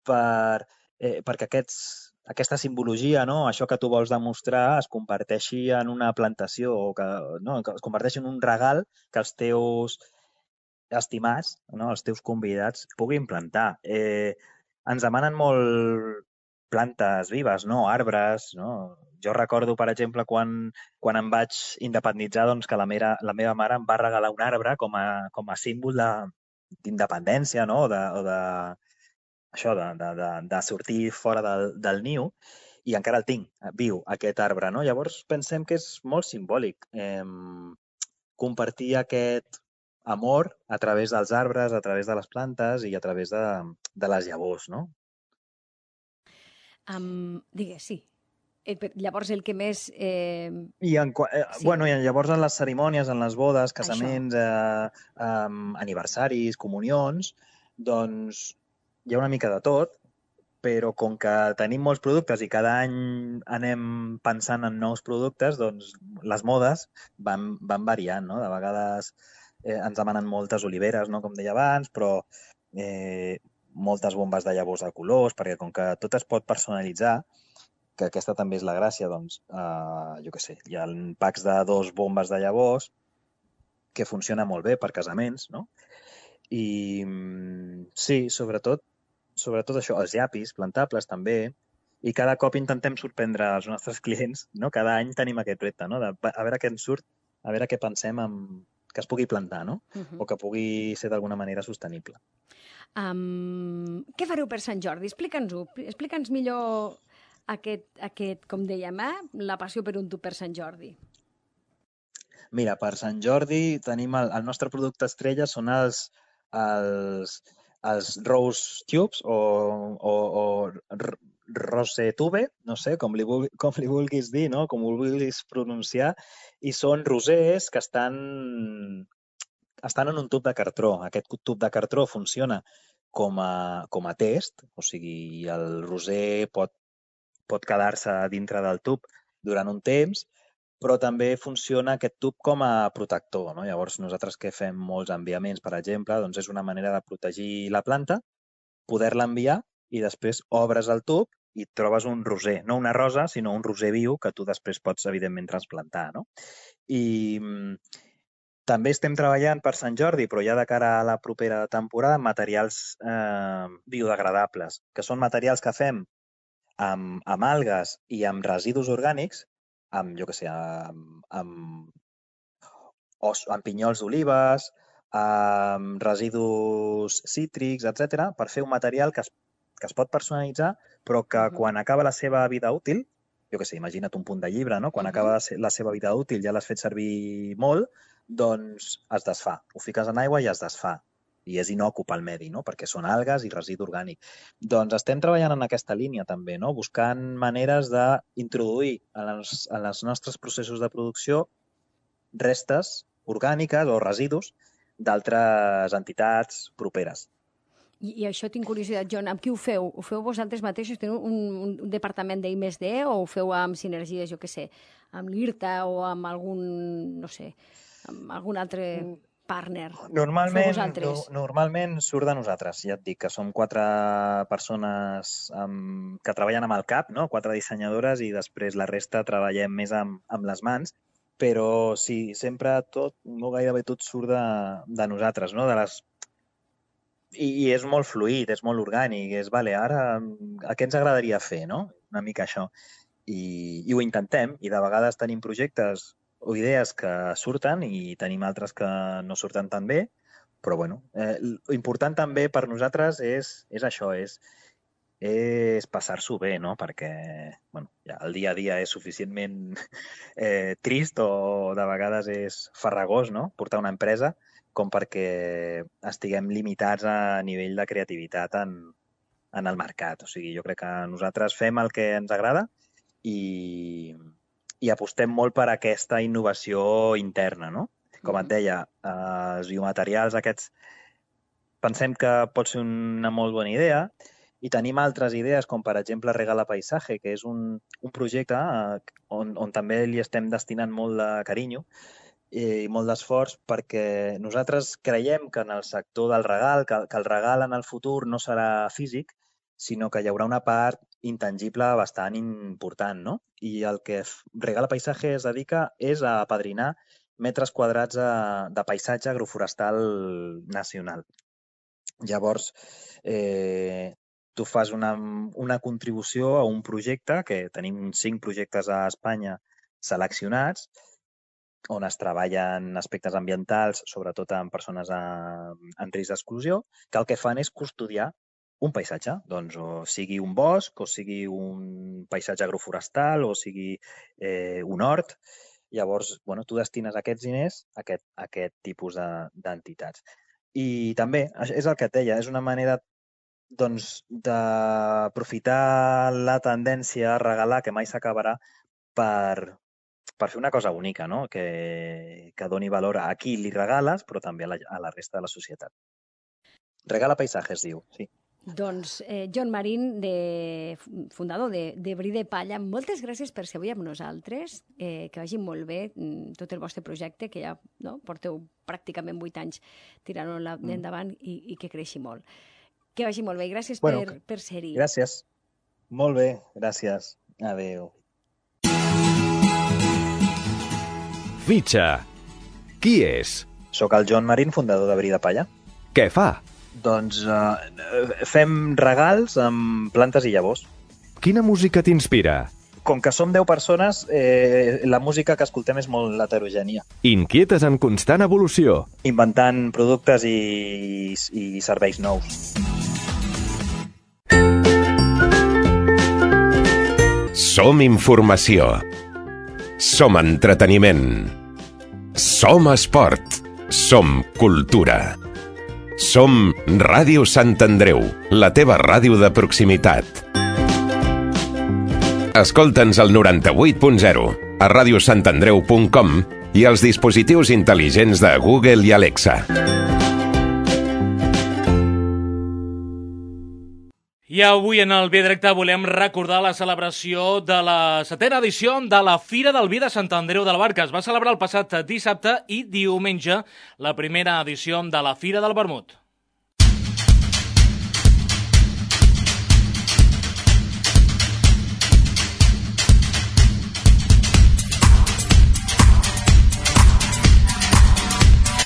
per, eh, perquè aquests aquesta simbologia, no? Això que tu vols demostrar, es converteixi en una plantació o que, no? Que es converteixi en un regal que els teus estimats, no? Els teus convidats puguin plantar. Eh, ens demanen molt plantes vives, no? Arbres, no? Jo recordo, per exemple, quan, quan em vaig independitzar, doncs, que la meva, la meva mare em va regalar un arbre com a, com a símbol d'independència, no? O de, o de això de, de, de, de sortir fora del, del niu, i encara el tinc, viu, aquest arbre, no? Llavors pensem que és molt simbòlic eh, compartir aquest amor a través dels arbres, a través de les plantes i a través de, de les llavors, no? Um, digues, sí. Llavors el que més... Eh... I, en, eh, sí. bueno, i llavors en les cerimònies, en les bodes, casaments, eh, eh, aniversaris, comunions, doncs hi ha una mica de tot, però com que tenim molts productes i cada any anem pensant en nous productes, doncs les modes van, van variant, no? De vegades eh, ens demanen moltes oliveres, no? Com deia abans, però eh, moltes bombes de llavors de colors, perquè com que tot es pot personalitzar, que aquesta també és la gràcia, doncs, eh, jo què sé, hi ha packs de dos bombes de llavors que funciona molt bé per casaments, no? I sí, sobretot, sobretot això, els llapis plantables també, i cada cop intentem sorprendre els nostres clients, no? Cada any tenim aquest repte, no? De, a veure què ens surt, a veure què pensem amb, que es pugui plantar, no? Uh-huh. O que pugui ser d'alguna manera sostenible. Um, què fareu per Sant Jordi? Explica'ns-ho, explica'ns millor aquest, aquest, com dèiem, eh? La passió per un tub per Sant Jordi. Mira, per Sant Jordi tenim el, el nostre producte estrella són els, els, els Rose Tubes o, o, o Rose Tube, no sé, com li, com li vulguis dir, no? Com ho vulguis pronunciar, i són rosers que estan, estan en un tub de cartró. Aquest tub de cartró funciona com a, com a test, o sigui, el roser pot, pot quedar-se dintre del tub durant un temps, però també funciona aquest tub com a protector, no? Llavors, nosaltres que fem molts enviaments, per exemple, doncs és una manera de protegir la planta, poder-la enviar i després obres el tub i trobes un roser, no una rosa, sinó un roser viu que tu després pots, evidentment, transplantar, no? I també estem treballant per Sant Jordi, però ja de cara a la propera temporada, amb materials eh, biodegradables, que són materials que fem amb, amb algues i amb residus orgànics, amb, jo què sé, amb, amb, os, amb pinyols d'olives, amb residus cítrics, etcètera, per fer un material que es, que es pot personalitzar, però que uh-huh. quan acaba la seva vida útil, jo què sé, imagina't un punt de llibre, no? Quan uh-huh. acaba la seva vida útil, ja l'has fet servir molt, doncs es desfà. Ho fiques en aigua i es desfà. I és inocu pel medi, no? Perquè són algues i residu orgànic. Doncs estem treballant en aquesta línia també, no? Buscant maneres d'introduir en els, en els nostres processos de producció restes orgàniques o residus d'altres entitats properes. I, I això tinc curiositat, John, amb qui ho feu? Ho feu vosaltres mateixos? Teniu un, un departament d'I més D o ho feu amb sinergies, jo què sé, amb l'IRTA o amb algun, no sé, amb algun altre partner? Normalment, no, normalment surt de nosaltres, ja et dic, que som quatre persones amb, que treballen amb el cap, no? Quatre dissenyadores, i després la resta treballem més amb, amb les mans, però sí, sempre tot, no gairebé tot surt de, de nosaltres, no? De les... I, I és molt fluid, és molt orgànic, és, vale, ara, a què ens agradaria fer, no? Una mica això. I, i ho intentem, i de vegades tenim projectes o idees que surten i tenim altres que no surten tan bé, però bueno, eh, l'important també per nosaltres és, és això, és, és passar-s'ho bé, no? Perquè bueno, ja el dia a dia és suficientment eh, trist o de vegades és farragós, no? Portar una empresa, com perquè estiguem limitats a nivell de creativitat en, en el mercat. O sigui, jo crec que nosaltres fem el que ens agrada i, i apostem molt per aquesta innovació interna, no? Com et deia, eh, els biomaterials aquests pensem que pot ser una molt bona idea i tenim altres idees, com per exemple Regala Paisaje, que és un, un projecte eh, on, on també li estem destinant molt de carinyo i molt d'esforç, perquè nosaltres creiem que en el sector del regal, que, que el regal en el futur no serà físic, sinó que hi haurà una part intangible bastant important, no? I el que Regala Paisaje es dedica és a apadrinar metres quadrats de, de paisatge agroforestal nacional. Llavors, eh, tu fas una, una contribució a un projecte, que tenim cinc projectes a Espanya seleccionats, on es treballen aspectes ambientals, sobretot amb persones en risc d'exclusió, que el que fan és custodiar un paisatge, doncs o sigui un bosc, o sigui un paisatge agroforestal, o sigui eh, un hort. Llavors, bueno, tu destines aquests diners a aquest, a aquest tipus d'entitats. I també, és el que et deia, és una manera doncs, d'aprofitar la tendència a regalar, que mai s'acabarà, per... per fer una cosa única, no? Que, que doni valor a qui li regales, però també a la, a la resta de la societat. Regala Paisaje es diu, sí. Doncs eh, John Marín, de, fundador de, de Bri de Palla, moltes gràcies per ser avui amb nosaltres, eh, que vagi molt bé tot el vostre projecte, que ja no, porteu pràcticament vuit anys tirant-lo endavant mm. i, i que creixi molt. Que vagi molt bé i gràcies bueno, per, per ser-hi. Gràcies. Molt bé, gràcies. Adéu. Fitxa. Qui és? Soc el John Marín, fundador de Bri de Palla. Què fa? Doncs eh, fem regals amb plantes i llavors. Quina música t'inspira? Com que som deu persones, eh, la música que escoltem és molt heterogènia. Inquietes en constant evolució. Inventant productes i, i serveis nous. Som informació. Som entreteniment. Som esport. Som cultura. Som Ràdio Sant Andreu, la teva ràdio de proximitat. Escolta'ns al noranta-vuit punt zero, a ràdio sant andreu punt com i als dispositius intel·ligents de Google i Alexa. I avui en el Via Directe volem recordar la celebració de la setena edició de la Fira del Vi de Sant Andreu de la Barca. Es va celebrar el passat dissabte i diumenge la primera edició de la Fira del Vermut.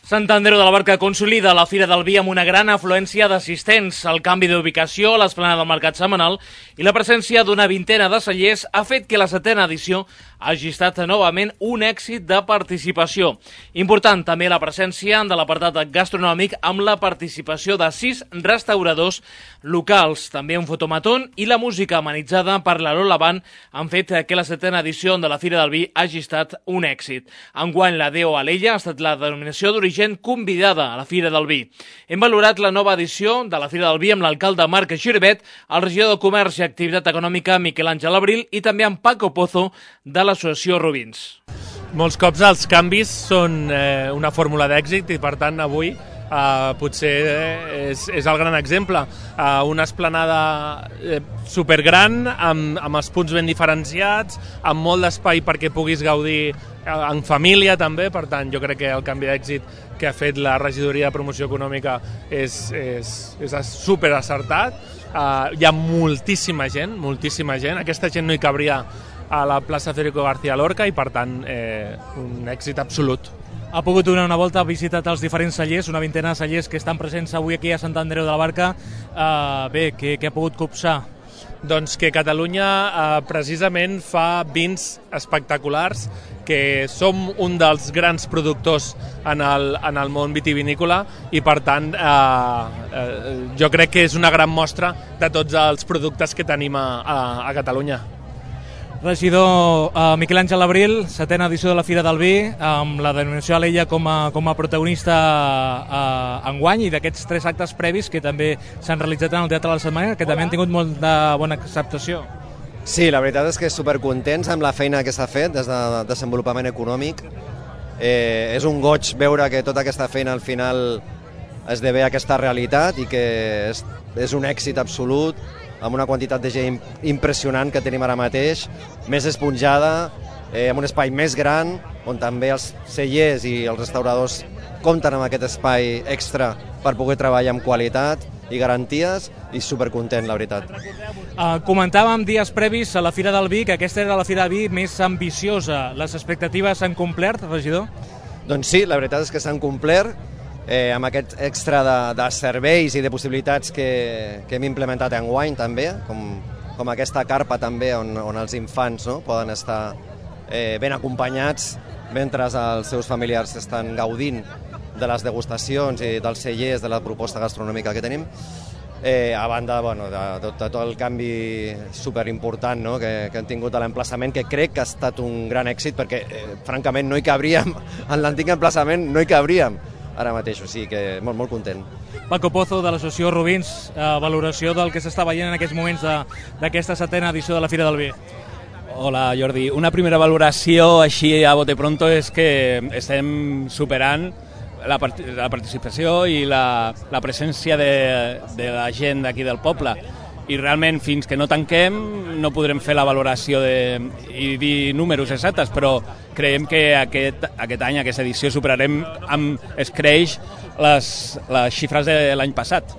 Sant Andreu de la Barca consolida la Fira del Vi amb una gran afluència d'assistents. El canvi d'ubicació, l'esplanada del mercat setmanal i la presència d'una vintena de cellers ha fet que la setena edició hagi estat novament un èxit de participació. Important també la presència de l'apartat gastronòmic amb la participació de sis restauradors locals. També un fotomatón i la música amenitzada per la Lola Band han fet que la setena edició de la Fira del Vi hagi estat un èxit. Enguany la Déu Alella ha estat la denominació d'origen convidada a la Fira del Vi. Hem valorat la nova edició de la Fira del Vi amb l'alcalde Marc Xiribet, el regidor de Comerç i Activitat Econòmica Miquel Àngel Abril i també amb Paco Pozo de l'associació Rubins. Molts cops els canvis són eh, una fórmula d'èxit i per tant avui Uh, potser és, és el gran exemple. Uh, una esplanada eh, supergran, amb, amb els punts ben diferenciats, amb molt d'espai perquè puguis gaudir uh, en família també, per tant jo crec que el canvi d'èxit que ha fet la regidoria de promoció econòmica és, és, és super acertat. Uh, hi ha moltíssima gent, moltíssima gent, aquesta gent no hi cabria a la plaça Federico García Lorca i per tant eh, un èxit absolut. Ha pogut donar una volta, ha visitat els diferents cellers, una vintena de cellers que estan presents avui aquí a Sant Andreu de la Barca. Uh, bé, què, què ha pogut copsar? Doncs que Catalunya eh, precisament fa vins espectaculars, que som un dels grans productors en el, en el món vitivinícola i per tant eh, eh, jo crec que és una gran mostra de tots els productes que tenim a, a, a Catalunya. Regidor uh, Miquel Àngel Abril, setena edició de la Fira del Vi, amb la denominació Alella com a, com a protagonista uh, enguany, i d'aquests tres actes previs que també s'han realitzat en el Teatre de la Setmana, que també han tingut molt de bona acceptació. Sí, la veritat és que supercontents amb la feina que s'ha fet des de desenvolupament econòmic. Eh, és un goig veure que tota aquesta feina al final esdevé aquesta realitat i que és, és un èxit absolut, amb una quantitat de gent impressionant que tenim ara mateix, més esponjada, eh, amb un espai més gran, on també els cellers i els restauradors compten amb aquest espai extra per poder treballar amb qualitat i garanties, i supercontent, la veritat. Uh, comentàvem dies previs a la Fira del Vi que aquesta era la Fira del Vi més ambiciosa. Les expectatives s'han complert, regidor? Doncs sí, la veritat és que s'han complert, eh, amb aquest extra de, de serveis i de possibilitats que, que hem implementat enguany també, com, com aquesta carpa també on, on els infants, no, poden estar eh, ben acompanyats mentre els seus familiars estan gaudint de les degustacions i dels cellers, de la proposta gastronòmica que tenim. Eh, a banda bueno, de, de, de tot el canvi superimportant, no, que, que hem tingut a l'emplaçament, que crec que ha estat un gran èxit, perquè eh, francament no hi cabríem, en l'antic emplaçament no hi cabríem ara mateix, o sigui que molt, molt content. Paco Pozo, de l'associació Rubins, eh, valoració del que s'està veient en aquests moments d'aquesta setena edició de la Fira del Vi. Hola Jordi, una primera valoració així a bote pronto és que estem superant la, part la participació i la, la presència de, de la gent d'aquí del poble, i realment fins que no tanquem no podrem fer la valoració de, i dir números exactes, però creiem que aquest, aquest any, aquesta edició, superarem amb escreix les, les xifres de l'any passat.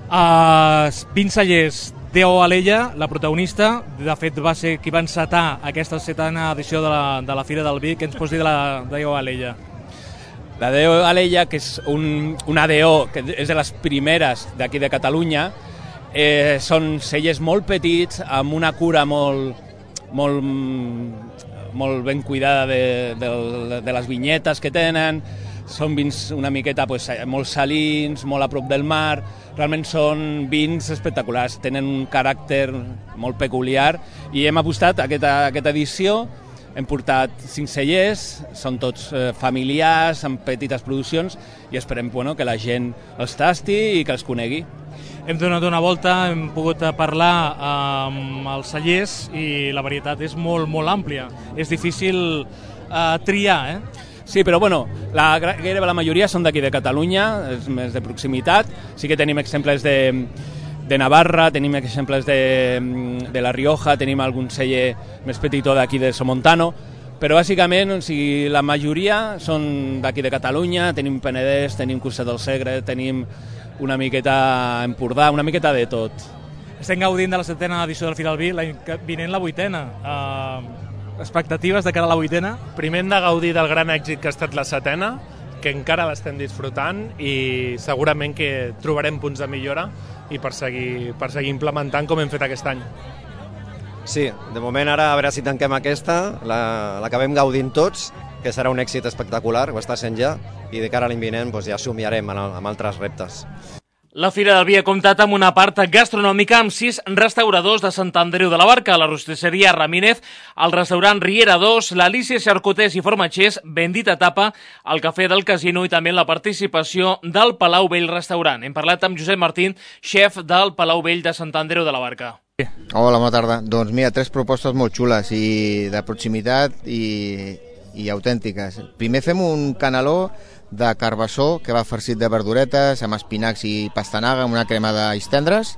Uh, vint cellers, Deo Alella, la protagonista, de fet va ser qui va encetar aquesta setena edició de la, de la Fira del Vi. Què ens pots dir de la Deo Alella? La Deo Alella, que és un, una D O que és de les primeres d'aquí de Catalunya, eh, són cellers molt petits, amb una cura molt, molt, molt ben cuidada de, de, de les vinyetes que tenen. Són vins una miqueta pues, molt salins, molt a prop del mar. Realment són vins espectaculars, tenen un caràcter molt peculiar i hem apostat a aquesta, aquesta edició. Hem portat cinc cellers, són tots eh, familiars, amb petites produccions, i esperem bueno, que la gent els tasti i que els conegui. Hem donat una volta, hem pogut parlar amb els cellers i la varietat és molt, molt àmplia. És difícil eh, triar, eh? Sí, però bueno, la, gairebé la majoria són d'aquí de Catalunya, és més de proximitat. Sí que tenim exemples de, de Navarra, tenim exemples de, de La Rioja, tenim algun celler més petitó d'aquí de Somontano, però bàsicament o sigui, la majoria són d'aquí de Catalunya, tenim Penedès, tenim Cursat del Segre, tenim una miqueta Empordà, una miqueta de tot. Estem gaudint de la setena edició del Fira del Vi, l'any vinent la vuitena. Uh... Expectatives de cara a la vuitena? Primer hem de gaudir del gran èxit que ha estat la setena, que encara l'estem disfrutant i segurament que trobarem punts de millora i per seguir, per seguir implementant com hem fet aquest any. Sí, de moment ara a veure si tanquem aquesta, l'acabem la, gaudint tots, que serà un èxit espectacular, ho està sent ja, i de cara a l'any vinent doncs, ja somiarem amb altres reptes. La Fira del Vi ha comptat amb una part gastronòmica amb sis restauradors de Sant Andreu de la Barca, la rostisseria Ramírez, el restaurant Riera dos, l'Alícia Xarcutés i Formatgers, Bendita Tapa, el Cafè del Casino i també la participació del Palau Vell Restaurant. Hem parlat amb Josep Martín, xef del Palau Vell de Sant Andreu de la Barca. Hola, bona tarda. Doncs mira, tres propostes molt xules i de proximitat i, i autèntiques. Primer fem un caneló de carbassó que va farcit de verduretes amb espinacs i pastanaga amb una crema d'alls tendres.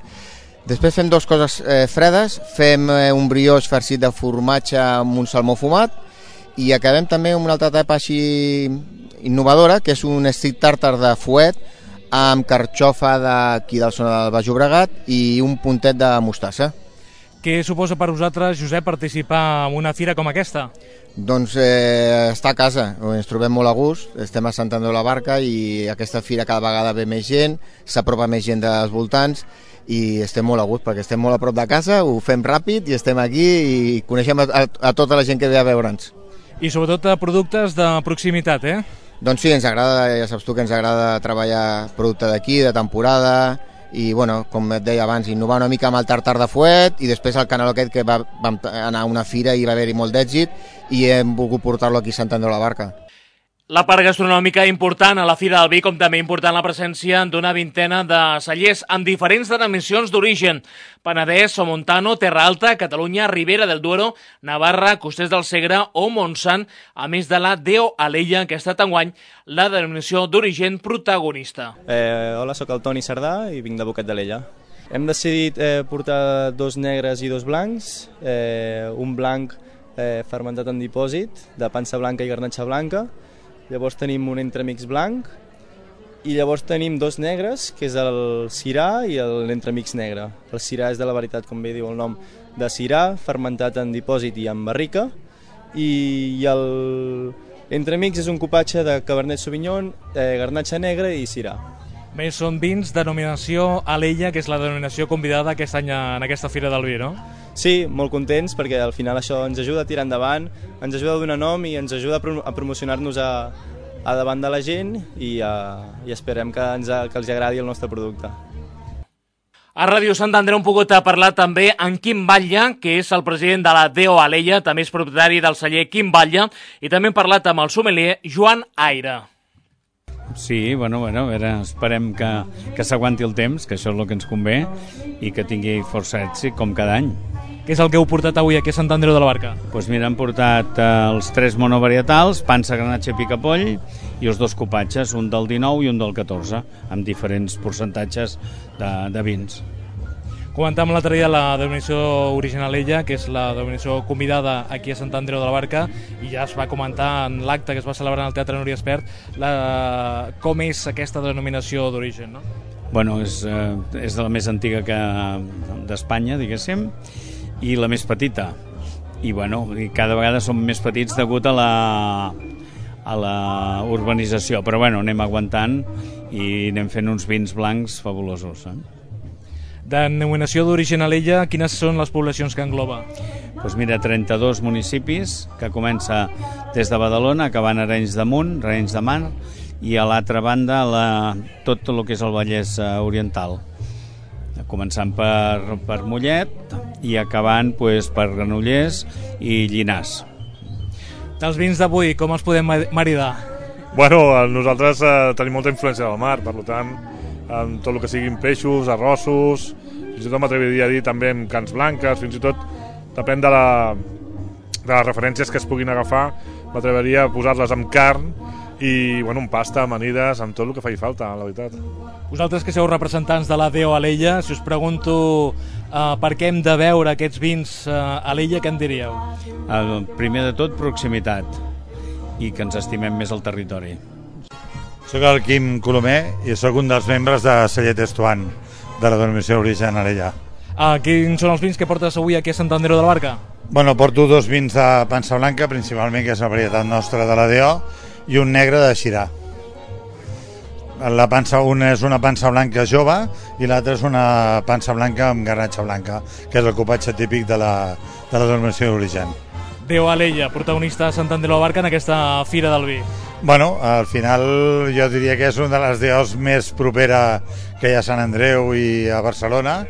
Després fem dues coses eh, fredes, fem eh, un brioix farcit de formatge amb un salmó fumat i acabem també amb una altra etapa així innovadora, que és un street tartar de fuet amb carxofa d'aquí del zona del Baix Llobregat i un puntet de mostassa. Què suposa per vosaltres, Josep, participar en una fira com aquesta? Doncs eh, estar a casa, ens trobem molt a gust, estem a Sant Andreu de la Barca i aquesta fira cada vegada ve més gent, s'apropa més gent dels voltants i estem molt a gust perquè estem molt a prop de casa, ho fem ràpid i estem aquí i coneixem a, a, a tota la gent que ve a veure'ns. I sobretot a productes de proximitat, eh? Doncs sí, ens agrada, ja saps tu que ens agrada treballar producte d'aquí, de temporada, i bueno, com et deia abans, innovar una mica amb el tartar de fuet i després el caneló aquest que va, vam anar a una fira i va haver-hi molt d'èxit i hem volgut portar-lo aquí a Sant Andreu de la Barca. La part gastronòmica important a la Fira del Vi, com també important la presència d'una vintena de cellers amb diferents denominacions d'origen: Penedès, Somontano, Terra Alta, Catalunya, Ribera del Duero, Navarra, Costers del Segre o Montsant, a més de la Deo Alella, que ha estat enguany la denominació d'origen protagonista. Eh, hola, sóc el Toni Cerdà i vinc de Boquet d'Alella. Hem decidit eh, portar dos negres i dos blancs, eh, un blanc eh, fermentat en dipòsit, de pansa blanca i garnatxa blanca. Llavors tenim un entremix blanc i llavors tenim dos negres, que és el Syrah i l'entremix negre. El Syrah és de la veritat, com bé diu el nom, de Syrah, fermentat en dipòsit i en barrica, i l'entremix és un cupatge de Cabernet Sauvignon, eh, garnatxa negra i Syrah. Més són vins denominació Alella, que és la denominació convidada aquest any en aquesta Fira del Vi, no? Sí, molt contents perquè al final això ens ajuda a tirar endavant, ens ajuda a donar nom i ens ajuda a, pro a promocionar-nos a, a davant de la gent i, a, i esperem que, ens, que els agradi el nostre producte. A Ràdio Sant Andreu hem pogut parlar també amb Quim Batlle, que és el president de la Deo Alella, també és propietari del celler Quim Batlle, i també hem parlat amb el sommelier Joan Aire. Sí, bueno, bueno, a veure, esperem que, que s'aguanti el temps, que això és el que ens convé, i que tingui força èxit, com cada any. Què és el que heu portat avui aquí a Sant Andreu de la Barca? Doncs pues mira, hem portat eh, els tres monovarietals, pansa, granatge i picapoll, i els dos cupatges, un del dinou i un del catorze, amb diferents percentatges de, de vins. Comentàvem l'altre dia la denominació original ella, que és la denominació convidada aquí a Sant Andreu de la Barca, i ja es va comentar en l'acte que es va celebrar en el Teatre Núria Espert la... com és aquesta denominació d'origen, no? Bueno, és, eh, és de la més antiga que d'Espanya, diguéssim, i la més petita. I bueno, cada vegada som més petits degut a la, a la urbanització, però bueno, anem aguantant i anem fent uns vins blancs fabulosos, eh? Denominació d'origen Alella, quines són les poblacions que engloba? Doncs mira, trenta-dos municipis, que comença des de Badalona, acabant a Arenys de Munt, Arenys de Mar, i a l'altra banda la, tot el que és el Vallès Oriental, començant per, per Mollet i acabant pues, per Granollers i Llinars. Dels vins d'avui, com els podem maridar? Bueno, nosaltres eh, tenim molta influència del mar, per tant, amb tot el que siguin peixos, arrossos, fins i tot m'atreviria a dir també amb cans blanques, fins i tot depèn de, la, de les referències que es puguin agafar, m'atreviria a posar-les amb carn i bueno, amb pasta, amanides, amb tot el que faci falta, la veritat. Vosaltres que sou representants de la Deo Alella, si us pregunto uh, per què hem de veure aquests vins uh, Alella, què em diríeu? El primer de tot, proximitat, i que ens estimem més el territori. Soc el Quim Colomer i sóc un dels membres de Celler Testuán, de la denominació d'origen Alella. Ah, quins són els vins que portes avui aquí a Sant Andreu de la Barca? Bueno, porto dos vins de pansa blanca, principalment, que és la varietat nostra de la Deo, i un negre de Syrah. La pansa, una és una pansa blanca jove i l'altra és una pansa blanca amb garnatxa blanca, que és el cupatge típic de la, de la denominació d'origen. Deo Alella, protagonista de Sant Andreu de la Barca en aquesta Fira del Vi. Bueno, al final jo diria que és una de les deos més propera que hi ha a Sant Andreu i a Barcelona,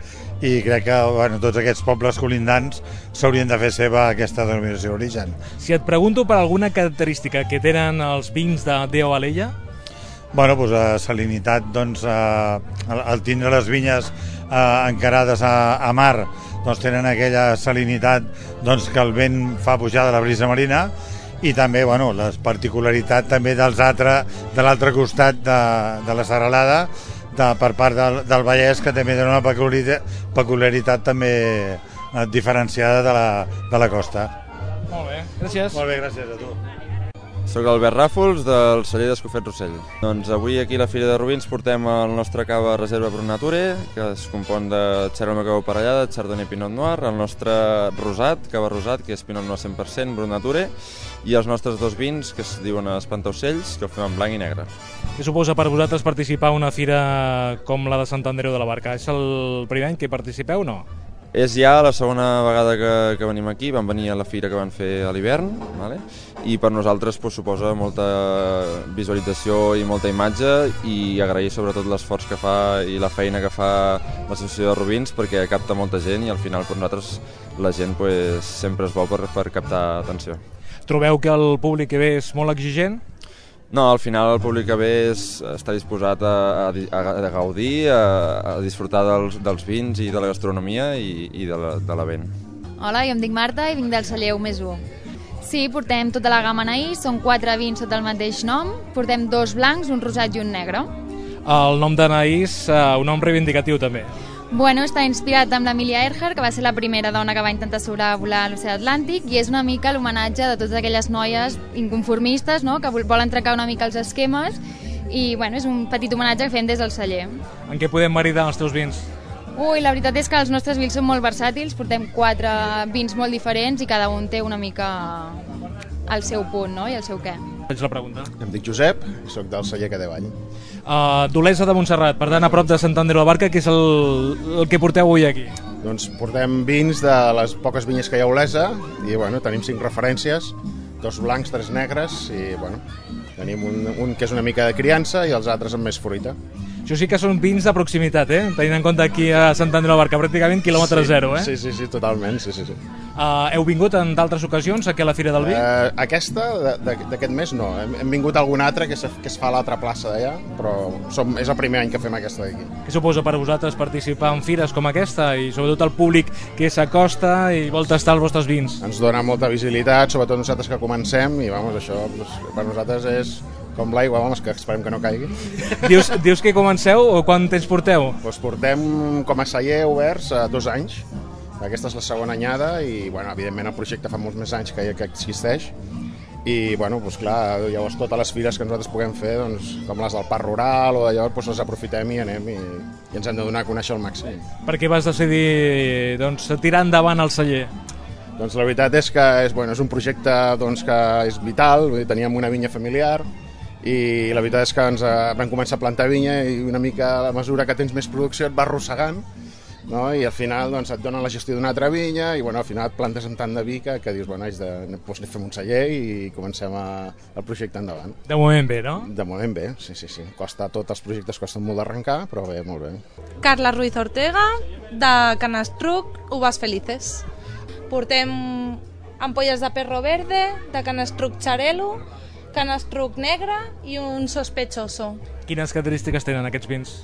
i crec que bueno, tots aquests pobles colindants s'haurien de fer seva aquesta denominació d'origen. Si et pregunto per alguna característica que tenen els vins de Deo Alella? Bueno, doncs la salinitat, doncs, eh, al tindre les vinyes eh, encarades a, a mar, doncs tenen aquella salinitat doncs, que el vent fa pujar de la brisa marina, i també bueno, la particularitat també dels altre, de l'altre costat de, de la serralada de, per part del, del Vallès, que també dona una peculiaritat, peculiaritat també diferenciada de la, de la costa. Molt bé, gràcies. Molt bé, gràcies a tu. Soc Albert Ràfols, del celler d'Escofet Rossell. Doncs avui aquí a la Fira de Rubins portem el nostre cava reserva Brut Nature, que es compon de xarra macabeu parellada, chardonnay i pinot noir, el nostre rosat, cava rosat, que és pinot noir cent per cent, Brut Nature, i els nostres dos vins, que es diuen espantaocells, que el fem en blanc i negre. Què suposa per vosaltres participar en una fira com la de Sant Andreu de la Barca? És el primer any que participeu o no? És ja la segona vegada que, que venim aquí, vam venir a la fira que van fer a l'hivern, vale? I per nosaltres pues, suposa molta visualització i molta imatge, i agrair sobretot l'esforç que fa i la feina que fa l'associació de Rubins, perquè capta molta gent i al final per nosaltres la gent pues, sempre és bo per, per captar atenció. Trobeu que el públic que ve és molt exigent? No, al final el públic que ve és, està disposat a, a, a gaudir, a, a disfrutar dels, dels vins i de la gastronomia i, i de, la, de la vent. Hola, jo em dic Marta i vinc del celler u més u. Sí, portem tota la gamma Anaïs, són quatre vins sota el mateix nom, portem dos blancs, un rosat i un negre. El nom d'Anaïs, uh, un nom reivindicatiu també. Bueno, està inspirat amb l'Amelia Earhart, que va ser la primera dona que va intentar sobrevolar l'oceà Atlàntic, i és una mica l'homenatge de totes aquelles noies inconformistes, no?, que volen trencar una mica els esquemes, i bueno, és un petit homenatge que fem des del celler. En què podem maridar els teus vins? Ui, la veritat és que els nostres vins són molt versàtils, portem quatre vins molt diferents i cada un té una mica el seu punt, no?, i el seu què. Faig la pregunta. Em dic Josep, soc del celler Cadevall. Uh, D'Olesa de Montserrat, per tant a prop de Sant Andreu de la Barca, que és el, el que porteu avui aquí? Doncs portem vins de les poques vinyes que hi ha a Olesa i bueno, tenim cinc referències, dos blancs, tres negres i bueno, tenim un, un que és una mica de criança i els altres amb més fruita. Això sí que són vins de proximitat, eh? Tenint en compte aquí a Sant Andreu de la Barca, pràcticament quilòmetre sí, zero, eh? Sí, sí, sí, totalment, sí, sí, sí. Uh, heu vingut en d'altres ocasions aquí a la Fira del Vi? Uh, aquesta, d'aquest mes, no. Hem, hem vingut a alguna altra que, se, que es fa a l'altra plaça d'allà, però som, és el primer any que fem aquesta d'aquí. Què suposa per vosaltres participar en fires com aquesta i sobretot el públic que s'acosta i vol tastar els vostres vins? Ens dona molta visibilitat, sobretot nosaltres que comencem, i vamos, això doncs, per nosaltres és com l'aigua, vamos, que esperem que no caigui. Dius, dius que comenceu o quant temps porteu? Doncs portem com a celler oberts a dos anys. Aquesta és la segona anyada i, bueno, evidentment el projecte fa molts més anys que, que existeix. I, bueno, doncs clar, llavors totes les fires que nosaltres puguem fer, doncs, com les del Parc Rural o d'allò, doncs les aprofitem i anem i, i ens hem de donar a conèixer al màxim. Per què vas decidir doncs, tirar endavant el celler? Doncs la veritat és que és, bueno, és un projecte doncs, que és vital, vull dir, teníem una vinya familiar i la veritat és que ens vam començar a plantar vinya i una mica a la mesura que tens més producció et va arrossegant, no? I al final doncs, et donen la gestió d'una altra vinya i bueno, al final et plantes amb tant de vi que, que dius, bueno, haig de, doncs, fem un celler i comencem a, el projecte endavant. De moment bé, no? De moment bé, sí, sí, sí. Costa, tots els projectes costen molt d'arrencar, però bé, molt bé. Carla Ruiz Ortega, de Canastruc, Uvas Felices. Portem ampolles de perro verde, de Canastruc Xarelo, Canastruc negre i un sospechoso. Quines característiques tenen aquests vins?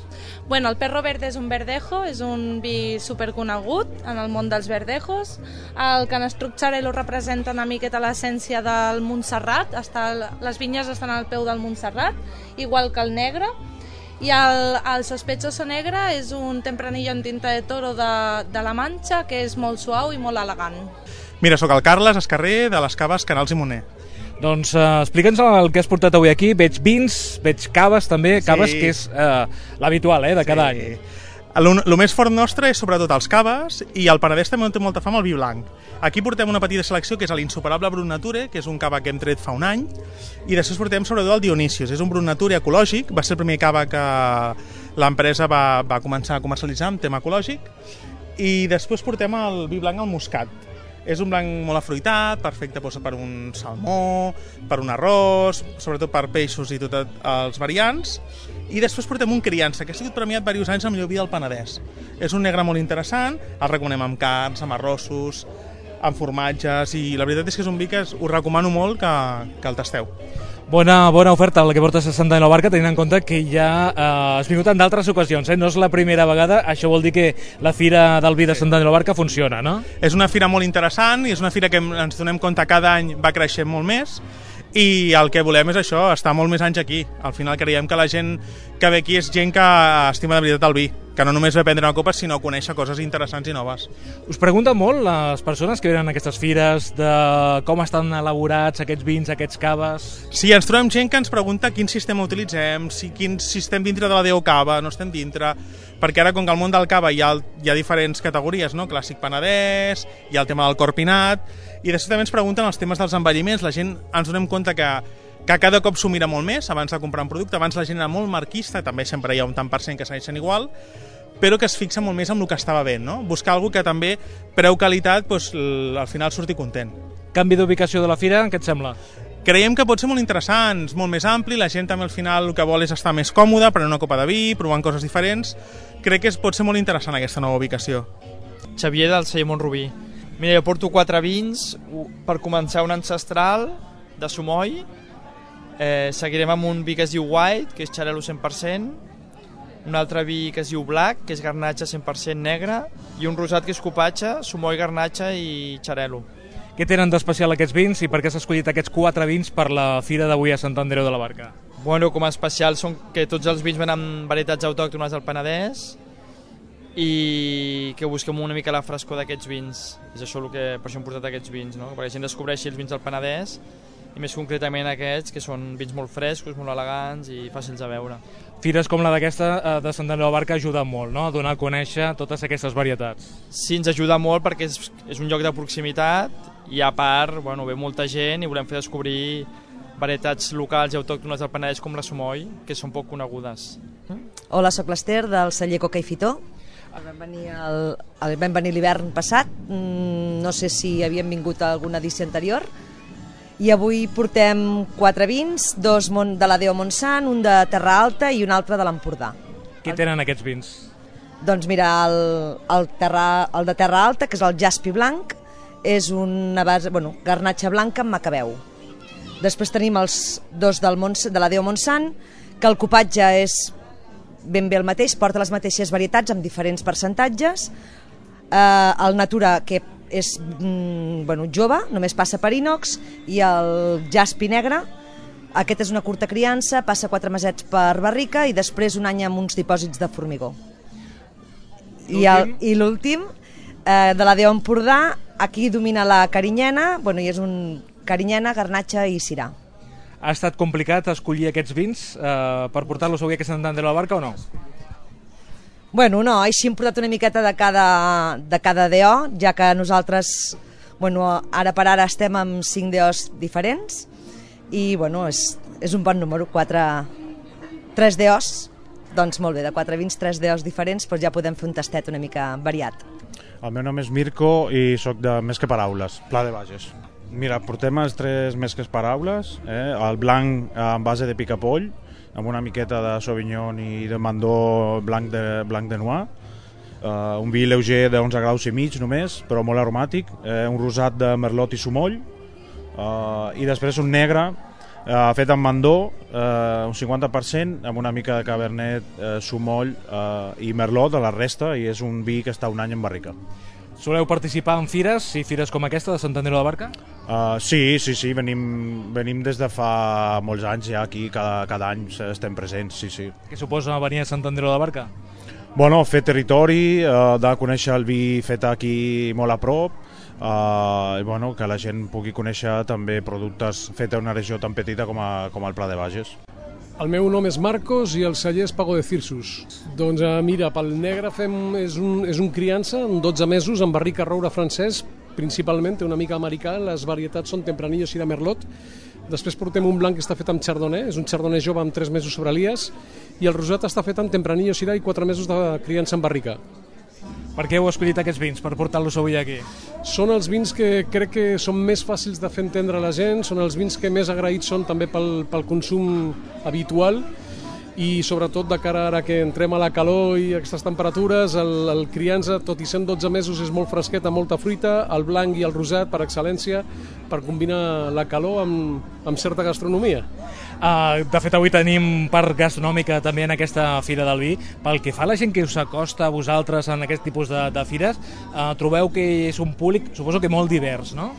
Bueno, el perro verde és un verdejo, és un vi superconegut en el món dels verdejos. El Canastruc Xarelo representa una miqueta l'essència del Montserrat, està, les vinyes estan al peu del Montserrat, igual que el negre. I el, el sospechoso negre és un tempranillo en tinta de toro de, de la Manxa, que és molt suau i molt elegant. Mira, sóc el Carles Escarrer, de les caves Canals i Moner. Doncs uh, explica'ns el que has portat avui aquí. Veig vins, veig caves també, sí. Caves que és uh, l'habitual eh, de cada sí. any. El més fort nostre és sobretot els caves i el Penedès també té molta fama el vi blanc. Aquí portem una petita selecció que és l'insuperable Brut Nature, que és un cava que hem tret fa un any, i després portem sobretot el Dionisius. És un Brut Nature ecològic, va ser el primer cava que l'empresa va, va començar a comercialitzar en tema ecològic, i després portem el vi blanc al Muscat. És un blanc molt afruitat, perfecte doncs, per un salmó, per un arròs, sobretot per peixos i tots els variants. I després portem un criança, que ha sigut premiat diversos anys al millor vi del Penedès. És un negre molt interessant, el recomanem amb carns, amb arrossos, amb formatges, i la veritat és que és un vi que us recomano molt que, que el tasteu. Bona, bona oferta la que portes a Sant Daniel de la Barca, tenint en compte que ja eh, has vingut en d'altres ocasions, eh? No és la primera vegada, això vol dir que la Fira del Vi de Sant Daniel de la Barca funciona, no? És una fira molt interessant i és una fira que ens donem compte cada any va creixent molt més i el que volem és això, estar molt més anys aquí. Al final creiem que la gent que ve aquí és gent que estima de veritat el vi, que no només ve a prendre una copa, sinó a conèixer coses interessants i noves. Us pregunten molt les persones que venen a aquestes fires de com estan elaborats aquests vins, aquests caves? Sí, ens trobem gent que ens pregunta quin sistema utilitzem, si, quin, si estem dintre de la D O Cava, no estem dintre, perquè ara com que al món del cava hi ha, hi ha diferents categories, no? Clàssic penedès, hi ha el tema del corpinat, i després també ens pregunten els temes dels envelliments. La gent ens donem compte que que cada cop s'ho mira molt més abans de comprar un producte. Abans la gent era molt marquista, també sempre hi ha un tant per cent que segueixen igual, però que es fixa molt més en el que estava bé, no? Buscar alguna que també, preu-qualitat, doncs, al final surti content. Canvi d'ubicació de la fira, què et sembla? Creiem que pot ser molt interessant, molt més ampli, la gent també al final el que vol és estar més còmoda, prenent una copa de vi, provant coses diferents. Crec que pot ser molt interessant aquesta nova ubicació. Xavier del celler Montrubí. Mira, jo porto quatre vins, per començar un ancestral de Sumoll, eh, seguirem amb un vi que es diu White, que és xarel·lo cent per cent, un altre vi que es diu Black, que és garnatxa cent per cent negre, i un rosat que és copatxa, Sumoll, garnatxa i xarel·lo. Què tenen d'especial aquests vins i per què s'ha escollit aquests quatre vins per la fira d'avui a Sant Andreu de la Barca? Bueno, com a especial són que tots els vins venen amb varietats autòctones del Penedès i que busquem una mica la frescor d'aquests vins. És això el que, per això hem portat aquests vins, no? Perquè la gent descobreixi els vins del Penedès i més concretament aquests, que són vins molt frescos, molt elegants i fàcils de veure. Fires com la d'aquesta de Sant Andreu de la Barca ajuden molt, no?, a donar a conèixer totes aquestes varietats. Sí, ens ajuda molt perquè és, és un lloc de proximitat i a part, bueno, ve molta gent i volem fer descobrir varietats locals i autòctones del Penedès com la Sumoll, que són poc conegudes. Hola, soc l'Ester del celler Coca i Fitó. Vam venir, el, el, vam venir l'hivern passat, no sé si havíem vingut a alguna edició anterior, i avui portem quatre vins, dos de la D O Montsant, un de Terra Alta i un altre de l'Empordà. Què tenen aquests vins? Doncs mira, el, el, terra, el de Terra Alta, que és el Jaspi Blanc, és una base, bueno, garnatxa blanca amb macabeu. Després tenim els dos del Mont, de la D O Montsant, que el copatge és ben bé el mateix, porta les mateixes varietats amb diferents percentatges. Eh, el Natura, que és mm, bueno, jove, només passa per inox, i el Jaspi negre, aquest és una curta criança, passa quatre mesets per barrica i després un any amb uns dipòsits de formigó. I, el, i l'últim, eh, de la D O Empordà, aquí domina la carinyena, bueno, i és un carinyena, garnatxa i cirà. Ha estat complicat escollir aquests vins eh, per portar-los avui a Sant Andreu de la Barca o no? Bueno, no, així hem portat una miqueta de cada, de cada D O, ja que nosaltres, bueno, ara per ara estem amb cinc D Os diferents i, bueno, és, és un bon número, quatre, tres D Os, doncs molt bé, de quatre vins, tres D Os diferents, doncs ja podem fer un tastet una mica variat. El meu nom és Mirko i sóc de Més que Paraules, Pla de Bages. Mira, portem els tres Més que Paraules, eh? El blanc en base de picapoll, amb una miqueta de Sauvignon i de Mandó blanc de, blanc de Noir, uh, un vi lleuger d'onze graus i mig només, però molt aromàtic, eh, un rosat de Merlot i Sumoll, uh, i després un negre uh, fet amb Mandó, uh, un cinquanta per cent, amb una mica de Cabernet, uh, Sumoll uh, i Merlot de la resta, i és un vi que està un any en barrica. Soleu participar en fires, i fires com aquesta de Sant Andreu de la Barca? Uh, sí, sí, sí, venim, venim des de fa molts anys ja aquí, cada, cada any estem presents, sí, sí. Què suposa venir a Sant Andreu de la Barca? Bueno, fer territori, uh, de conèixer el vi fet aquí molt a prop, uh, i bueno, que la gent pugui conèixer també productes fets a una regió tan petita com, a, com el Pla de Bages. El meu nom és Marcos i el celler és Pago de Cirsus. Doncs eh, mira, pel negre fem, és, un, és un criança, amb dotze mesos, amb barrica roure francès, principalment, té una mica americà, les varietats són Tempranillo, Syrah, Merlot. Després portem un blanc que està fet amb Chardonnay, és un Chardonnay jove amb tres mesos sobre Elias, i el rosat està fet amb Tempranillo, Syrah i quatre mesos de criança amb barrica. Per què heu escollit aquests vins, per portar-los avui aquí? Són els vins que crec que són més fàcils de fer entendre a la gent, són els vins que més agraïts són també pel, pel consum habitual i sobretot de cara ara que entrem a la calor i aquestes temperatures, el, el criança, tot i sent dotze mesos, és molt fresquet, amb molta fruita, el blanc i el rosat per excel·lència, per combinar la calor amb, amb certa gastronomia. Uh, de fet, avui tenim part gastronòmica també en aquesta Fira del Vi. Pel que fa a la gent que us acosta a vosaltres en aquest tipus de, de fires, uh, trobeu que és un públic, suposo que molt divers, no?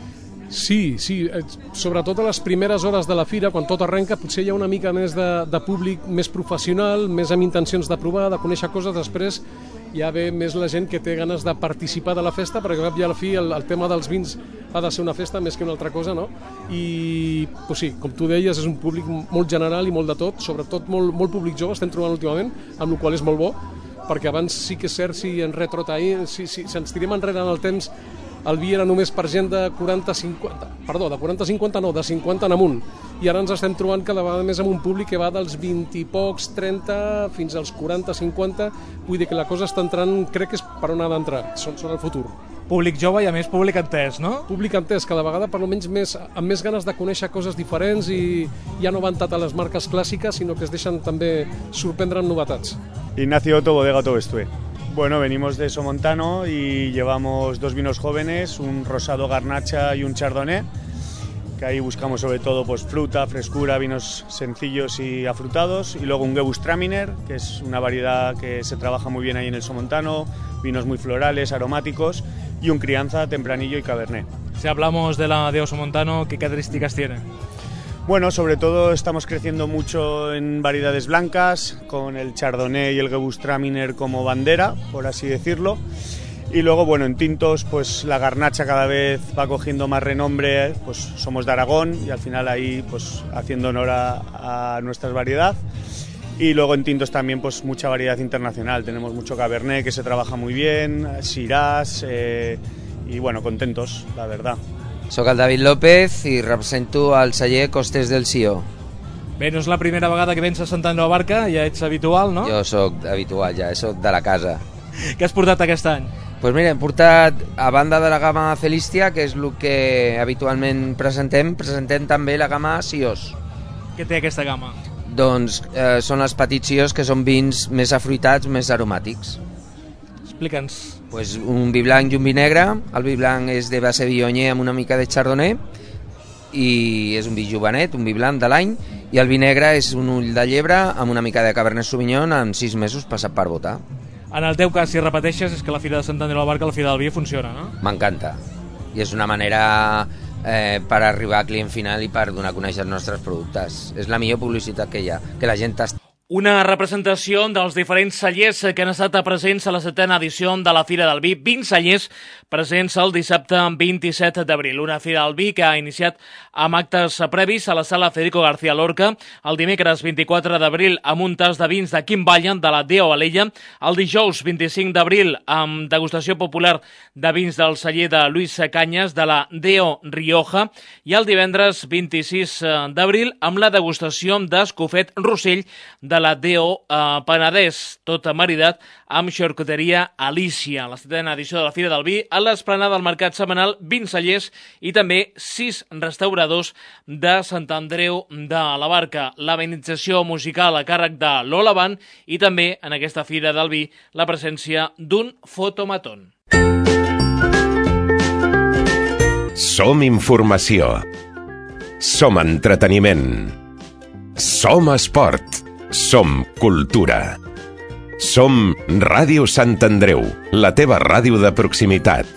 Sí, sí, sobretot a les primeres hores de la fira, quan tot arrenca, potser hi ha una mica més de, de públic més professional, més amb intencions de provar, de conèixer coses. Després ja ve més la gent que té ganes de participar de la festa, perquè al cap i a la fi el, el tema dels vins ha de ser una festa més que una altra cosa, no? I pues sí, com tu deies, és un públic molt general i molt de tot, sobretot molt, molt públic jove, estem trobant últimament, amb el qual és molt bo, perquè abans sí que és cert, si en retrotraïm, si, si, si ens tirem enrere en el temps, el vi era només per gent de quaranta a cinquanta, perdó, de quaranta a cinquanta no, de cinquanta en amunt, i ara ens estem trobant cada vegada més amb un públic que va dels vint i pocs, trenta, fins als quaranta, cinquanta, vull dir que la cosa està entrant, crec que és per on ha d'entrar, són, són el futur. Públic jove i a més públic entès, no? Públic entès, cada vegada per almenys més, amb més ganes de conèixer coses diferents i ja no van tant a les marques clàssiques, sinó que es deixen també sorprendre amb novetats. Ignacio Otto, Bodega Tobestue. Bueno, venimos de Somontano y llevamos dos vinos jóvenes, un rosado garnacha y un chardonnay, que ahí buscamos sobre todo pues fruta, frescura, vinos sencillos y afrutados, y luego un Gewürztraminer, que es una variedad que se trabaja muy bien ahí en el Somontano, vinos muy florales, aromáticos, y un crianza, tempranillo y cabernet. Si hablamos de la de Somontano, ¿qué características tiene? Bueno, sobre todo estamos creciendo mucho en variedades blancas, con el Chardonnay y el Gewürztraminer como bandera, por así decirlo. Y luego, bueno, en tintos, pues la garnacha cada vez va cogiendo más renombre, pues somos de Aragón y al final ahí, pues haciendo honor a, a nuestra variedad. Y luego en tintos también, pues mucha variedad internacional. Tenemos mucho Cabernet que se trabaja muy bien, Shiraz, eh, y bueno, contentos, la verdad. Soc el David López i represento el celler Costes del Sió. Bé, no és la primera vegada que vens a Sant Andreu de la Barca, ja ets habitual, no? Jo sóc habitual, ja, sóc de la casa. Què has portat aquest any? Doncs pues mira, hem portat, a banda de la gamma Celistia, que és el que habitualment presentem, presentem també la gamma Siós. Què té aquesta gamma? Doncs eh, són els petits Siós, que són vins més afruitats, més aromàtics. Explica'ns. Pues un vi blanc i un vi negre. El vi blanc és de base viognier amb una mica de chardonnay i és un vi jovenet, un vi blanc de l'any, i el vi negre és un ull de llebre amb una mica de cabernet sauvignon en sis mesos passat per botar. En el teu cas, si repeteixes, és que la Fira de Sant Andreu de la Barca, la Fira del Vi, funciona, no? M'encanta. I és una manera eh, per arribar al client final i per donar a conèixer els nostres productes. És la millor publicitat que hi ha, que la gent està... Una representació dels diferents cellers que han estat presents a la setena edició de la Fira del Vi. vint cellers presents el dissabte vint-i-set d'abril. Una Fira del Vi que ha iniciat amb actes previs a la sala Federico García Lorca el dimecres vint-i-quatre d'abril amb un tas de vins de Quim Ballen de la Deo Alella, el dijous vint-i-cinc d'abril amb degustació popular de vins del celler de Luis Canyes de la Deo Rioja i el divendres vint-i-sis d'abril amb la degustació d'Escofet Rossell de la Deo eh, Penedès, tot maridat amb xarcuteria Alicia. La setena edició de la Fira del Vi a l'esplanada del Mercat Setmanal, vint cellers i també sis restauradors de Sant Andreu de la Barca. L'amenització musical a càrrec de Lola Band i també en aquesta Fira del Vi la presència d'un fotomaton. Som informació. Som entreteniment. Som esport. Som cultura. Som Ràdio Sant Andreu, la teva ràdio de proximitat.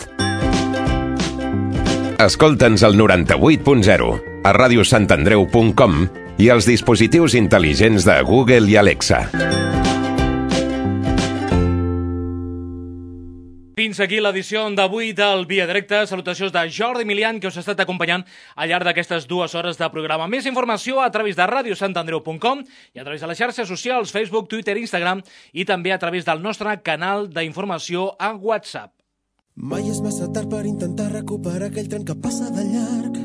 Escolta'ns al noranta-vuit punt zero, a ràdio sant andreu punt com i als dispositius intel·ligents de Google i Alexa. Fins aquí l'edició d'avui del Via Directe. Salutacions de Jordi Milian, que us ha estat acompanyant al llarg d'aquestes dues hores de programa. Més informació a través de ràdio sant andreu punt com i a través de les xarxes socials, Facebook, Twitter, Instagram i també a través del nostre canal d'informació a WhatsApp. Mai és massa tard per intentar recuperar aquell tren que passa de llarg.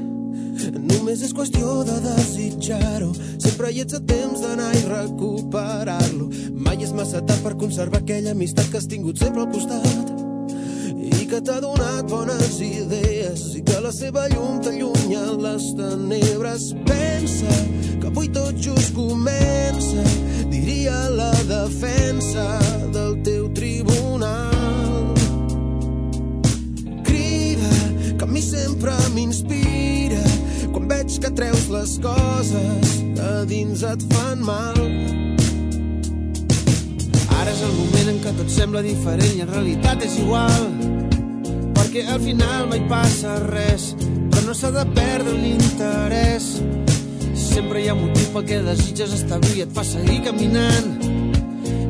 Només és qüestió de desitjar-ho. Sempre hi ets a temps d'anar i recuperar-lo. Mai és massa tard per conservar aquella amistat que has tingut sempre al costat i que t'ha donat bones idees i que la seva llum t'allunya les tenebres. Pensa que avui tot just comença, diria a la defensa del teu tribunal. Crida, que a mi sempre m'inspira quan veig que treus les coses que a dins et fan mal. Ara és el moment en què tot sembla diferent i en realitat és igual, perquè al final mai passa res, però no s'ha de perdre l'interès. Sempre hi ha motiu pel que desitges establir, et fa seguir caminant,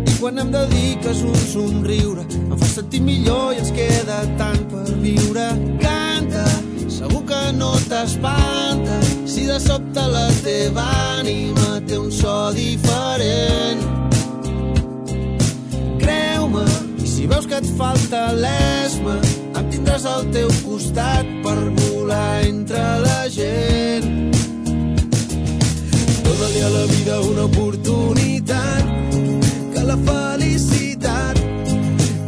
i quan em dediques un somriure em fa sentir millor i ens queda tant per viure. Canta, segur que no t'espanta si de sobte la teva ànima té un so diferent. Creu-me, i si veus que et falta l'esma, em tindràs al teu costat per volar entre la gent. Dóna-li a la vida una oportunitat, que la felicitat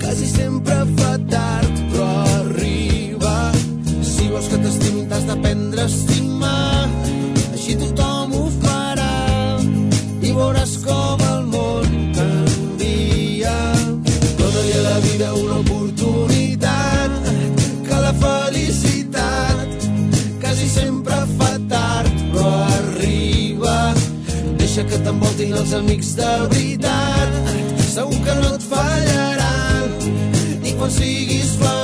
quasi sempre fa tard, però arriba. Si vols que t'estimin t'has d'aprendre a estimar, així tothom ho farà i veuràs com el món canvia. Dóna-li a la vida una oportunitat, que la felicitat quasi sempre fa tard, però arriba. Deixa que t'envoltin els amics de veritat, segur que no et fallaran, i quan siguis feliç